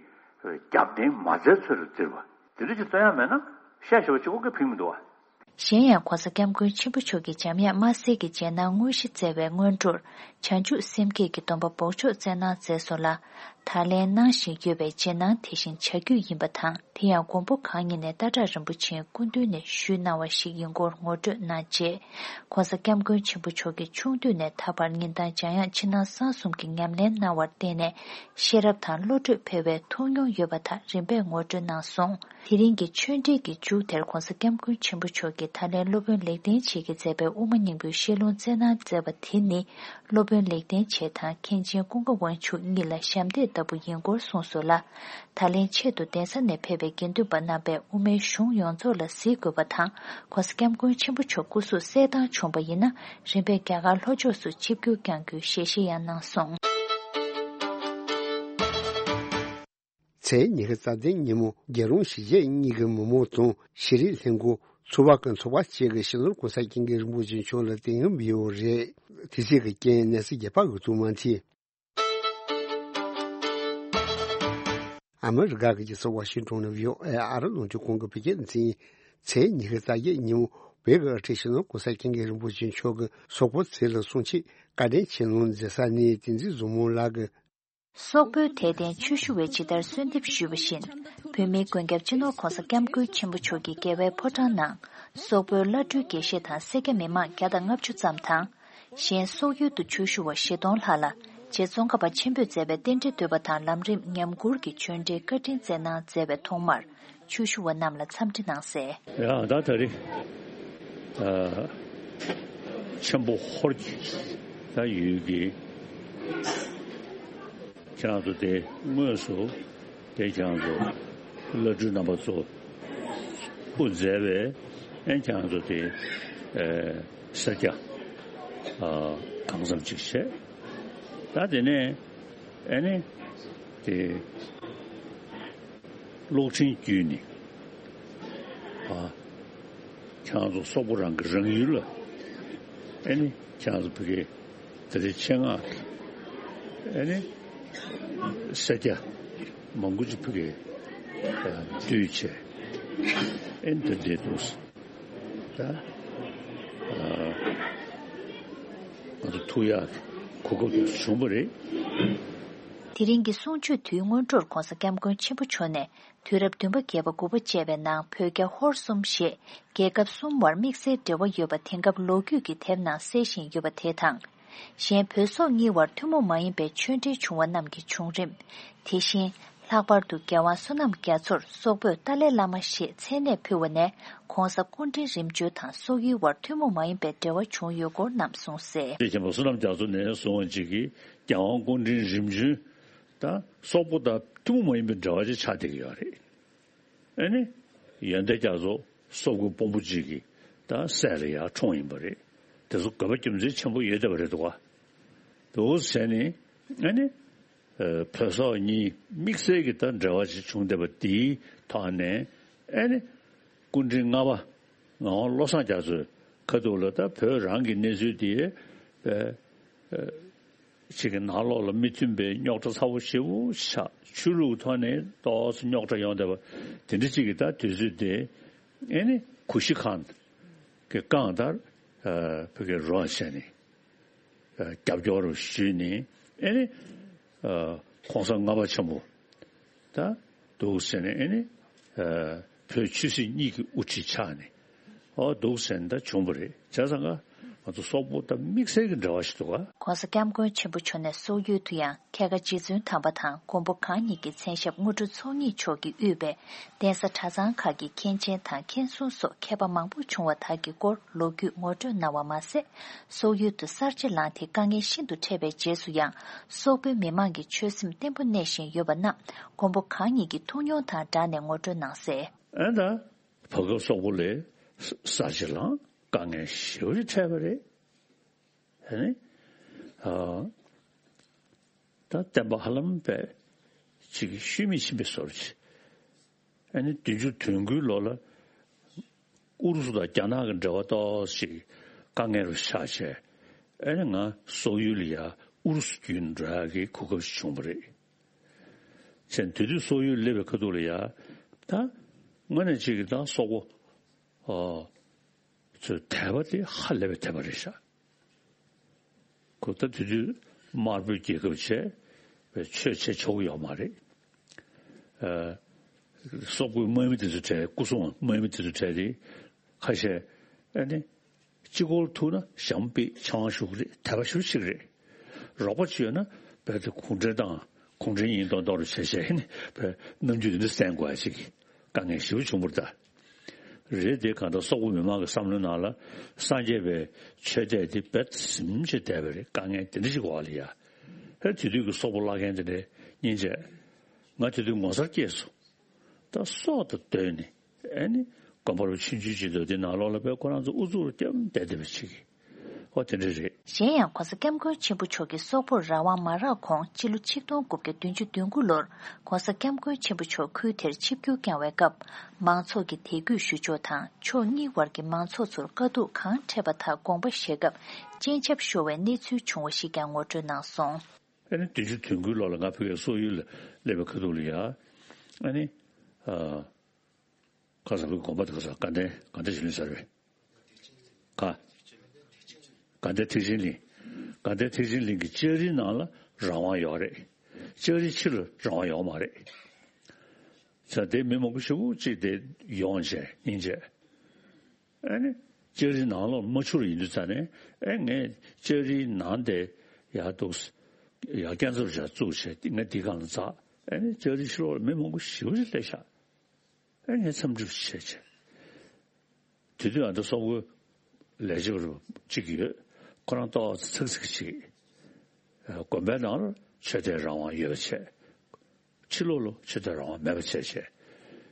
རྒྱབ་རྟེན་མ་བཙལ་ཚོད་རུ་བཙིར་བ་དེ་འདྲ་ཅིག་སྟོན་ཡ་མེད་ན། བཤད་ཤེས་པ་གཅིག་པོ་གིས་ཕན་མི་འདུག་བ། གཞན་ཡང་ྋགོང་ས་ྋསྐྱབས་མགོན་ཆེན་པོ་མཆོག་གིས་འཇམ་དབྱངས་དམར་གསལ་གྱི་རྗེས་གནང་དངོས་གཞི་བསྩལ་བའི་སྔོན་འགྲོར། བྱང་ཆུབ་སེམས་བསྐྱེད་ཀྱི་སྡོམ་པ་འབོགས་ཆོག་བསྩལ་གནང་མཛད་སོང་ལ། ད་ལན་གནང་བཞིན་ཡོད་པའི་རྗེས་གནང་དེ་བཞིན་བྱ་རྒྱུད་ཡིན་པ་དང་། དེ་ཡང་མགོན་པོ་གང་ཉིད་ནས་སྟག་བྲག་རིན་པོ་ཆེའི་སྐུ་མདུན་ནས་ཞུས་གནང་བ་ཞིག་ཡིན་སྐོར་ངོ་སྤྲོད་གནང་རྗེས། ྋགོང་ས་ྋསྐྱབས་མགོན་ཆེན་པོ་མཆོག་གིས་ཆུང་དུས་ནས་ད་བར་ཉིན་ལྟར་འཇམ་དབྱངས་ཕྱི་ནང་གསང་གསུམ་གྱི་ཉམས་ལེན་གནང་བར་བརྟེན་ནས། ཤེས་རབ་དང་བློ་གྲོས་འཕེལ་བའི་ཐུགས་མྱོང་ཡོད་པ་དག་རིམ་པས་ངོ་སྤྲོད་གནང་སོང་། དེ་རིང་གི་ཆོས་འབྲེལ་གྱི་མཇུག་དེར་ྋགོང་ས་ྋསྐྱབས་མགོན་ཆེན་པོ་མཆོག་གིས་ད་ལན་སློབ་དཔོན་ལེགས་ལྡན་འབྱེད་ཀྱིས་མཛད་པའི་དབུ་མ་སྙིང་པོའི་བཤད་ལུང་སྩལ་གནང་མཛད་པ་དེ་ནི། སློབ་དཔོན་ལེགས་ལྡན་འབྱེད་དང་མཁན་ཆེན་ཀུན་དགའ་དབང་ཕྱུག་གཉིས་ལ་ཞབས་འདེགས་ལྟ་བུ་ཡིན་སྐོར་གསུངས་སོང་ལ། ད་ལན་ཆེད་དུ་གདན་ས་ནས་ཕེབས་པའི་དགེ་འདུན་པ་རྣམ་པས་དབུ་མའི་གཞུང་ཡོངས་རྫོགས་ལ་གཟིགས་དགོས་པ་དང་། ྋགོང་ས་ྋསྐྱབས་མགོན་ཆེན་པོ་མཆོག་སྐུ་གཟུགས་གསལ་ཐང་བྱུང་བ་ཡིན་ན། རིམ་པས་རྒྱ་གར་ལྷོ་ཕྱོགས་སུ་ཆིབས་བསྒྱུར་བསྐྱང་རྒྱུའི་ཞལ་བཞེས་ཡང་གནང་སོང་། ཚེས་ཉི་ཤུ་རྩ་བདུན་ཉིན་མོ་རྒྱལ་ཡོངས་གཞིས་བྱེས་གཉིས་ཀྱི་མི་མང་དང་ཤེས་རིག་ལྷན་ཁང་། ཚོགས་པ་ཁག་ཚོགས་པ་བཅས་ཀྱིས་སྤྱི་ནོར་༧གོང་ས་༧སྐྱབས་མགོན་རིན་པོ་ཆེ་མཆོག་ལ་དད་ཡོན་འབུལ་ཡོད་རེད། དེ་བཅས་ཀྱི་རྐྱེན་གནས་ཚུལ་རྒྱས་པ་འོད་ཐུང་མ་མཐིལ། ཨ་མི་རི་ཀ་གི་རྒྱལ་ས་ཝ་ཤིང་ཊོན་ནས་བྷི་ཨོ་ཨེ་ཨ་རི་རླུང་འཕྲིན་ཁང་གི་བོད་སྐད་སྡེ་ཚན། ཚེས་ཉི་ཤུ་རྩ་བརྒྱད་ཉིན་མོ་བོད་ཀྱི་དབུ་ཁྲིད་སྤྱི་ནོར་༧གོང་ས་༧སྐྱབས་མགོན་རིན་པོ་ཆེ་མཆོག་གིས་སོག་པོ་མཚན་ལ་གསུང་ཆེད་བཀའ་དྲིན་ཆེ་གནང་མཛད་ས་ནས། བསྟན་འཛིན་བཟང་མོ་ལགས་ཀྱིས། སོག་པོའི་དད་ལྡན་ཆོས་ཞུ་བས་ཇི་ལྟར་གསོལ་འདེབས་ཞུས་པ་བཞིན། བོད་མིའི་མགོན་སྐྱབས་སྤྱི་ནོར་༧གོང་ས་༧སྐྱབས་མགོན་ཆེན་པོ་མཆོག་གི་རྒྱལ་བའི་ཕོ་བྲང་ནང་། སོག་པོའི་བླ་སྤྲུལ་དགེ་བཤེས་དང་སེར་སྐྱ་མི་མང་བརྒྱ་དང་ལྔ་བཅུ་ཙམ་དང་། གཞན་སོག་ཡུལ་དུ་ཆོས་ཞུ་བ་བཞི་སྟོང་ལྷག་ལ། རྗེ་ཙོང་ཁ་པ་ཆེན་པོས་མཛད་པའི་རྟེན་འབྲེལ་བསྟོད་པ་དང་ལམ་རིམ་ཉམས་མགུར་གྱི་ཆོས་འབྲེལ་བཀའ་དྲིན་སྩལ་གནང་མཛད་པའི་ཐོག་མར། ཆོས་ཞུ་བ་རྣམས་ལ་འཚམས་འདྲི་གནང་གསལ། ཡང་ད་ད་རེས་ཨ་ཆེན་པོ་ཧོར་གྱི་ད་ཡུལ་གྱི་ཁྱེད་རང་ཚོ་དེ་དངོས་སུ་དེ་ཁྱེད་རང་ཚོ་བླ་སྤྲུལ་རྣམ་པ་ཚོ་སྐུ་མཛད་པའི་ཨེ་ཁྱེད་རང་ཚོ་དེ་ཨེ་སེར་སྐྱ་ཨ་གང་འཚམ་ཅིག་བྱས། ད་དེ་ནས་ཨེ་ནི་དེ། གློག་འཕྲིན་བརྒྱུད་ནས་ཨ་ཁྱེད་རང་ཚོ་སོག་པོ་རང་གི་རང་ཡུལ་ལ་ཨེ་ནི་ཁྱེད་རང་ཚོ་ཕ་གི་དེ་རིང་ཆེད་མངགས་ཨེ་ནི་སེར་སྐྱ་མང་པོ་ཅིག་ཕ་གི་འདུས་བྱས་ཨེ་ནི་དེ་འདྲས་འདུག་ད་ཨ་ང་ཚོ་ཐུག་ཡག་གི་གོ་སྐབས་དེ་བྱུང་བ་རེད། དེ་རིང་གི་གསུང་ཆོས་དུས་སྔོན་འགྲོར་༧གོང་ས་༧སྐྱབས་མགོན་ཆེན་པོ་མཆོག་ནས། དུས་རབས་བདུན་པ་བརྒྱད་པ་དགུ་པ་བཅས་པའི་ནང་བོད་རྒྱ་ཧོར་གསུམ་ཞེས་རྒྱལ་ཁབ་གསུམ་བར་དམིགས་བསལ་འབྲེལ་བ་ཡོད་པ་དེང་སྐབས་ལོ་རྒྱུས་ཀྱི་དེབ་ནང་གསལ་བཞིན་ཡོད་པ་དེ་དང་། གཞན་བོད་སོག་གཉིས་བར་ཐུན་མོང་མ་ཡིན་པའི་ཆོས་འབྲེལ་བྱུང་བ་རྣམས་ཀྱི་བྱུང་རིམ། དེ་བཞིན་ལྷག་པར་དུ་རྒྱལ་དབང་བསོད་ནམས་རྒྱ་མཚོར་སོག་པོས་ཏཱ་ལའི་བླ་མ་ཞེས་མཚན་གནས་ཕུལ་བ་ནས་༧གོང་ས་སྐུ་ཕྲེང་རིམ་བྱོན་དང་སོག་ཡུལ་བར་ཐུན་མོང་མ་ཡིན་པའི་འབྲེལ་བ་བྱུང་ཡོད་སྐོར་རྣམས་གསུངས་གསལ། དེ་ཆེན་པོ་བསོད་ནམས་རྒྱ་མཚོ་ནས་བཟུང་བ་ཅིག་གིས་རྒྱལ་དབང་སྐུ་ཕྲེང་རིམ་བྱོན། ད་སོག་པོ་དང་ཐུན་མོང་མ་ཡིན་པའི་འབྲེལ་བ་ཅིག་ཆགས་བསྡད་ཀྱི་ཡོད་རེད། ཨེ་ནི། ཡོན་ཏན་རྒྱ་མཚོ་སོག་པོའི་དཔོན་པོ་གཅིག་གི་ད་སྲས་ལ་ཡར་འཁྲུངས་ཡིན་པ་རེད། དེ་ཚོ་དགོས་པ་རྒྱུ་མཚན་ཆེན་པོ་ཡོད་བསྡད་པ་རེད་འདུག་ག་འདུག་ཟེར་ནས་ཨེ་ནི། བོད་སོག་གཉིས་དམིགས་བསལ་གྱི་ད་འབྲེལ་བ་ཅིག་བྱུང་བསྡད་པ་དེའི་ཐོག་ནས་ཨེ་ནི། སྐུ་ཕྲེང་ལྔ་པ་ངག་དབང་བློ་བཟང་རྒྱ་མཚོའི་ཁ་ཐུག་ལ་ད་བོད་རང་གི་གནས་ཚུལ་དེ་ཅིག་གི་ནང་ལོགས་ལ་མི་མཐུན་པའི་རྙོག་དྲ་ཚ་བོ་ཞེ་པོ་ཆགས། ཆོས་ལུགས་ཐོག་ནས་ཏོག་ཙམ་རྙོག་དྲ་ཡོང་བསྡད་པ་དེ་འདྲ་ཅིག་གི་ད་དུས་ཚོད་དེ་ཨེ་ནི་གུ་ཤྲི་ཁཱན་གྱིས་བཀང་ལྟར་བོད་ཀྱི་རོགས་བྱས་ནས་རྒྱབ་སྐྱོར་ཞུས་ནས་ཨེ་ནི་ྋགོང་ས་ལྔ་པ་ཆེན་པོ་ད་འདུག་ཟེར་ནས་ཨེ་ནི་བོད་ཆོས་སྲིད་གཉིས་ཀྱི་དབུ་ཁྲིད་ཆགས་ནས་ཨོ་འདུག་ཟེར་ནས་ད་བྱུང་བ་རེད། བྱས་ཙང་ཀ་ ང་ཚོ་སོག་པོ་དང་དམིགས་བསལ་གྱི་འབྲེལ་བ་ཞིག་འདུག་ག། ༸གོང་ས་༸སྐྱབས་མགོན་ཆེན་པོ་མཆོག་ནས་སོག་ཡུལ་དུ་ཡང་ཁལ་ཁ་རྗེ་བཙུན་དམ་པ་དང་མགོན་པོ་གང་ཉིད་ཀྱི་མཚན་ཞབས་དངོས་གྲུབ་ཚོགས་གཉིས་མཆོག་གིས་དབུས་པའི་གདན་ས་གྲྭ་ཚང་ཁག་གི་མཁན་ཆེན་དང་མཁན་ཟུར་སོགས་མཁས་པ་མང་པོ་བྱུང་བ་དག་གི་སྐོར་ལོ་རྒྱུས་ངོ་སྤྲོད་གནང་བ་མ་ཟད། སོག་ཡུལ་དུ་གསར་བརྗེ་ལངས་ཏེ་དཀའ་ངལ་ཤིན་ཏུ་འཕྲད་པའི་རྗེས་སུ་ཡང་སོག་པོའི་མི་མང་གི་ཆོད་སེམས་བརྟན་པོ་གནས་བཞིན་ཡོད་པ་རྣམས་མགོན་པོ་གང་ཉིད་ཀྱི་ཐུགས་མྱོང་དང་སྦྲགས་ནས་ངོ་སྤྲོད་གནང་གསལ། ཨ་ད། བར་སྐབས་སོག་པོ་ལ་གསར་བརྗེ་ལངས་དཀའ་ངལ་ཞེ་པོ་ཅིག་འཕྲད་པ་རེད། ཨ་ནི། ཨ། ད་བསྟན་པ་ཧ་ལམ་པས་ཅིག་ཤུལ་མེད་ཕྱིན་པའི་བཟོ་འདྲ་ཅིག་ཨ་ནི་བདུན་ཅུ་དོན་དགུའི་ལོ་ལ་ཨུ་རུ་སུ་དང་རྒྱ་ནག་གི་འབྲེལ་བ་ཏོག་ཙམ་དཀའ་ངལ་རུ་ཆགས་བྱས། ཨ་ནི་ང་སོག་ཡུལ་ལ་ཡ་ཨུ་རུ་སུ་བརྒྱུད་འགྲོ་ཡག་གི་གོ་སྐབས་ཤིག་བྱུང་བ་རེད། བྱས་དེ་དུས་སོག་ཡུལ་སླེབས་པའི་ཁ་ཐུག་ལ་ཡ། ད་དངོས་གནས་ཅིག་གི་ད་སོག་པོ། ཨོ། ཚོའི་དད་པ་དེ་ཧ་ལས་པའི་དད་པ་རེད་ཤག་ཁོ་ད་དེ་དུས་དམར་པོའི་རྒྱལ་ཁབ་བྱས་པའི་ཆོས་བྱེད་ཆོག་གི་ཡོད་མ་རེད། ཨ། སོག་པོའི་དམག་མི་དེ་ཚོ་གྲས་སྐུ་སྲུང་དམག་མི་དེ་ཚོ་གྲས་དེ་ཁ་ཤས་ཨ་ནི་གཅིག་པོར་ཐུག་ན་ཞྭ་མོ་ཕུད་ཆང་བཞག་གི་རེད། དད་པ་ཞེ་པོ་ཅིག་རེད། རོགས་པ་ཅིག་ཡོད་ན་རྦད་དེ་གུང་ཁྲན་ཏང་གུང་ཁྲན་ཡིན་མདོག་མདོག་རུ་བྱས་བྱས་ནས་པའི་རྣམ་འགྱུར་དེ་འདྲ་བསྟན་དགོས་ཡ་ཅིག་དཀའ་ངལ་ཞེ་པོ་བྱུང་བ་རེད་ད། རེད་དེ་གང་ལྟར་སོག་པོ་མི་མང་གི་བསམ་བློའི་ནང་ལ་སངས་རྒྱས་པའི་ཆོས་དད་དེ་རྦད་དེ་ཟིན་བྱས་བསྡད་པ་རེད། དཀའ་ངལ་དེ་འདྲ་ཅིག་འོག་ལ་ཡ། ཧེ་དེ་དུས་ཀྱི་སོག་པོ་བླ་རྒན་དེ་འདྲས་སྙིང་རྗེ། ང་དེ་དུས་ངོ་མཚར་སྐྱེས་སོང་། ད་སྲོག་དང་བསྡོས་ནས་ཨ་ནི་དགོན་པ་རུ་ཆུང་ཆུང་ཅིག་འདུག་དེ་ནང་ལོགས་ལ་དཔེ་ཁོ་རང་ཚོ་ཨུ་ཚུགས་རུ་བརྒྱབ་བསྡད་བསྡད་པ་ཅིག་ཨོ་དེ་འདྲ་རེད། གཞན་ཡང་༸གོང་ས་༸སྐྱབས་མགོན་ཆེན་པོ་མཆོག་གིས་སོག་པོར་རང་དབང་མ་རག་གོང་སྤྱི་ལོ་ཆིག་སྟོང་དགུ་བརྒྱ་བདུན་ཅུ་དོན་དགུ་ལོར་༸གོང་ས་༸སྐྱབས་མགོན་ཆེན་པོ་མཆོག་ཁུལ་དེར་ཆིབས་བསྒྱུར་བསྐྱངས་བའི་སྐབས་མང་ཚོགས་ཀྱི་དད་གུས་ཞུ་ཕྱོགས་དང་ཕྱོགས་གཉིས་བར་གྱི་མང་ཚོགས་ཚོར་དཀའ་སྡུག་གང་འཕྲད་པ་དག་དགོངས་པ་བཞེས་སྐབས་སྤྱན་ཆབ་ཤོར་བའི་གནས་ཚུལ་བྱུང་བ་ཞིག་ཀྱང་ངོ་སྤྲོད་གནང་སོང་། ཨ་ནི་བདུན་ཅུ་དོན་དགུའི་ལོ་ལ་ང་ཕ་གིར་སོག་ཡུལ་ལ་སླེབས་པའི་ཁ་ཐུག་ལ་ཡ། ཨ་ནི། ཨ། ཁ་སང་བའི་དགོངས་པ་དེ་ཁ་སང་དགའ་ལྡན་དགའ་ལྡན་ཞུ་ལེན་ཟེར་བས། ཁ། དགའ་ལྡན་ཐེག་ཆེན་གླིང་། དགའ་ལྡན་ཐེག་ཆེན་གླིང་གི་ལྕགས་རིའི་ནང་ལ་རང་དབང་ཡོད་རེད། ལྕགས་རིའི་ཕྱི་ལ་རང་དབང་ཡོད་མ་རེད། ས་དེ་མི་མང་པོ་ཞེ་པོ་ཅིག་དེ་ཡོང་བྱས་སྙིང་རྗེ། ཨ་ནི། ལྕགས་རིའི་ནང་ལོགས་མ་འཕྱུར་ཡིན་དུས་ཙ་ནས་ཨེ་ངས་ལྕགས་རིའི་ནང་དེ་ཡར་འདུག་ཡར་སྐས་འཛེག་བྱས་བཙུགས་བྱས་ང་འདི་སྒང་ལ་འཛེགས། ཨ་ནི་ལྕགས་རིའི་ཕྱི་ལོགས་ལ་མི་མང་པོ་ཞེ་པོ་ཅིག་སླེབས་ཤག་ཨེ་ངས་འཚམས་འདྲི་བྱས་བྱས། དེ་དུས་ཨ་ད་སོག་པོའི་ལས་བྱེད་པ་གཅིག་ཡོད། ཁོ་རང་ཏོག་ཙམ་ཚིག་ཚིག་ཅིག་དགོན་པའི་ནང་ལ་ཆོས་དད་རང་དབང་ཡོད་པ་བྱས། ཕྱི་ལོགས་ལ་ཆོས་དད་རང་དབང་མེད་པ་བྱས་བྱས།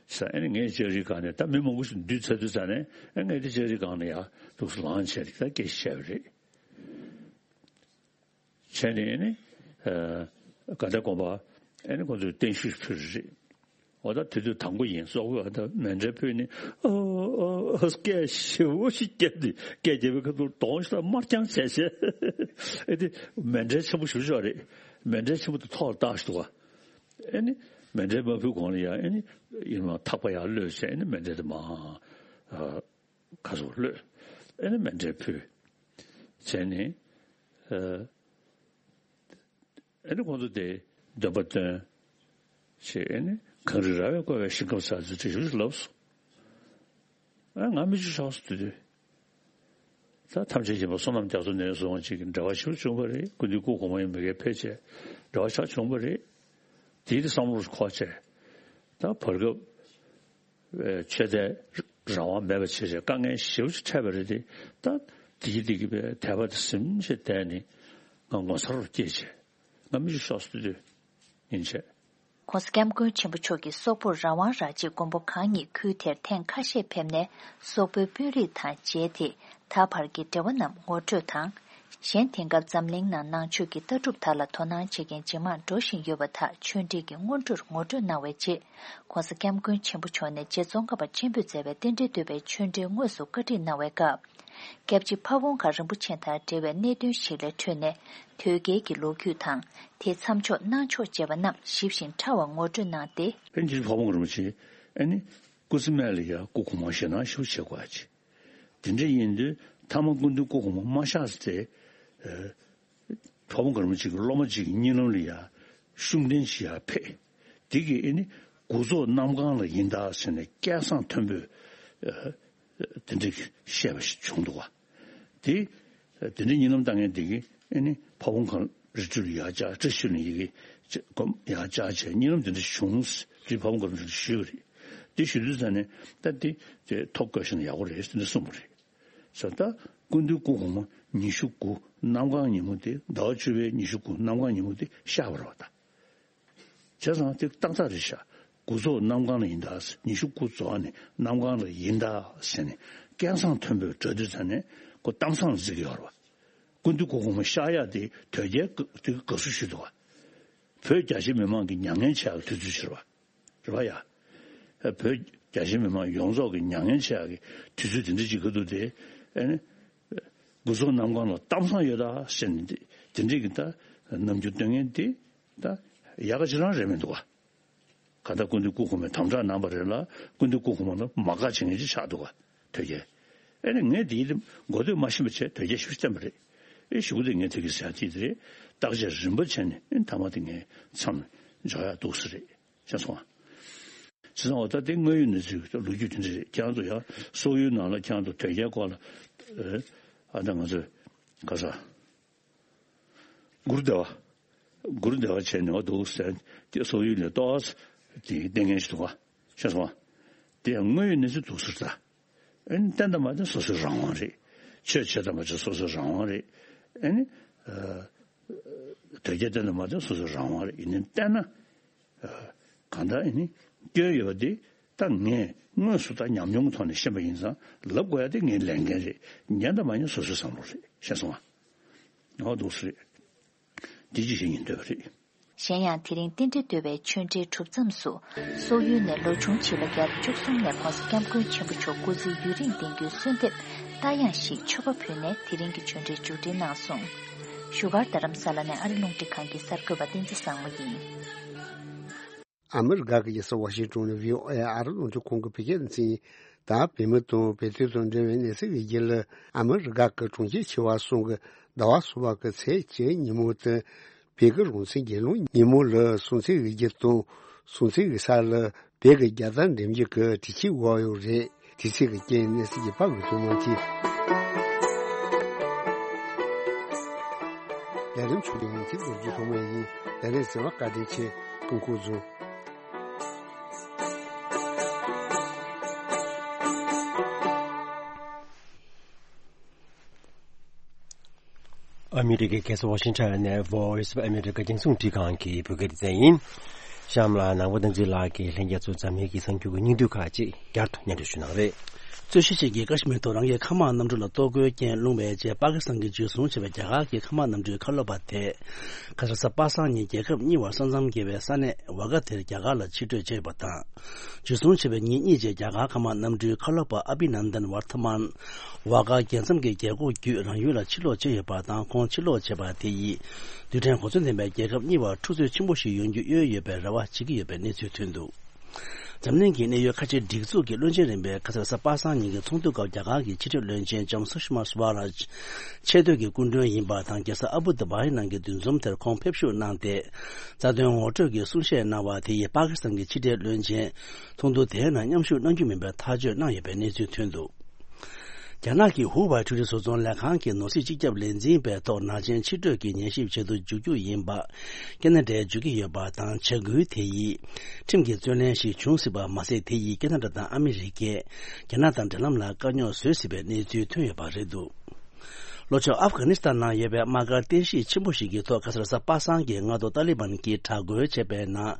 ས་ཨ་ནི་ངས་ལྕགས་རིའི་སྒང་ནས་ད་མི་མང་པོ་ཞིག་འདུས་ཚར་དུས་ཙ་ནས་ཨ་ངས་དེ་ལྕགས་རིའི་སྒང་ནས་ཡར་འདུག་སེ་ལངས་བྱས་ད་སྐད་ཆ་བཤད་པ་རེད། བྱས་ནས་ཨ་ནི། ཨ། དགའ་ལྡན་དགོན་པ་ཨ་ནི་ཁོང་ཚོས་བརྟན་བཞུགས་ཕུལ་རེད། འོ་ད་དེ་དུས་དང་པོ་ཡིན་སོག་པོས་ཨ་ད་མཎྜལ་ཕུལ་ནས་ཨོ་ཨོ་ཨོ་སྐད་ཞེ་པོ་ཞིག་བརྒྱབ་སྟེ་སྐད་བརྒྱབ་པའི་ཁ་ཐུག་གདོང་ཞིག་ལ་དམར་རྐྱང་བྱས་བྱས། ཨེ་དེ་མཎྜལ་ཆེན་པོ་ཞེ་པོ་ཅིག་རེད། མཎྜལ་ཆེན་པོ་དེ་ཐོག་ལ་བཏགས་ཤིག་འདུག་ག་ཨེ་ནི་མཎྜལ་མ་ཕུལ་གོང་ལ་ཡང་ཨེ་ནི་ཡིན་ནའང་ཐག་པ་ཡར་གློད་བྱས་ཨེ་ནི་མཎྜལ་དེ་མར་ཨ་ཁ་སོ་གློད། ཨེ་ནི་མཎྜལ་ཕུལ། བྱས་ནས་ཨ། ཨེ་ནི་ཁོང་ཚོ་དེ་འདོན་པ་བཏོན། ཞེས་ཨེ་ནི་གངས་རི་ར་བས་བསྐོར་བའི་ཞིང་ཁམས་ས་ཚུལ་ཁྲིད་ཞུ་ཞུ་ལབ་སོང་། ཨ་ང་མི་ཆུ་ཤོག་སུ་དུས་དུས། ད་ཐམས་ཅད་མཁྱེན་པ་བསོད་ནམས་རྒྱ་མཚོ་ནས་བཟུང་ཅིག་གི་འབྲེལ་བ་ཞིག་བྱུང་བ་རེད། སྐུ་མདུན་སྐུ་གོང་མ་ཡང་མ་གིར་ཕེབས་བྱས་འབྲེལ་བ་ཞིག་བྱུང་བ་རེད། དེའི་བསམ་བློ་འཁོར་བྱས། ད་བར་སྐབས། ཆོས་དད་རང་དབང་མེད་པ་བྱས་བྱས་དཀའ་ངལ་ཞེ་པོ་ཅིག་འཕྲད་པ་རེད་དེ། ད་དེ་གི་དེ་གི་བའི་དད་པ་དེ་ཟིན་བྱས་བསྡད་ནས་ང་ངོ་མཚར་རུ་སྐྱེས་བྱས་ང་མི་ཆུ་ཤོག་སུ་དུས་ཡིན་བྱས། ༸གོང་ས་༸སྐྱབས་མགོན་ཆེན་པོ་མཆོག་གིས་སོག་པོར་རང་དབང་རག་རྗེས་མགོན་པོ་གང་ཉིད་ཁུལ་དེར་ཐེངས་ཁ་ཤས་ཕེབས་ནས་སོག་པོའི་དཔོན་རིགས་དང་མཇལ་ཏེ་ད་བར་གྱི་འབྲེལ་བ་རྣམས་ངོ་སྤྲོད་དང་། གཞན་དེང་སྐབས་འཛམ་གླིང་ནང་ནང་ཆོས་ཀྱི་ལྟ་གྲུབ་དག་ལ་དོ་སྣང་བྱེད་མཁན་ཇེ་མང་འགྲོ་བཞིན་ཡོད་པ་དག་ཆོས་འབྲེལ་གྱི་སྔོན་འགྲོར་ངོ་སྤྲོད་གནང་བའི་རྗེས། ༸གོང་ས་༸སྐྱབས་མགོན་ཆེན་པོ་མཆོག་ནས་རྗེ་ཙོང་ཁ་པ་ཆེན་པོས་མཛད་པའི་རྟེན་འབྲེལ་བསྟོད་པའི་ཆོས་འབྲེལ་དངོས་སུ་བཀའ་ཁྲིད་གནང་བའི་སྐབས། སྐྱབས་རྗེ་ཕ་བོང་ཁ་རིན་པོ་ཆེ་དང་འབྲེལ་བའི་གནད་དོན་ཞིག་ལ་འཕྲོས་ནས་དོལ་རྒྱལ་གྱི་ལོ་རྒྱུས་དང་དེའི་མཚམས་འཇོག་གནང་ཕྱོགས་བཅས་པ་རྣམས་ཞིབ་ཞིང་ཕྲ་བར་ངོ་སྤྲོད་གནང་སྟེ། སྐྱབས་རྗེ་ཕ་བོང་ཁ་རིན་པོ་ཆེ་ཨ་ནི་སྐུ་ཚེ་སྨད་ལ་ཡང་སྐུ་གོང་མ་ཞེད་སྣང་ཞེ་པོ་བྱེད་དགོས་ཀྱི། དེ་འདྲ་ཡིན་དུས་ཐ་མ་སྐུ་མདུན་སྐུ་གོང་མ་མ་གཤེགས་ཚེ། ཨ། ཕ་བོང་ཁ་རིན་པོ་ཆེ་གི་སློབ་མ་གཅིག་གི་གཉིད་ལམ་ལ་ཡ་ཤུགས་ལྡན་ཞིག་ཡར་ཕེབས། དེ་གིས་ཨེ་ནི་དགུ་ཚོགས་གནམ་གང་ལ་ཡིན་ད་ཟེར་ནས་སྐད་གསང་མཐོན་པོས། ཨ། དེ་འདྲ་བཤད་པ་ཞིག་བྱུང་འདུག་བ། དེ་ དེ་འདྲའི་གཉིད་ལམ་བཏང་མཁན་དེ་གིས་ཨེ་ནི་ཕ་བོང་ཁ་རི་ཁྲོད་ལ་ཡར་བཅར། བཀྲ་ཤིས་ལ་ཡི་གེ་སྒོམ་ཡར་བཅར་བྱས། གཉིད་ལམ་དེ་འདྲ་བྱུང་། དེ་ཕ་བོང་ཁ་རི་ཁྲོད་ཞུས་པ་རེད། དེ་ཞུ་དུས་ཙ་ནས་ད་དེ་དེ་ཐོ་བཀོད་བཞག་ན་ཡག་པོ་རེད་ཟེར་ནས་གསུངས་པ་རེད། ས་ད་སྐུ་མདུན་སྐུ་གོང་མ་ཉི་ཤུ་དགུ་གནམ་གང་ཉིན་མོ་དེ། ཟླ་བ་བཅུ་པའི་ཉི་ཤུ་དགུ་གནམ་གང་ཉིན་མོ་དེ་ཤར་བ་རེད་པ། ད་བྱས་ཙང་དེ་ཏག་ཏག་རེད་ཤག་དགུ་རྫོགས་གནམ་གང་ལ་ཡིན་ད། ཉི་ཤུ་དགུ་རྫོགས་ནས་གནམ་གང་ལ་ཡིན་ད་ཟེར་ནས་སྐད་གསང་མཐོན་པོས་གྲགས་དུས་ཙ་ནས་ཁོ་གཏམ་བཟང་ལ་བརྩི་གི་ཡོད་རེད་པ། སྐུ་མདུན་སྐུ་གོང་མ་ཤར་ཡག་དེ་དོལ་རྒྱལ་དེ་དགའ་བསུ་ཞུས་འདུག་པ། བོད་རྒྱ་ཆེ་མི་མང་གི་མྱ་ངན་བྱེད་ཡག་དུས་ཚོད་ཅིག་རེད་པ། རེད་པ་ཡ། བོད་རྒྱ་ཆེ་མི་མང་ཡོངས་རྫོགས་ཀྱི་མྱ་ངན་བྱེད་ཡག་གི་དུས་ཚོད་དེ་འདྲ་ཅིག་ག་འདུག་སྟེ། ཨེ་ནི། དགུ་རྫོགས་གནམ་གང་ལ་གཏམ་བཟང་ཡོད་ད་ཟེར་ནས་དེ་དེ་འདྲའི་གི་ད་རྣམ་འགྱུར་སྟོན་མཁན་དེ་ད་ཡག་ག་ཅི་རང་རེད་མི་འདུག་པ། གང་ལྟར་སྐུ་མདུན་སྐུ་གོང་མས་དམ་དྲག་གནང་བ་རེད་ལ། སྐུ་མདུན་སྐུ་གོང་མ་ལ་མ་དགའ་བྱེད་མཁན་ཅིག་ཆགས་འདུག་པ། དོལ་རྒྱལ། ཨེ་ནི་ངས་དེའི་མགོ་ཐོས་མ་ཤེས་པ་བྱས། དོལ་རྒྱལ་ཞེ་པོ་བསྟན་པ་རེད། ཨེ་གཞུག་གུ་དེ་ངས་དེ་གི་ཟེར་ཡག་དེ་རེད། བརྟག་དཔྱད་རིམ་པ་བྱས་ནས་ཨེ་མཐའ་མ་དེ་ངས་མཚམས་འཇོག་ཡག་འདུག་ས་རེད། ཤེས་སོང་ང་། བྱས་ཙང་འོ་ད་དེ་དངོས་ཡོད་གནས་ཚུལ་ལོ་རྒྱུས་དེ་འདྲ་རེད། ཁྱེད་རང་ཚོ་ཡང་སོག་ཡུལ་ནང་ལ་ཁྱེད་རང་ཚོ་དོལ་རྒྱལ་སྐོར་ལ། ཨ་ད་ང་ཚོས་ག་ས་གུ་རུ་དེ་བ། གུ་རུ་དེ་བ་བྱས་ནས་འོ་འདུག་ཟེར། དེ་སོག་ཡུལ་ནས་ཏོག་ཙམ་དེ་བསྟན་མཁན་ཞིག་འདུག་ག། ཤེས་སོང་ང་། དེ་ཡང་དངོས་ཡོད་གནས་ཚུལ་འདུག་ཟེར་ད། ཨེ་ནི་བསྟན་དང་མ་བསྟན་སོ་སོའི་རང་དབང་རེད། ཆོས་བྱེད་དང་མ་བྱེད་སོ་སོའི་རང་དབང་རེད། ཨེ་ནི། ཨ། དོལ་རྒྱལ་བསྟན་དང་མ་བསྟན་སོ་སོའི་རང་དབང་རེད། ཡིན་ནའི་བསྟན་ན། ཨ། གང་ལྟར་ཨེ་ནི་སྐྱོན་ཡོད་པ་དེ་ད་ངས་དངོས་སུ་ད་ཉམས་མྱོང་གི་ཐོག་ནས་ཤེས་པ་ཡིན་ཙང་ལབ་དགོས་ཡག་དེ་ངའི་ལས་འགན་རེད། ཉན་དང་མ་ཉན་སོ་སོའི་བསམ་བློ་རེད། ཤེས་སོང་ང་། འོ་འདུག་སེ་རེད། འདི་ཅི་ཞིག་ཡིན་འདོད་པ་རེད། གཞན་ཡང་དེ་རིང་རྟེན་འབྲེལ་བསྟོད་པའི་ཆོས་འབྲེལ་གྲུབ་མཚམས་སུ། སོག་ཡུལ་ནས་ལོ་ཆུང་བྱིས་ལོ་བརྒྱད་དང་བཅུ་གསུམ་ནས་༸གོང་ས་༸སྐྱབས་མགོན་ཆེན་པོ་མཆོག་སྐུ་ཚེ་ཡུན་རིང་བརྟན་རྒྱུའི་གསོལ་འདེབས་ལྟ་ཡང་ཞིག་མཆོད་པ་ཕུལ་ནས་དེ་རིང་གི་ཆོས་འབྲེལ་མཇུག་སྒྲིལ་གནང་སོང་། བཞུགས་སྒར་རྡ་རམ་ས་ལ་ནས་ཨ་རི་རླུང་འཕྲིན་ཁང་གི་གསར་འགོད་པ་བསྟན་འཛིན་བཟང་མོ་ཡིན། ཨ་མི་རི་ཀ་གི་རྒྱལ་ས་ཝ་ཤིང་ཏོན་ནས་བྷི་ཨོ་ཨེ་ཨ་རི་རླུང་འཕྲིན་ཁང་གི་བོད་སྐད་སྡེ་ཚན་ཡིན། ད་བོད་མི་དང་བོད་དོན་དང་འབྲེལ་བའི་གནས་ཚུལ་གྱི་རྒྱུད་ལ། ཨ་མི་རི་ཀ་གི་གྲོང་ཁྱེར་ཆེ་བ་གསུམ་གྱི་ཟླ་བ་གསུམ་པ་གི་ཚེས་བཅུ་ཉིན་མོ་དེ་བོད་ཀྱི་རང་བཙན་སྒེར་ལངས་ཉིན་མོ་ལ་སྲུང་བརྩི་ཡི་རྒྱུ་དང་། སྲུང་བརྩི་ཡི་ས་ལ་བོད་ཀྱི་རྒྱལ་དར་འགྲེམས་རྒྱུ་གི་དུས་ཆེན་དབོར་ཡོད་རེད། དུས་ཚིགས་ཀྱི་རྐྱེན་གནས་ཚུལ་གྱི་པར་འགོད་ཐུབ་མ་ཐུབ། ལས་རིམ་ཆུང་ཡང་དེ་རྡོ་རྗེ་ཐོགས་མེད་ཡིན། ལས་རིམ་གསན་པར་བཀའ་དྲིན་ཆེ། ཐུགས་ཁུར་བཟུང་། ཨ་མི་རི་ཀའི་རྒྱལ་ས་ཝ་ཤིང་ཊོན་ནས་Voice of America རྒྱང་སྲིང་རླུང་འཕྲིན་ཁང་གི་བོད་སྐད་སྡེ་ཚན་ཡིན། གཤམ་ལ་ནང་པ་བསྟན་འཛིན་ལགས་ཀྱིས་ལྷན་རྒྱས་ཚོར་འཛམ་གླིང་གི་གསར་འགྱུར་གྱི་སྙིང་བསྡུས་ཁག་ཅིག་བསྐྱར་དུ་སྙན་སྒྲོན་ཞུ་གནང་རེད། རྩོད་གཞི་ཅན་གྱི་ཀ་ཤི་མིར་ཐོག་རང་གི་མཁའ་དམག་གནམ་གྲུ་ལ་གཏོར་རྒོལ་རྐྱེན་སློང་བའི་རྗེས་པ་ཀི་སི་ཐན་གྱིས་འཇུ་བཟུང་བྱས་པའི་རྒྱ་གར་གྱི་མཁའ་དམག་གནམ་གྲུའི་ཁ་ལོ་པ་དེ། ཁ་སང་གཟའ་པ་སངས་ཉིན་རྒྱལ་ཁབ་གཉིས་བར་ས་མཚམས་བརྒལ་བའི་ས་གནས་ཝ་གྷ་དེར་རྒྱ་གར་ལ་ཕྱིར་སྤྲོད་བྱས་ཡོད་པ་དང་། འཇུ་བཟུང་བྱས་པའི་ཉིན་གཉིས་རྗེས་རྒྱ་གར་མཁའ་དམག་གནམ་གྲུའི་ཁ་ལོ་པ་ཨ་བྷི་ནན་དན་ཝར་ཐ་མན། ཝ་གྷ་རྒྱལ་མཚམས་ཀྱི་རྒྱལ་སྒོ་བརྒྱུད་རང་ཡུལ་ལ་ཕྱིར་ལོག་བྱས་ཡོད་པ་དང་། ཁོང་ཕྱིར་ལོག་བྱས་པ་དེ་ཡིས་རྡུལ་ཕྲན་གོ་མཚོན་ལྡན་པའི་རྒྱལ་ཁབ་གཉིས་བར་འཁྲུག་རྩོད་ཆེན་པོ་ཞིག་ཡོང་རྒྱུ་གཡོལ་ཡོད་པའི་རེ་བ་བྱེད་ཀྱི་ཡོད་པའི་གནས་ཚུལ་ཐོན་འདུག། འཛམ་གླིང་གི་གནད་ཡོད་ཁ་ཆེ་སྒྲིག་འཛུགས་ཀྱི་བློན་ཆེན་རིམ་པས་ཁ་སང་གཟའ་པ་སངས་ཉིན་གྱི་ཚོགས་འདུ་སྐབས་རྒྱ་གར་གྱི་ཕྱི་སྲིད་བློན་ཆེན་ལྕམ་སུ་ཤི་མ་སུ་ཝ་རཱཇ་ཆེ་བསྟོད་ཀྱི་སྐུ་མགྲོན་ཡིན་པ་དང་། རྒྱལ་ས་ཨ་བུ་དྷ་བྷིའི་ནང་གི་འདུ་འཛོམས་དེར་ཁོང་ཕེབས་ཞུགས་གནང་སྟེ། རྩ་དོན་ངོ་སྤྲོད་ཀྱི་གསུང་བཤད་གནང་བ་དེ་ཡིས་པ་ཀི་སི་ཐན་གྱི་ཕྱི་འབྲེལ་བློན་ཆེན་ཚོགས་འདུ་དེའི་ནང་མཉམ་ཞུགས་གནང་རྒྱུ་མིན་པའི་ཐག་གཅོད་གནང་ཡོད་པའི་གནས་ཚུལ་ཐོན་འདུག། རྒྱ་ནག་གི་ཧུའུ་ཝེ་འཕྲུལ་རིག་བཟོ་ཚོང་ལས་ཁང་གི་ནོར་སྲིད་སྤྱི་ཁྱབ་ལས་འཛིན་པའི་ཐོག་ནག་ཆེན་ཕྱིར་སྤྲོད་ཀྱི་ཉན་ཞིབ་བྱེད་དུ་འཇུག་རྒྱུ་ཡིན་པ་ཁེ་ན་ཌས་འཇུག་གི་ཡོད་པ་དང་། བྱ་འགུལ་དེ་ཡིས་ཁྲིམས་ཀྱི་རྩོད་གླེང་ཞིག་འབྱུང་སྲིད་པ་མ་ཟད། དེ་ཡིས་ཁེ་ན་ཌ་དང་ཨ་མི་རི་ཀས་རྒྱ་ནག་དང་འབྲེལ་ལམ་ལ་དཀའ་རྙོག་བཟོ་སྲིད་པའི་གནས་ཚུལ་ཐོན་ཡོད་པ་རེད་འདུག། ལྷོ་ཕྱོགས་ཨབ་གྷ་ནི་སི་ཐན་ནང་ཡོད་པའི་དམག་སྒར་རྟེན་གཞི་ཆེན་པོ་ཞིག་གི་ཐོག་ཁ་སང་གཟའ་པ་སངས་ཀྱི་སྔ་དྲོ་ཏཱ་ལི་བན་གྱིས་དྲག་རྒོལ་བྱས་པའི་ནང་།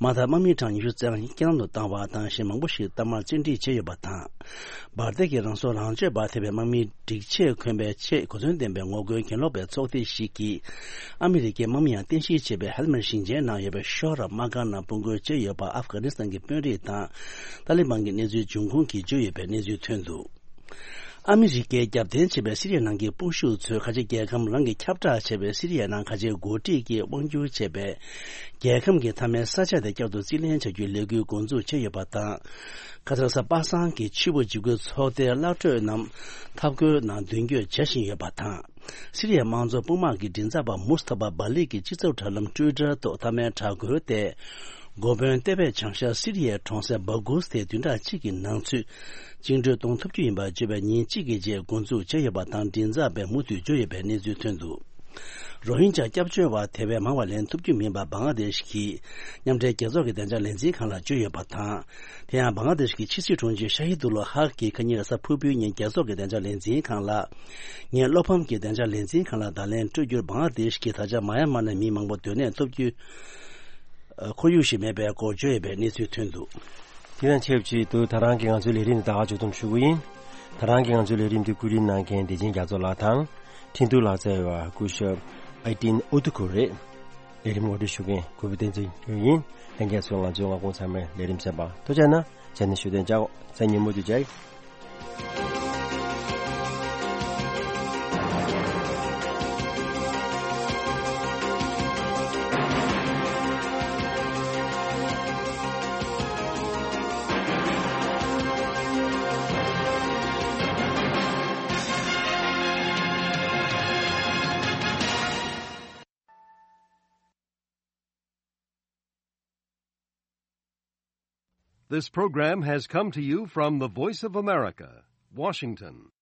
དམག་འཐབ་དམག་མི་གྲངས་ཉི་ཤུ་རྩ་ལྔ་རྐྱེན་ལམ་དུ་བཏང་བ་དང་། གཞན་མང་པོ་ཞིག་གཏའ་མར་བཙན་ཁྲིད་བྱས་ཡོད་པ་དང་། འབར་མདེལ་གྱི་རང་སྲོག་རང་གཅོད་པར་ཐེ་བའི་དམག་མིའི་སྒྲིག་ཆས་གོན་པའི་ཆེས་གོ་མཚོན་ལྡན་པའི་ངོ་རྒོལ་གྱེན་ལོག་པའི་ཚོགས་སྡེ་ཞིག་གིས། ཨ་མི་རི་ཀའི་དམག་མི་ཡང་རྟེན་གཞི་བྱས་པའི་ཧེལ་མེད་ཞིང་ཆེན་ནང་ཡོད་པའི་ཤོ་ར་དམག་སྒར་ནང་དཔུང་རྒོལ་བྱས་ཡོད་པ་ཨབ་གྷ་ནི་སི་ཐན་གྱི་དཔོན་རིགས་དང་། ཏཱ་ལི་བན་གྱི་གནས་ཚུལ་འབྱུང་ཁུངས་ཀྱིས་བརྗོད་ཡོད་པའི་གནས་ཚུལ་ཐོན་འདུག། ཨ་མི་རི་ཀའི་རྒྱབ་རྟེན་བྱས་པའི་སི་རི་ཡ་ནང་གི་དཔུང་ཤུགས་ཚོས་ཁ་ཆེ་རྒྱལ་ཁམས་རང་གིས་ཁྱབ་བསྒྲགས་བྱས་པའི་སི་རི་ཡ་ནང་ཁ་ཆེ་འགོ་ཁྲིད་ཀྱིས་དབང་སྒྱུར་བྱས་པའི་རྒྱལ་ཁམས་ཀྱི་མཐའ་མའི་ས་ཆ་དེ་བསྐྱར་དུ་རྩིས་ལེན་བྱ་རྒྱུའི་ལས་འགུལ་འགོ་འཛུགས་བྱས་ཡོད་པ་དང་། ཁ་སང་གཟའ་པ་སངས་ཀྱི་ཆུ་བོ་འཇིགས་སྐུལ་ཚོགས་སྡེའི་གླག་འཕྲོད་རྣམས་འཐབ་རྒོལ་ནང་མདུན་སྐྱོད་བྱ་བཞིན་ཡོད་པ་དང་། སི་རི་ཡའི་དམངས་གཙོ་དཔུང་དམག་གི་མགྲིན་ཚབ་པ་མུས་ཐ་བྷ་བྷ་ལི་གིས་སྤྱི་ཚོགས་དྲ་ལམ་ཊུའི་ཊར་ཐོག་མཐའ་མའི་དྲག་རྒོལ་ཏེ། འགོ་དཔོན་ཏེ་པས་བྱང་ཤར་སི་རི་ཡའི་གྲོང་གསེབ་སྦ་གུས་དེ་བདུན་ཕྲག་གཅིག་གི་ནང་ཚུད་བཅིངས་འགྲོལ་གཏོང་ཐུབ་རྒྱུ་ཡིན་པ་བརྗོད་པའི་ཉིན་གཅིག་གི་རྗེས་འགོ་འཛུགས་བྱས་ཡོད་པ་དང་། མགྲིན་ཚབ་པས་མུ་མཐུད་བརྗོད་ཡོད་པའི་གནས་ཚུལ་ཐོན་འདུག་རོ་ཧིན་ཇཱ་སྐྱབས་བཅོལ་བ་དེ་བས་མང་བ་ལེན་ཐུབ་རྒྱུ་མིན་པ་བང་ལ་དེཤ་གི་མཉམ་འབྲེལ་རྒྱལ་ཚོགས་ཀྱི་བདེ་འཇགས་ལས་འཛིན་ཁང་ལ་བརྗོད་ཡོད་པ་དང་། དེ་ཡང་བང་ལ་དེཤ་གི་ཕྱི་སྲིད་དྲུང་ཆེ་ཤ་ཧི་དུ་ལོ་ཧག་གིས་ཁ་ཉིན་རེས་གཟའ་ཕུར་བུའི་ཉིན་རྒྱལ་ཚོགས་ཀྱི་བདེ་འཇགས་ལས་འཛིན་ཁང་ལ། ངས་བློ་ཕམ་གྱི་བདེ་འཇགས་ལས་འཛིན་ཁང་ལ་བརྡ་ལན་སྤྲོད་རྒྱུར། བང་ལ་དེཤ་གིས་ད་ཆ་མ་ཡ་མ་ནས་མི་མང་པོ་སྡོད་གནས་ཐོབ་རྒྱུའི་ཁོར་ཡུག་ཞིག་མེད་པའི་སྐོར་བརྗོད་ཡོད་པའི་གནས་ཚུལ་ཐོན་འདུག་དེ་དང་ཆབས་ཅིག་ཏུ་ད་རང་གི་ང་ཚོའི་ལས་རིམ་འདི་ད་ག་མཇུག་བསྡོམས་ཞུ་གི་ཡིན། ད་རང་གི་ང་ཚོའི་ལས་རིམ་འདི་བཀོད་སྒྲིག་གནང་མཁན་བདེ་ཆེན་རྒྱ་མཚོ་ལགས་དང་། འཕྲིན་གཏུག་ལག་རྩལ་བ་སྐུ་ཞབས་ཨའི་ཏིན་ཨུ་ཏུ་ཁུ་རེད། ལས་རིམ་ངོ་སྤྲོད་ཞུ་མཁན་གུས་པ་བསྟན་འཛིན་ཡིན། ལྷན་རྒྱས་ཚོས་ང་ཚོའི་མངའ་ཁོངས་ཚང་མའི་ལས་རིམ་གསན་པར་ཐུགས་རྗེ་གནང་། ཇ་ནི་ཞུ་དོན་ཅག་ས་ཉིན་མོ་དུ་ཇའི། This program has come to you from the Voice of America, Washington.